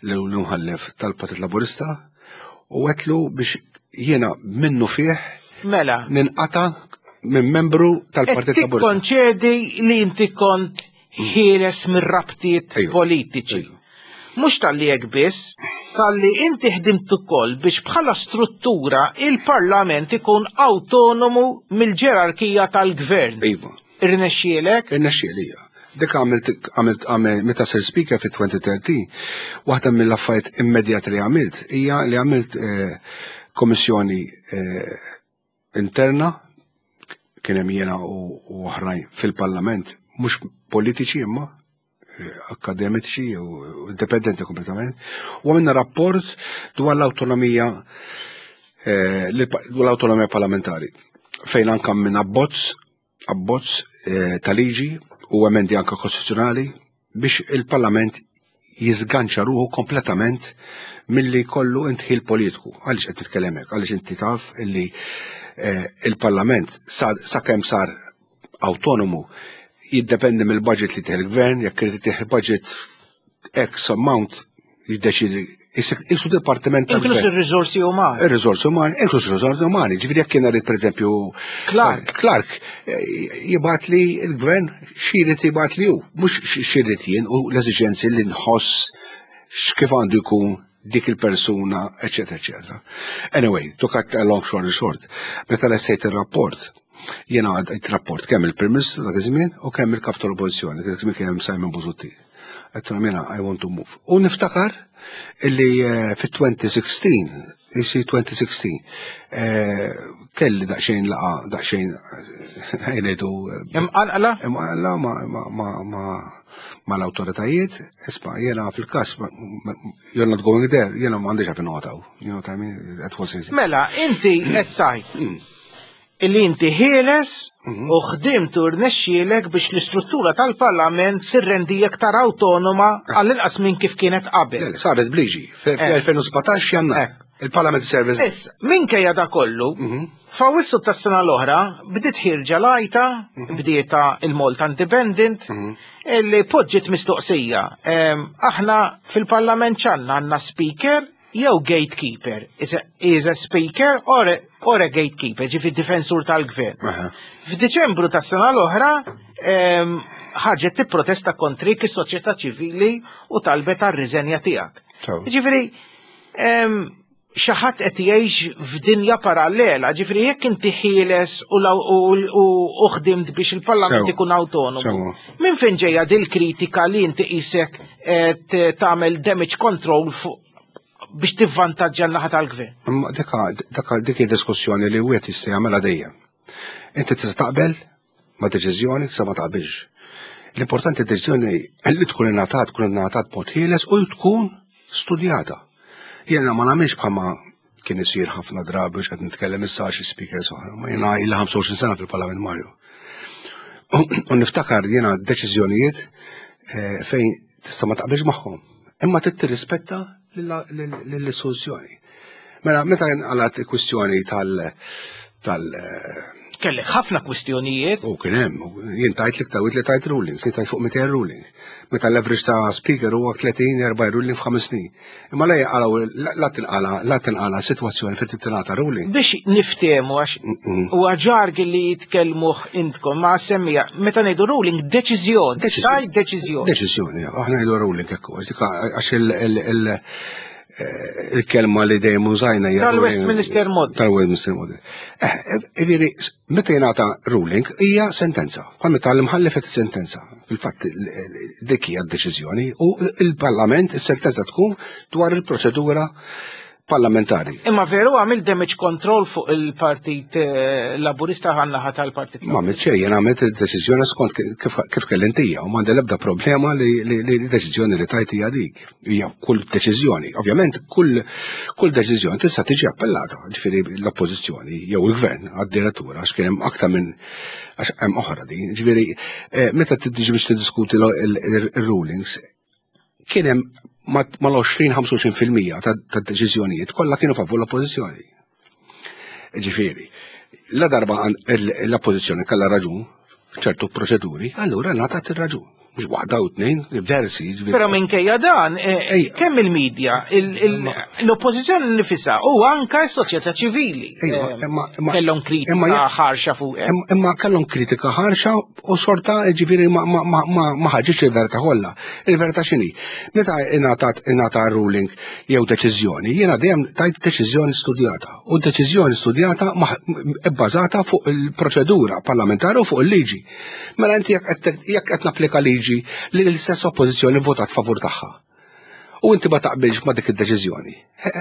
l-imħallef tal-Partit Laburista u għedtlu biex jiena minnu fih Mela. ninqata minn membru tal-Partit Qed Laburista. tikkonċedi li inti kont ħieles mir-rabtiet politiċi. Mhux talli hekk biss, talli inti ħdimt ukoll biex bħala struttura il-Parlament ikun autonomu mill-ġerarkija tal-gvern. Iva. Irnexxielek? Irnexxieli, ija. Dik għamilt, għamilt, għamilt, meta sir speaker fi elfejn u tlettax, waħda mill-affarijiet immedjati li għamilt hija li għamilt eh, komissjoni eh, interna, kien hemm jiena u u oħrajn fil-Parlament, mhux politiċi imma eh, akademiċi u u indipendenti kompletament, u għamilna rapport dwar l-autonomija eh, li- dwar l-autonomija parlamentari, fejn anka minn abbozz abbozz eh, ta' liġi u emendi anka kostituzzjonali biex il-Parlament jizganċa ruħu kompletament milli kollu indħil politiku. Għaliex qed nitkellem hekk? Għaliex inti taf illi eh, il-Parlament sa sakemm sar autonomu jiddependi mill-budget li tieħ il-gvern, jekk irid tieħ budget X amount jiddeċidi jisu dipartiment Inkluż tal-gvern. ir-riżorsi umani. Ir-riżorsi umani, inkluż ir-riżorsi umani. Ġifieri jekk kien rrid pereżempju Clark. Clark eh, jibgħat li l-gvern x'irid jibgħat li hu, mhux x'irid jien u l-eżiġenzi li nħoss x'kif għandu jkun dik il-persuna, eccetera, eccetera. Anyway, to cut a long story short, meta lestejt il-rapport, jiena għaddejt rapport kemm il-Prim Ministru dak iż-żmien u kemm il-Kap tal-Oppożizzjoni, dak iż-żmien kien hemm Simon Busuttil. Għedtlu jiena I want to move. U niftakar illi eh, fit-elfejn u sittax, isi elfejn u sittax, eh, kelli daqsxejn laqa, daqsxejn eh, ngħidu Imqanqla? Imqanqla ma ma ma ma ma l-autoritajiet, isma, jena fil-kas, you're not going there, jena ma għandix għafin noqtaw. You know what I mean? That was easy. Mela, inti qed tgħid illi inti ħieles u ħdimt u rnexxielek biex l-istruttura tal-Parlament sirrendi aktar autonoma għall-inqas minn kif kienet qabel. Saret bliġi, fl-elfejn u sbatax Jannar. Il-Parliament Service. Issa, minkejja da kollu, f'Awwissu tas-sena l-oħra, bdiet ħirġa lajta, bdieta il-Malta Independent, illi poġġiet mistoqsija. Em, Aħna fil-Parlament ċanna għandna speaker jew gatekeeper. Is a, is a speaker or a, or a gatekeeper, ġifi difensur tal-gvern. F'Diċembru tas-sena l-oħra, em, ħarġet tipprotesta kontrik is-soċjetà ċivili u talbet għar-riżenja tiegħek. Ġifieri, em, xi ħadd qed jgħix f'dinja parallela, ġifieri jekk inti ħieles u law- u u- u ħdimt biex il-Parlament Sew. ikun autonomu. Sew. Minn fejn ġejja dil kritika li inti qisek qed tagħmel damage control fuq biex tivvantaġġa n-naħa tal-gvern? Imma dika, dika, dik hija diskussjoni li wieħed jista' jagħmilha dejjem. Inti tista' taqbel ma' deċiżjoni, tista' ma taqbilx. L-importanti deċiżjoni li tkun ingħatat, tkun ingħatat b'mod ħieles u tkun studjata. Jiena ma nagħmilx bħalma kien isir ħafna drabi biex qed nitkellem issa xi speakers oħra, ma jiena ilha ħamsa u għoxrin sena fil-Parlament Mario. U niftakar jiena deċiżjonijiet eh, fejn tista' ma taqbilx magħhom, imma trid tirrispetta lill-istituzzjoni. Mela, meta nqalat il-kwistjoni tal tal eh, Kellek ħafna kwistjonijiet. U kien hemm, jien tajt li tawit li tajt rulings, jien tajt fuq mitejn ruling. Meta l-average ta' speaker huwa tletin erba' ruling f'ħames snin. Imma la jaqalaw la tinqala la tinqala sitwazzjoni fejn tingħata ruling. Biex niftehmu għax huwa ġarg li jitkellmuh intkom ma' semmija meta ngħidu ruling deċiżjoni, tajt deċiżjoni. Deċiżjoni, aħna ngħidu ruling hekk, għax il- il- il- eh, il-kelma li dejjem użajna hija Tal-Westminster Model. Tal-Westminster Model. Eh, Ġifieri, meta jingħata ruling hija sentenza. Bħal meta l-imħallef qed sentenza. Fil-fatt dik hija d-deċiżjoni u il-Parlament is-sentenza tkun dwar il-proċedura parlamentari. Imma veru għamil damage control fuq il-Partit eh, Laburista għan-naħa tal-Partit Ma għamilt xejn, jien għamilt id-deċiżjoni skont kif kif kellintija u m'għandi l-ebda problema li li li deċiżjoni li tajt hija dik. Hija kull deċiżjoni. Ovvjament kull kull deċiżjoni tista' tiġi appellata, ġifieri l-oppożizzjoni jew il-gvern għad-direttura għax kien hemm aktar minn għax hemm oħra din. Ġifieri eh, meta tiġi biex tiddiskuti il-rulings kien hemm mal-għoxrin ħamsa u għoxrin fil-mija ta' deċiżjonijiet kollha kienu favur l-oppożizzjoni. Ġifieri, la darba l-oppożizzjoni kellha raġun f'ċertu proċeduri, allura ngħatat ir-raġun. Mhux waħda u tnejn, diversi. Però minkejja dan, eh, kemm il-medja, l-oppożizzjoni nifisha u anka s-soċjetà ċivili eh, kellhom kritika ħarxa fuq. Imma kellhom kritika ħarxa u xorta ġifieri ma ħaġitx il-verità kollha. Il-verità x'inhi? Meta ingħata ruling jew deċiżjoni, jiena dejjem tajt deċiżjoni studjata. U deċiżjoni studjata bbażata fuq il-proċedura parlamentari u fuq il-liġi. Mela inti jekk qed napplika liġi li l-istess oppożizzjoni votat favur tagħha. U inti ma taqbilx ma dik id-deċiżjoni.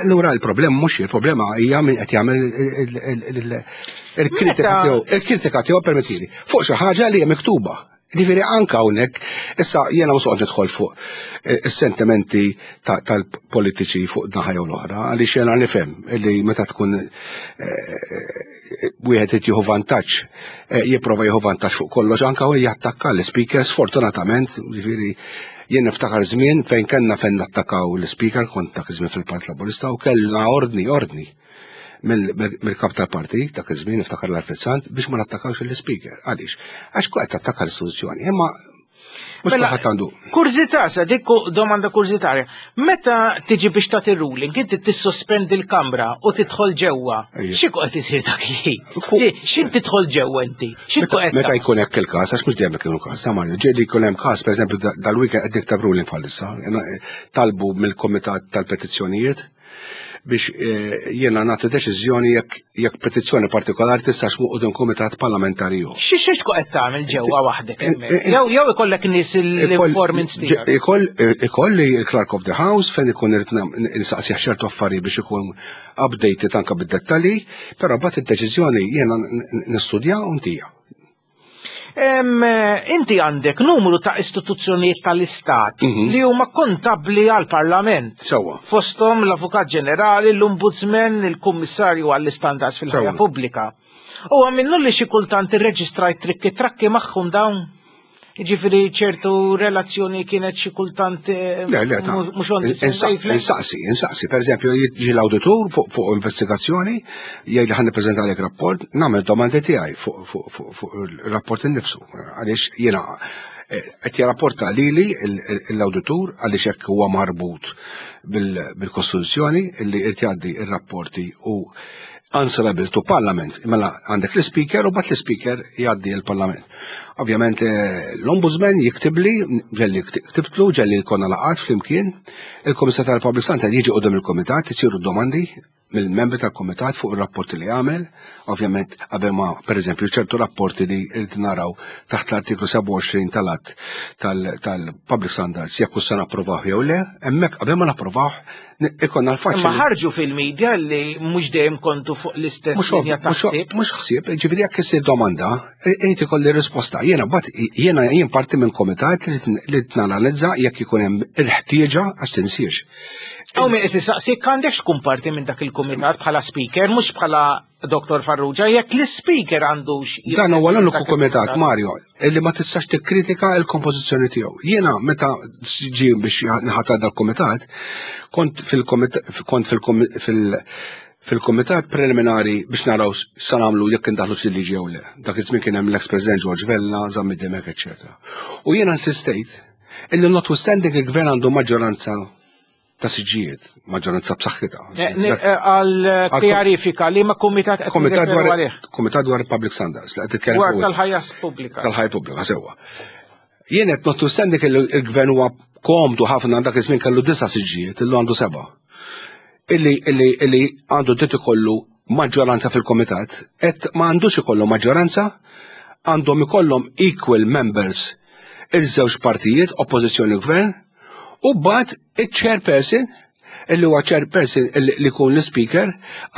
Allura il-problema mhux il-problema hija min qed jagħmel il-kritika tiegħu, il-kritika tiegħu permettili fuq xi ħaġa li hija miktuba. Ġifieri anke hawnhekk issa jiena mhux qed nidħol fuq is-sentimenti tal-politiċi fuq naħa jew l-oħra, għaliex jiena nifhem li meta tkun wieħed qed jieħu vantaġġ, jipprova jieħu vantaġġ fuq kollox anke hu jattakka l-speaker sfortunatament, ġifieri jien niftakar żmien fejn kellna fejn nattakaw l-speaker, kont dak iż-żmien fil-Partit Laburista u kellna ordni ordni mill-kap tal-partit dak iż-żmien niftakar l-Alfred Sant biex ma nattakawx l-speaker. Għaliex? Għax qed tattakka l-istituzzjoni. Imma mhux kulħadd għandu. Kurżità, sa dik domanda kurżitarja. Meta tiġi biex tagħti ruling, inti tissospendi l-kamra u tidħol ġewwa. Xi qed isir dak il-ħin? X'int tidħol ġewwa inti? Meta jkun hekk il-każ, għax mhux dejjem ikun każ, sa Mario, ġieli jkun hemm każ, pereżempju dal-weekend qed niktab ruling bħalissa, talbu mill-Kumitat tal-Petizzjonijiet biex jiena nagħti deċiżjoni jekk petizzjoni partikolari tistax fuq quddiem kumitat parlamentari ieħor. Xi xi tkun qed tagħmel ġewwa waħdek hemmhekk? Jew jew ikollek nies l-informants tiegħek. Ikolli il-Clerk of the House fejn ikun irid insaqsih ċertu affarijiet biex ikun updated anke bid-dettalji, però mbagħad id-deċiżjoni jiena nistudja u ntija. Inti għandek numru ta' istituzzjonijiet tal-Istat li huma kontabbli għal-Parlament. Sewwa. Fosthom l-Avukat Ġenerali, l-Ombudsman, il-Kummissarju għall-Istandards fil-ħajja pubblika. U minnu li xi kultant irreġistrajt trikki trakki magħhom dawn? Ġifieri ċertu relazzjoni kienet xi kultant mhux on the same wavelength? Insaqsi, insaqsi. Per eżempju, jiġi l-awditur fuq investigazzjoni, jgħid li ħa nippreżentalek rapport, nagħmel domandi tiegħi fuq il-rapport innifsu. Għaliex jiena qed jirrapporta lili l-awditur għaliex hekk huwa marbut bil-Kostituzzjoni li irid jgħaddi r-rapporti u answerable to Parliament. Mela għandek l-speaker u bat l-speaker jgħaddi l-Parlament. Ovvjament l-Ombudsman jiktibli, ġelli ktibtlu, ġelli konna laqat flimkien, il-Komissar tal-Public Standard jiġi qudiem il-Komitat, isiru domandi mill-membri tal-Komitat fuq ir-rapporti li għamel, ovvjament qabel ma pereżempju ċertu rapporti li rrid naraw taħt l-artiklu sebgħa u għoxrin tal-att tal-Public Standards jekk se napprovaw jew le, hemmhekk qabel ma napprovaw ikonna l-faċli. Imma ħarġu fil-medja li mhux dejjem kontu fuq l-istess linja ta' ħsieb. Mhux ħsieb, ġifieri jekk issir domanda, irid ikolli risposta. Jiena mbagħad jiena jien parti minn komitat li nanalizza jekk ikun hemm il-ħtieġa għax tinsiex. Hawn min qed isaqsi jekk għandekx tkun parti minn dak il-kumitat bħala speaker, mhux bħala Doktor Farrugia, jekk l-speaker għandux Dan huwa l-uniku kumitat, Mario, illi ma tistax tikkritika l-kompożizzjoni tiegħu. Jiena meta ġie biex nħatar dal-kumitat, kont fil-komitat fil-kumitat preliminari biex naraw sa nagħmlu jekk indaħlu xi liġi jew le. Dak iż-żmien kien hemm l-ex-President George Vella, Zammit Dimech, eċċetera. U jiena insistejt illi notwithstanding il-gvern għandu maġġoranza ta' siġijiet, maġġoranza b'saħħitha. Għal kjarifika li ma kumitat qed nirreferu għalih. Kumitat dwar Public Standards, li qed titkellem Dwar tal-ħajja pubblika. Tal-ħajja pubblika, sewwa. Jien qed notwithstanding il-gvern huwa komdu ħafna dak iż-żmien kellu disa' siġijiet, illu għandu seba'. Illi, illi, illi għandu dritt ikollu maġġoranza fil-komitat, qed ma għandux ikollu maġġoranza, għandhom ikollhom equal members il-żewġ partijiet, oppożizzjoni u gvern, u mbagħad il-chairperson, illi huwa chairperson li jkun l-speaker,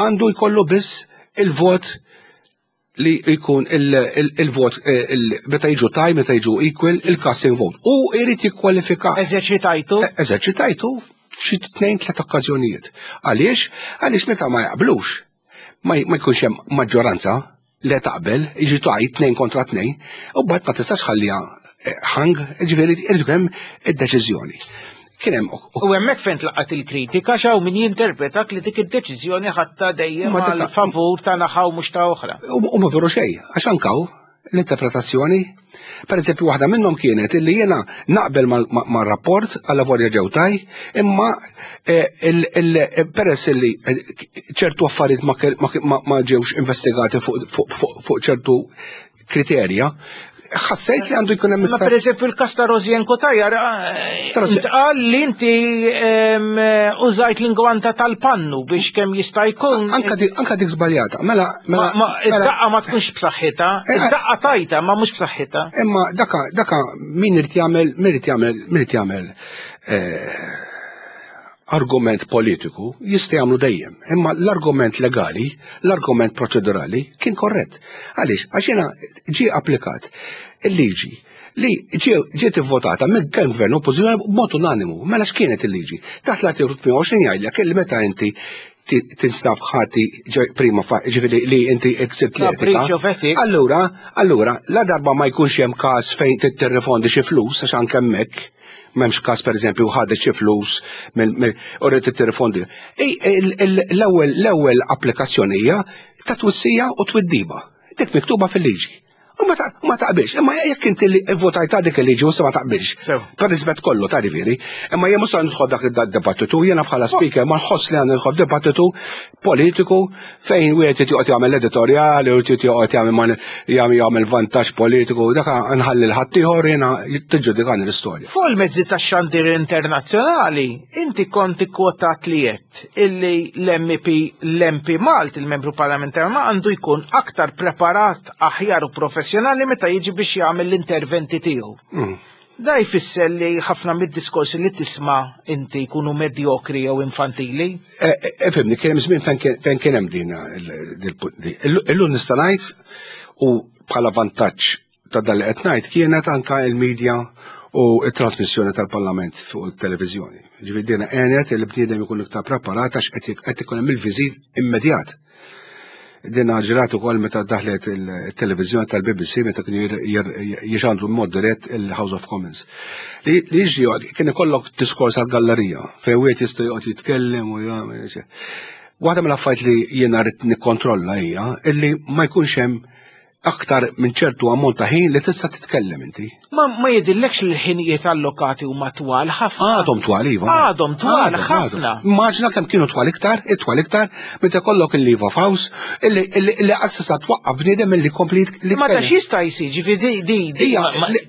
għandu jkollu biss il-vot li jkun il-vot meta jiġu taj, meta jiġu equal, il-casting vote. U jrid jikkwalifika. Eżerċitajtu? Eżerċitajtu f'xi tnejn tliet okkażjonijiet. Għaliex? Għaliex meta ma jaqblux, ma jkunx hemm maġġoranza li taqbel, jiġi taj tnejn kontra tnejn, u mbagħad ma tistax ħalliha hang, ġifieri irid ikun hemm id-deċiżjoni. Kien hemm U hemmhekk fejn tlaqat il-kritika x'hawn min jinterpretak li dik id-deċiżjoni ħadta dejjem Ma dik għal favur ta' naħa u mhux ta' oħra. U ma veru xejn, għax ankaw l-interpretazzjoni. Per eżempju, waħda minnhom kienet illi jiena naqbel mar-rapport għal avolja ġew taj, imma eh, peress illi eh, ċertu affarijiet ma ġewx investigati fuq ċertu kriterja, ħassejt li għandu jkun hemm. Ma pereżempju il-każ ta' Rosianne Cutajar eh, intqal li inti użajt l-ingwanta tal-pannu biex kemm jista' jkun. Anka dik żbaljata. Mela mela ma id-daqqa ma tkunx b'saħħitha, eh, id-daqqa tajta ma mhux b'saħħitha. Imma daka daka min irid jagħmel min irid jagħmel min irid jagħmel eh, argument politiku jista' jagħmlu dejjem, imma l-argument legali, l-argument proċedurali kien korrett. Għaliex? Għax jiena ġie applikat il-liġi li ġiet ivvotata minn kemm gvern oppożizzjoni b'mod unanimu. Mela x'kienet il-liġi? Taħt l-artikolu tmienja u għoxrin jgħidlek illi meta inti tinstab ħati prima ġifieri li inti ksirt l-etika. Allura, allura, la darba ma jkunx hemm każ fejn tirrifondi xi flus għax anke hemmhekk m'hemmx każ pereżempju ħadet xi flus u rrid tirrifondi. L-ewwel l-ewwel applikazzjoni hija ta' twissija u twiddiba. Dik miktuba fil-liġi. U ma taqbilx, imma jekk inti li votajt dik il-liġi u ma taqbilx. Per rispett kollu ta' rivieri, imma jien mhux nidħol dak id-dibattitu, jiena bħala speaker ma nħoss li għandu nidħol dibattitu politiku fejn wieħed joqgħod jagħmel editorjali u joqgħod jagħmel jagħmel vantaġġ politiku, dak nħalli l-ħaddieħor jiena tiġġudikani l-istorja. Fuq il-mezzi tax-xandir internazzjonali, inti kont ikkwotat li għedt illi l-M P l-M P Malt, il-membru parlamentari ma għandu jkun aktar preparat, aħjar u professjonali meta jiġi biex jagħmel l-interventi tiegħu. Mm. Da jfisser li ħafna mid-diskorsi li tisma' inti jkunu medjokri jew infantili? Ifhimni, kien hemm żmien fejn kien hemm din. Illum nista' ngħid u bħala vantaġġ ta' dal qed ngħid kienet anka il-medja u il-trasmissjoni tal-Parlament fuq il-televizjoni. Ġifieri dina għenet il-bniedem ikun iktar preparat għax qed ikun hemm il-viżiv immedjat. Dina ġrat ukoll meta daħlet il-televizjoni tal-B B C meta kienu jixandru mod dirett il-House of Commons. Li jiġri kien ikollok diskors għal-gallerija fejn wieħed jista' joqgħod jitkellem u jagħmel. Waħda mill-affarijiet li jiena rrid nikkontrolla hija illi ma jkunx hemm aktar minn ċertu ammont ta' ħin li tista' titkellem inti. Ma ma jidillekx li l-ħinijiet allokati huma twal ħafna? Għadhom twal, iva. Għadhom twal ħafna. Immaġina kemm kienu twal iktar, itwal iktar, meta kollok il-leave of house, illi qassisa twaqqaf bniedem illi kompli li. Ma dax jista' jsir, ġifieri di di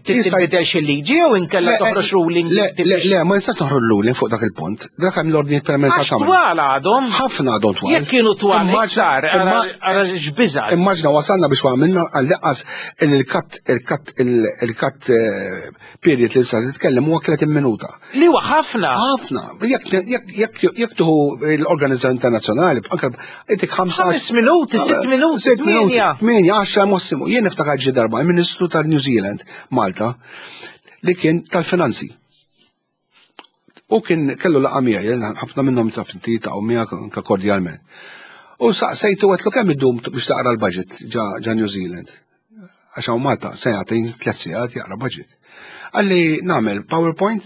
tibdel xi liġi jew inkella toħroġ ruling? Le, le, ma nistax toħroġ ruling fuq dak il-punt. Dak hemm l-ordnijiet permanenti. Għax twal għadhom. Ħafna għadhom twal. Jekk kienu twal iktar, ara x'biża'. Immaġina wasalna biex għamilna għall-inqas il-cut il-cut il-cut period li sa titkellem huwa tletin minuta. Li huwa ħafna. Ħafna. Jekk tieħu l-organizzazzjoni internazzjonali, anke intik ħamsa. Ħames minuti, sitt minuti, sitt minuti, tmienja, għaxra massimu. Jien niftakar ġi darba il-Ministru tal-New Zealand Malta li kien tal-finanzi. U kien kellu laqgħa miegħi, ħafna minnhom taf inti ta' miegħek anke kordjalment. U saqsejtu, għedtlu, kemm iddum biex taqra l-budget ġa New Zealand? Għax hawn Malta se jagħti tliet sigħat jaqra budget. Qalli, nagħmel PowerPoint,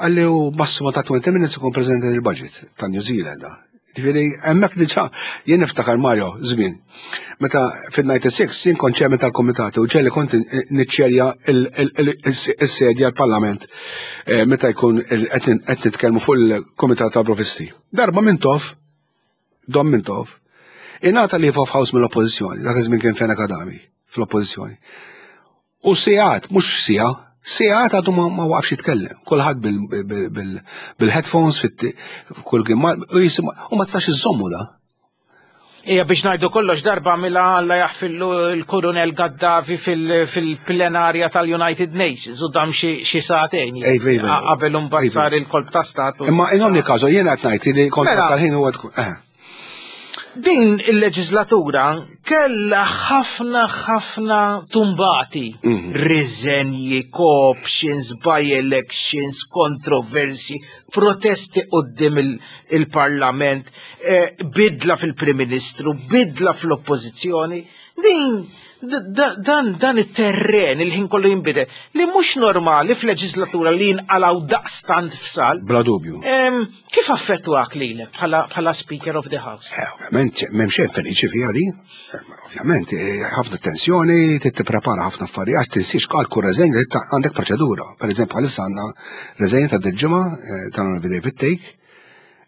qalli, u massimo ta' twenty minutes ikun preżentat il-budget ta' New Zealand. Ġifieri hemmhekk diġà jien niftakar, Mario, żmien. Meta fil-disgħa u disgħin jien kont chairman tal-komitati u ġieli kont niċċerja il-sedja l-Parlament eh, meta jkun qed nitkellmu fuq il-Komitat tal-Provisti. Darba Mintoff, Dom Mintoff, ingħata leave of house mill-oppożizzjoni, dak iż-żmien kien Fenech Adami fl-oppożizzjoni. U sigħat, mhux siegħa, sigħat għadu ma waqfx jitkellem. Kulħadd bil-headphones kull u jisimgħu u ma tistax iżommu da. Ija, biex ngħidu kollox, darba mila Alla jaħfirlu l-Kolonel Gaddafi fil-plenarja tal-United Nations u dam xi sagħtejn. Qabel imbagħad sar il-kolp ta' statu. Imma in ogni caso jiena qed ngħid li kont mela. tal-ħin huwa eh. Din il-leġislatura kella ħafna ħafna tumbati. Mhm. Riżenji, co-options, by-elections, kontroversi, protesti quddiem il-parlament, eh, bidla fil-Prim Ministru, bidla fl-Oppożizzjoni. Din Dan dan it-terren il-ħin kollu jinbidel li mhux normali f'leġislatura li jinqalgħu daqstant fsal. Bla dubju. Kif affettwak lilek bħala Speaker of the House? Ovvjament, m'hemm xejn feliċi fiha di. Ovvjament, ħafna tensjoni, tipprepara ħafna affarijiet, għax tinsiex għal kull reżenja li għandek proċedura. Per eżempju, għalissa għandna reżenja ta' dil-ġimgħa tal-Onorevoli David Thake,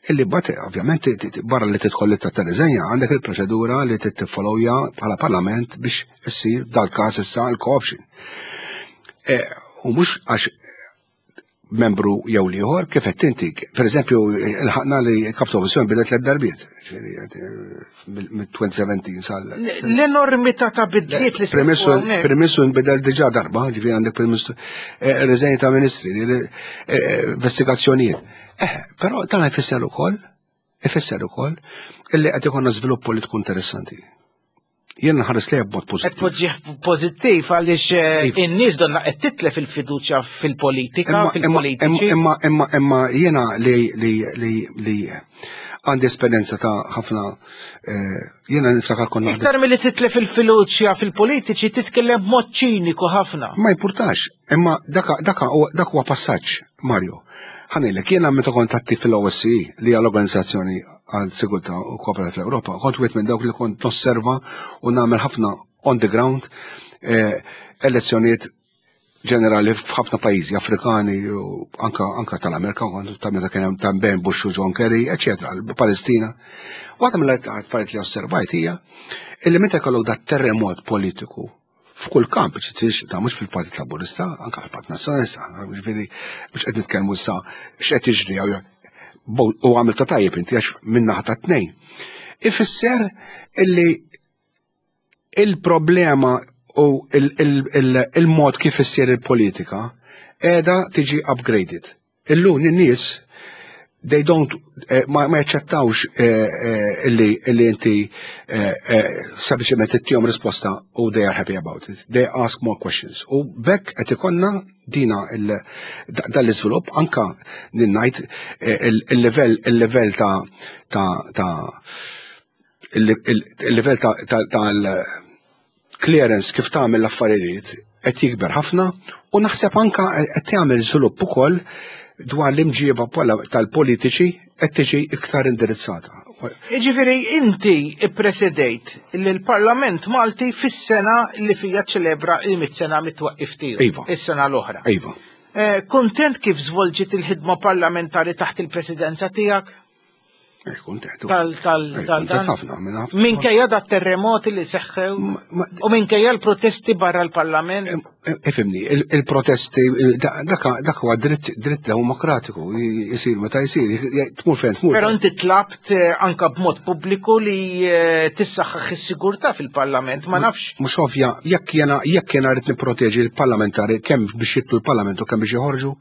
illi bat, ovvjament, barra li tidħol li ta' reżenja, għandek il-proċedura li tiffollowja bħala parlament biex issir dal-każ issa l-co-option. U mhux għax membru jew ieħor kif qed inti, per eżempju, ilħaqna li kap ta' oppożizzjoni bidet tliet darbiet, mit-twenty seventeen sal. L-enormità ta' bidliet li Prim Ministru nbidel diġà darba, ġifieri għandek Prim Ministru, reżenji ta' ministri, investigazzjonijiet. Eh, però dan ifisser ukoll, ifisser ukoll illi qed ikollna żvilupp politiku interessanti. Jien nħares lejha b'mod pożittiv. Qed poġġih pożittiv għaliex in-nies donna qed titlef il-fiduċja fil-politika, fil-politiċi. Imma imma imma jiena li li li li għandi esperjenza ta' ħafna, jiena niftakar konna Iktar milli titlef il-fiduċja fil-politiċi titkellem b'mod ċiniku ħafna. Ma jimpurtax, imma dak dak huwa passaġġ, Mario. Ħa ngħidlek, jiena meta kont attiv fil-O S C E, li hija l-Organizzazzjoni għal Sigurtà u Kooperazzjoni fl-Ewropa, kont wieħed minn dawk li kont nosserva u nagħmel ħafna on the ground elezzjonijiet ġenerali f'ħafna pajjiżi Afrikani u anka, anka tal-Amerika, kont ta' meta kien hemm ta' Ben Bush u John Kerry, eċetera, Palestina. Waħda mill-affarijiet li osservajt hija illi meta jkollok dat terremot politiku f'kull kamp, ċittix, ta' mhux fil-Partit Laburista, anka fil-Partit Nazzjonalista, ġifieri mhux qed nitkellmu issa x'qed jiġri u għamilta tajjeb inti għax min-naħa ta' tnejn. Ifisser illi il-problema u il-mod kif issir il-politika qiegħda tiġi upgraded. Illum in-nies they don't, ma jaċċettawx illi illi inti sempliċement ittihom risposta u they are happy about it. They ask more questions. U bekk qed ikollna dina dan l-iżvilupp anka ngħid il-livell il-livell ta' ta' ta' il-livell ta' tal-clearance kif tagħmel l-affarijiet qed jikber ħafna u naħseb anka qed tagħmel żvilupp ukoll dwar l-imġieba tal-politiċi qed tiġi iktar indirizzata. Jiġifieri inti ippresedejt lill-Parlament Malti fis-sena li fija ċelebra il-mitt sena mit-twaqqif tiegħu. Iva. Is-sena l-oħra. Iva. Kuntent kif żvolġiet il-ħidma parlamentari taħt il-presidenza tiegħek? Kuntent. Tal, tal, tal, Kuntent ħafna, minn ħafna. Minkejja da terremoti li seħħew u minkejja l-protesti barra l-Parlament. Ifimni, il-protesti, dak huwa dritt demokratiku, jisir meta jsir, tmur fejn tmur. Però inti tlabt anka b'mod pubbliku li tissaħħaħ is-sigurtà fil-Parlament, ma nafx. Mhux ovvja, jekk jiena jekk jiena rrid nipproteġi l-parlamentari kemm biex jidħlu l-Parlament u kemm biex joħorġu,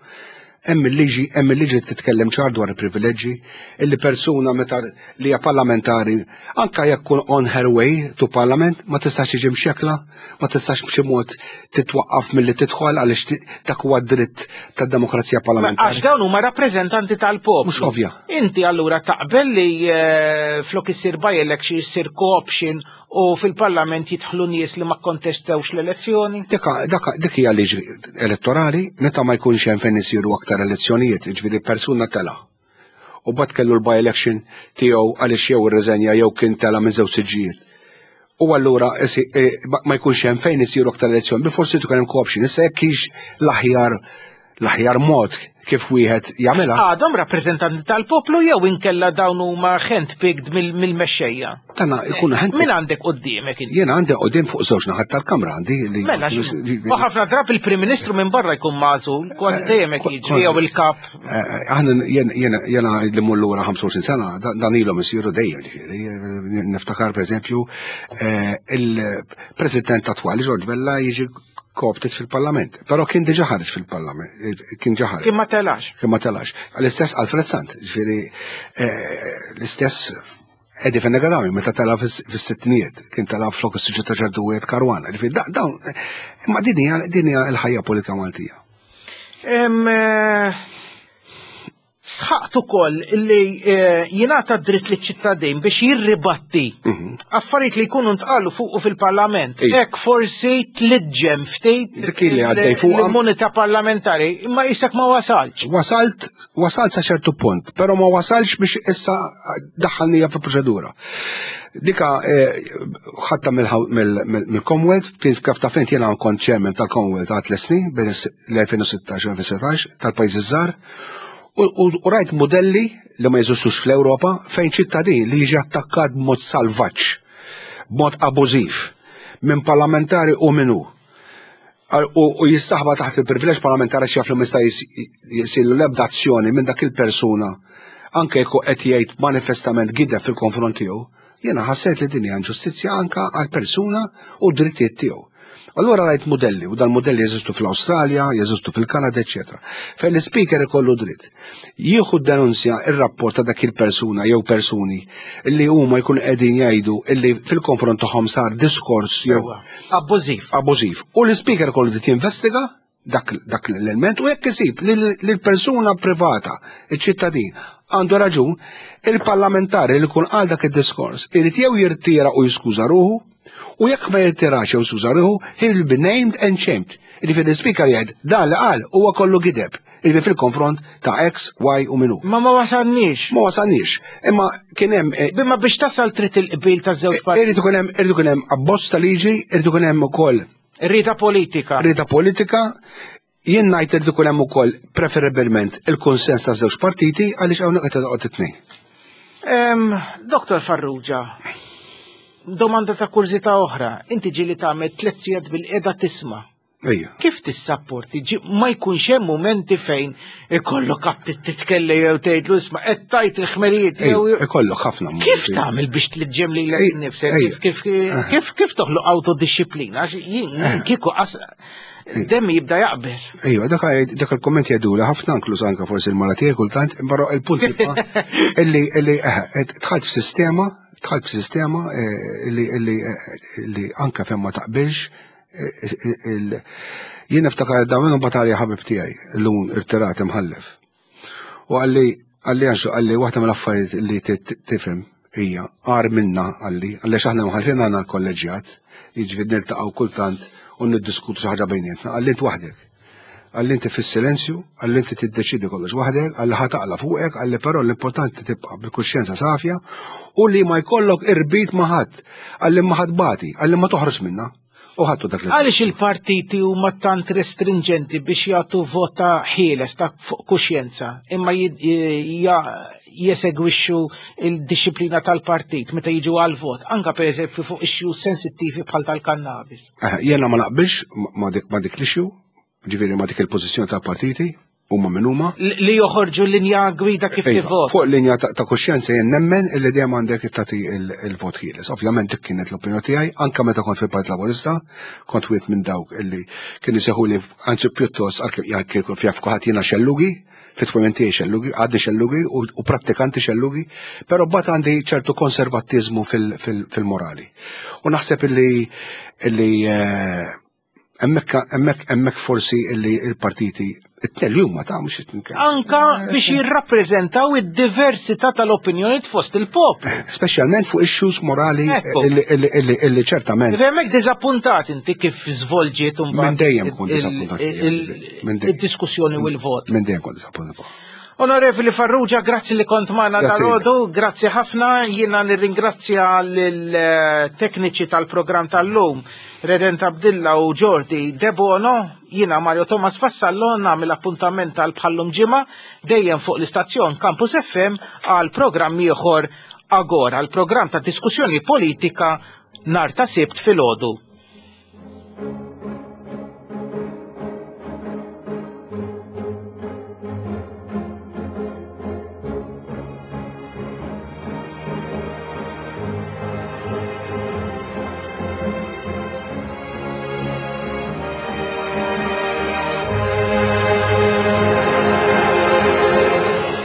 hemm il-liġi, hemm il-liġi titkellem ċar dwar il-privileġġi, illi persuna meta li hija parlamentari, anka jekk kun on her way to parliament, ma tistax tiġi mxekla, ma tistax b'xi mod titwaqqaf milli tidħol għaliex dak huwa dritt tad-demokrazija parlamentari. Għax dawn huma rappreżentanti tal-poplu. Mhux ovvja. Inti allura taqbel li flok isir by-election isir co-option u fil-parlament jidħlu nies li ma kontestewx l-elezzjoni? Dik hija liġi elettorali, meta ma jkunx hemm fejn isiru aktar elezzjonijiet, jiġifieri persuna tela. U bad kellu l-by-election tiegħu għaliex jew irreżenja jew kien tela minn żewġ siġġijiet. U allura ma jkunx hemm fejn isiru aktar elezzjoni, bi forsi tkun hemm co-option. Issa jekk hix l-aħjar l-aħjar mod kif wieħed jagħmilha. Għadhom rappreżentanti tal-poplu jew inkella dawn huma handpicked mill-mexxejja? Tana ikunu handpicked. Min għandek quddiemek inti? Jiena għandi quddiem fuq żewġ naħat tal-kamra għandi li Mela, u ħafna drabi il-Prim Ministru minn barra jkun magħżul, kważi dejjem hekk jiġri jew il-kap. Aħna jiena jiena li mmur lura ħamsa u għoxrin sena, dan ilhom isiru dejjem, ġifieri. Niftakar pereżempju il-President attwali George Vella jiġi co-opted fil-parlament, però kien diġà ħareġ fil-parlament, kien ġa ħareġ. Kien ma telax. Kien ma telax. L-istess Alfred Sant, ġifieri l-istess Eddie Fenech Adami, meta tela fis-sittinijiet, kien tela flok is-siġġu ta' ċertu wieħed Caruana. Ġifieri dawn, imma din hija din hija l-ħajja politika Maltija. Sħaqt ukoll li eh, jingħata dritt liċ-ċittadin biex jirribatti Mhm. affarijiet li jkunu ntqalu fuq fil-Parlament. Hekk forsi tliġġem ftit Dik li għaddej fuqha. l-immunità parlamentari, imma isek ma wasalx. Wasalt, wasalt sa ċertu punt, pero ma wasalx biex issa daħħalnija fi proċedura. Dika eh, ħatta mill-Commonwealth, kif kif taf int jiena kont chairman tal-Commonwealth għal tliet snin bejn l-elfejn u sittax u elfejn u setax tal-pajjiżi żgħar. U, u, u rajt modelli li ma jeżistux fl-Ewropa fejn ċittadin li jiġi attakkat b'mod salvaġġ, b'mod abużiv, minn parlamentari u minnu. U, u jissaħba taħt il-privileġġ parlamentari x'jaf li ma jista' jisilu l-ebda azzjoni minn dak il-persuna anke jekk qed jgħid manifestament gideb fil-konfront tiegħu, jiena ħassejt li din hija inġustizzja anke għal persuna u d-drittijiet tiegħu. Allura rajt modelli, u dal-modelli jeżistu fl-Awstralja, jeżistu fil-Kanada, eċċetera. Fejn l-speaker ikollu dritt. Jieħu denunzja ir-rapport ta' dak il-persuna jew persuni li huma jkunu qegħdin jgħidu illi fil-konfront tagħhom sar diskors jew abbużiv. Abbużiv. U l-speaker ikollu dritt jinvestiga dak, dak l-element u jekk isib li l-persuna privata, iċ-ċittadin, għandu raġun, il-parlamentari li kun għal dak id-diskors irid jew jirtira u jiskuża ruħu, u jekk ma jirtirax jew jiskuża ruħu, he will be named and shamed. Jiġifieri l-speaker jgħid dan li qal huwa kollu gideb. Jiġifieri fil-konfront ta' X, Y u minu. Ma ma wasalniex. Ma wasalniex. Imma kien hemm eh, Imma biex tasal trid il-qbil taż-żewġ partiti. Irid ikun hemm irid ikun hemm abbozz ta' liġi, irid ikun hemm ukoll Rida politika. Rida politika. Jien ngħid irid ikun hemm ukoll preferibilment il-konsens ta' żewġ partiti għaliex hawnhekk qed toqgħod it-tnejn. Em, Doktor Farrugia, domanda ta' kurżità oħra. Inti ġieli tagħmel tliet sigħat bil-qiegħda tisma'. Ejja. Kif tissapporti? Ġi- Ma jkunx hemm momenti fejn ikollok aptit titkellem jew tgħidlu isma' qed tajt il-ħmerijiet jew Ejja, ikollok ħafna momenti. Kif tagħmel biex tliġġem lilek innifsek? ejja. Kif kif kif kif toħloq autodisciplina? Għax jien kieku qas demmi jibda jaqbeż. Ejwa, dak dak il-komment jgħiduli ħafna, inkluż anke forsi l-mara tiegħi kultant, però il-punt jibqa' illi illi eh, dħalt f'sistema, dħalt f'sistema eh, illi illi eh, illi anke fejn ma taqbilx eh, il- jien niftakar da minnu batalja ħabib tiegħi llum irtirat imħallef. U qalli qalli għanxu qalli waħda mill-affarijiet li tifhem hija għar minna qalli għaliex aħna mħallfin għandna l-kolleġjat, jiġifieri niltaqgħu kultant u niddiskutu xi ħaġa bejnietna, qalli int waħdek. Qalli inti fis-silenzju, qalli inti tiddeċidi kollox waħdek, qalli ħa taqla' fuqek, qalli però l-importanti tibqa' bil-kuxjenza safja u li ma jkollok irbit ma' ħadd, qalli ma ħadd bati, qalli ma toħroġ minna. U ħadtu dak li Għaliex il-partiti huma tant restringenti biex jagħtu vota ħieles ta' fuq kuxjenza, imma jid- ja- jesegwixxu il-disciplina tal-partit meta jiġu għal-vot, anka per eżempju fuq issues sensittivi bħal tal-kannabis. Eh, Jiena ma naqbilx ma dik ma dik l-issue, ġifieri ma dik il-pożizzjoni tal-partiti, huma min huma. Li joħorġu linja gwida kif Iva, tivvot. Fuq linja ta' ta' kuxjenza jien nemmen illi dejjem għandek tagħti il-vot ħieles. Ovvjament dik kienet l-opinjoni tiegħi, anke meta kont fil-Partit Laburista, kont wieħed minn dawk illi kienu jsejħuli anzi pjuttost għalkemm kien fjaf kulħadd jiena xellugi, fit-twemmin tiegħi xellugi, għadni xellugi u, u prattikanti xellugi, però mbagħad għandi ċertu konservattiżmu fil-morali. U naħseb illi illi eh, hemmhekk hemmhekk hemmhekk forsi illi il-partiti it-tnejn li huma ta' mhux it-tnejn. Anka biex jirrappreżentaw id-diversità tal-opinjoni fost il-poplu. Speċjalment fuq issues morali Ekku. illi, illi, illi, illi ċertament Hemmhekk diżappuntat inti kif żvolġiet Minn imbagħad dejjem kont il- diżappuntat. il- Minn dejjem. id-diskussjoni u l-vot. Minn dejjem kont diżappuntat. Onorevoli Farrugia, grazzi li kont magħna Grazzi. dalgħodu, grazzi ħafna, jiena nirringrazzja lill-tekniċi tal-programm tal-lum, Redent Abdilla u Jordi Debono, jiena Mario Thomas Vassallo nagħmel appuntament tal bħallum ġimgħa dejjem fuq l-istazzjon Campus F M għal programm ieħor Agora, għal programm ta' diskussjoni politika nhar ta' Sibt filgħodu.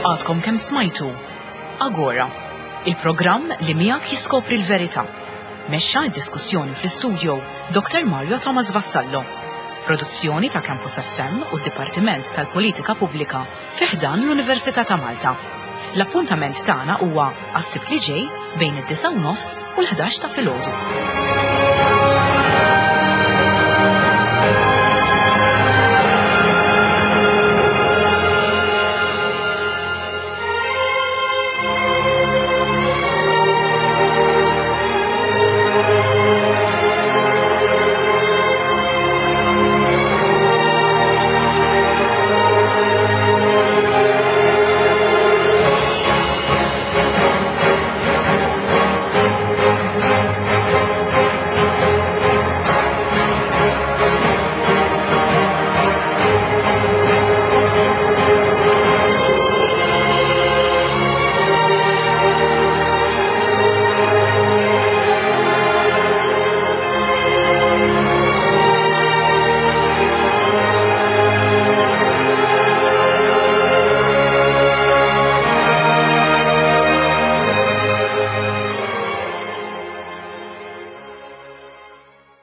Għadkom kemm smajtu Agora, il-programm li miegħek jiskopri l-verità. Mexxa d-diskussjoni fl-istudio Doktor Mario Thomas Vassallo. Produzzjoni ta' Campus F M u d-Dipartiment tal-Politika Pubblika fi ħdan l-Università ta' Malta. L-appuntament tagħna huwa għas-Sibt li ġej bejn id-disgħa u nofs u l-ħdax ta' filgħodu.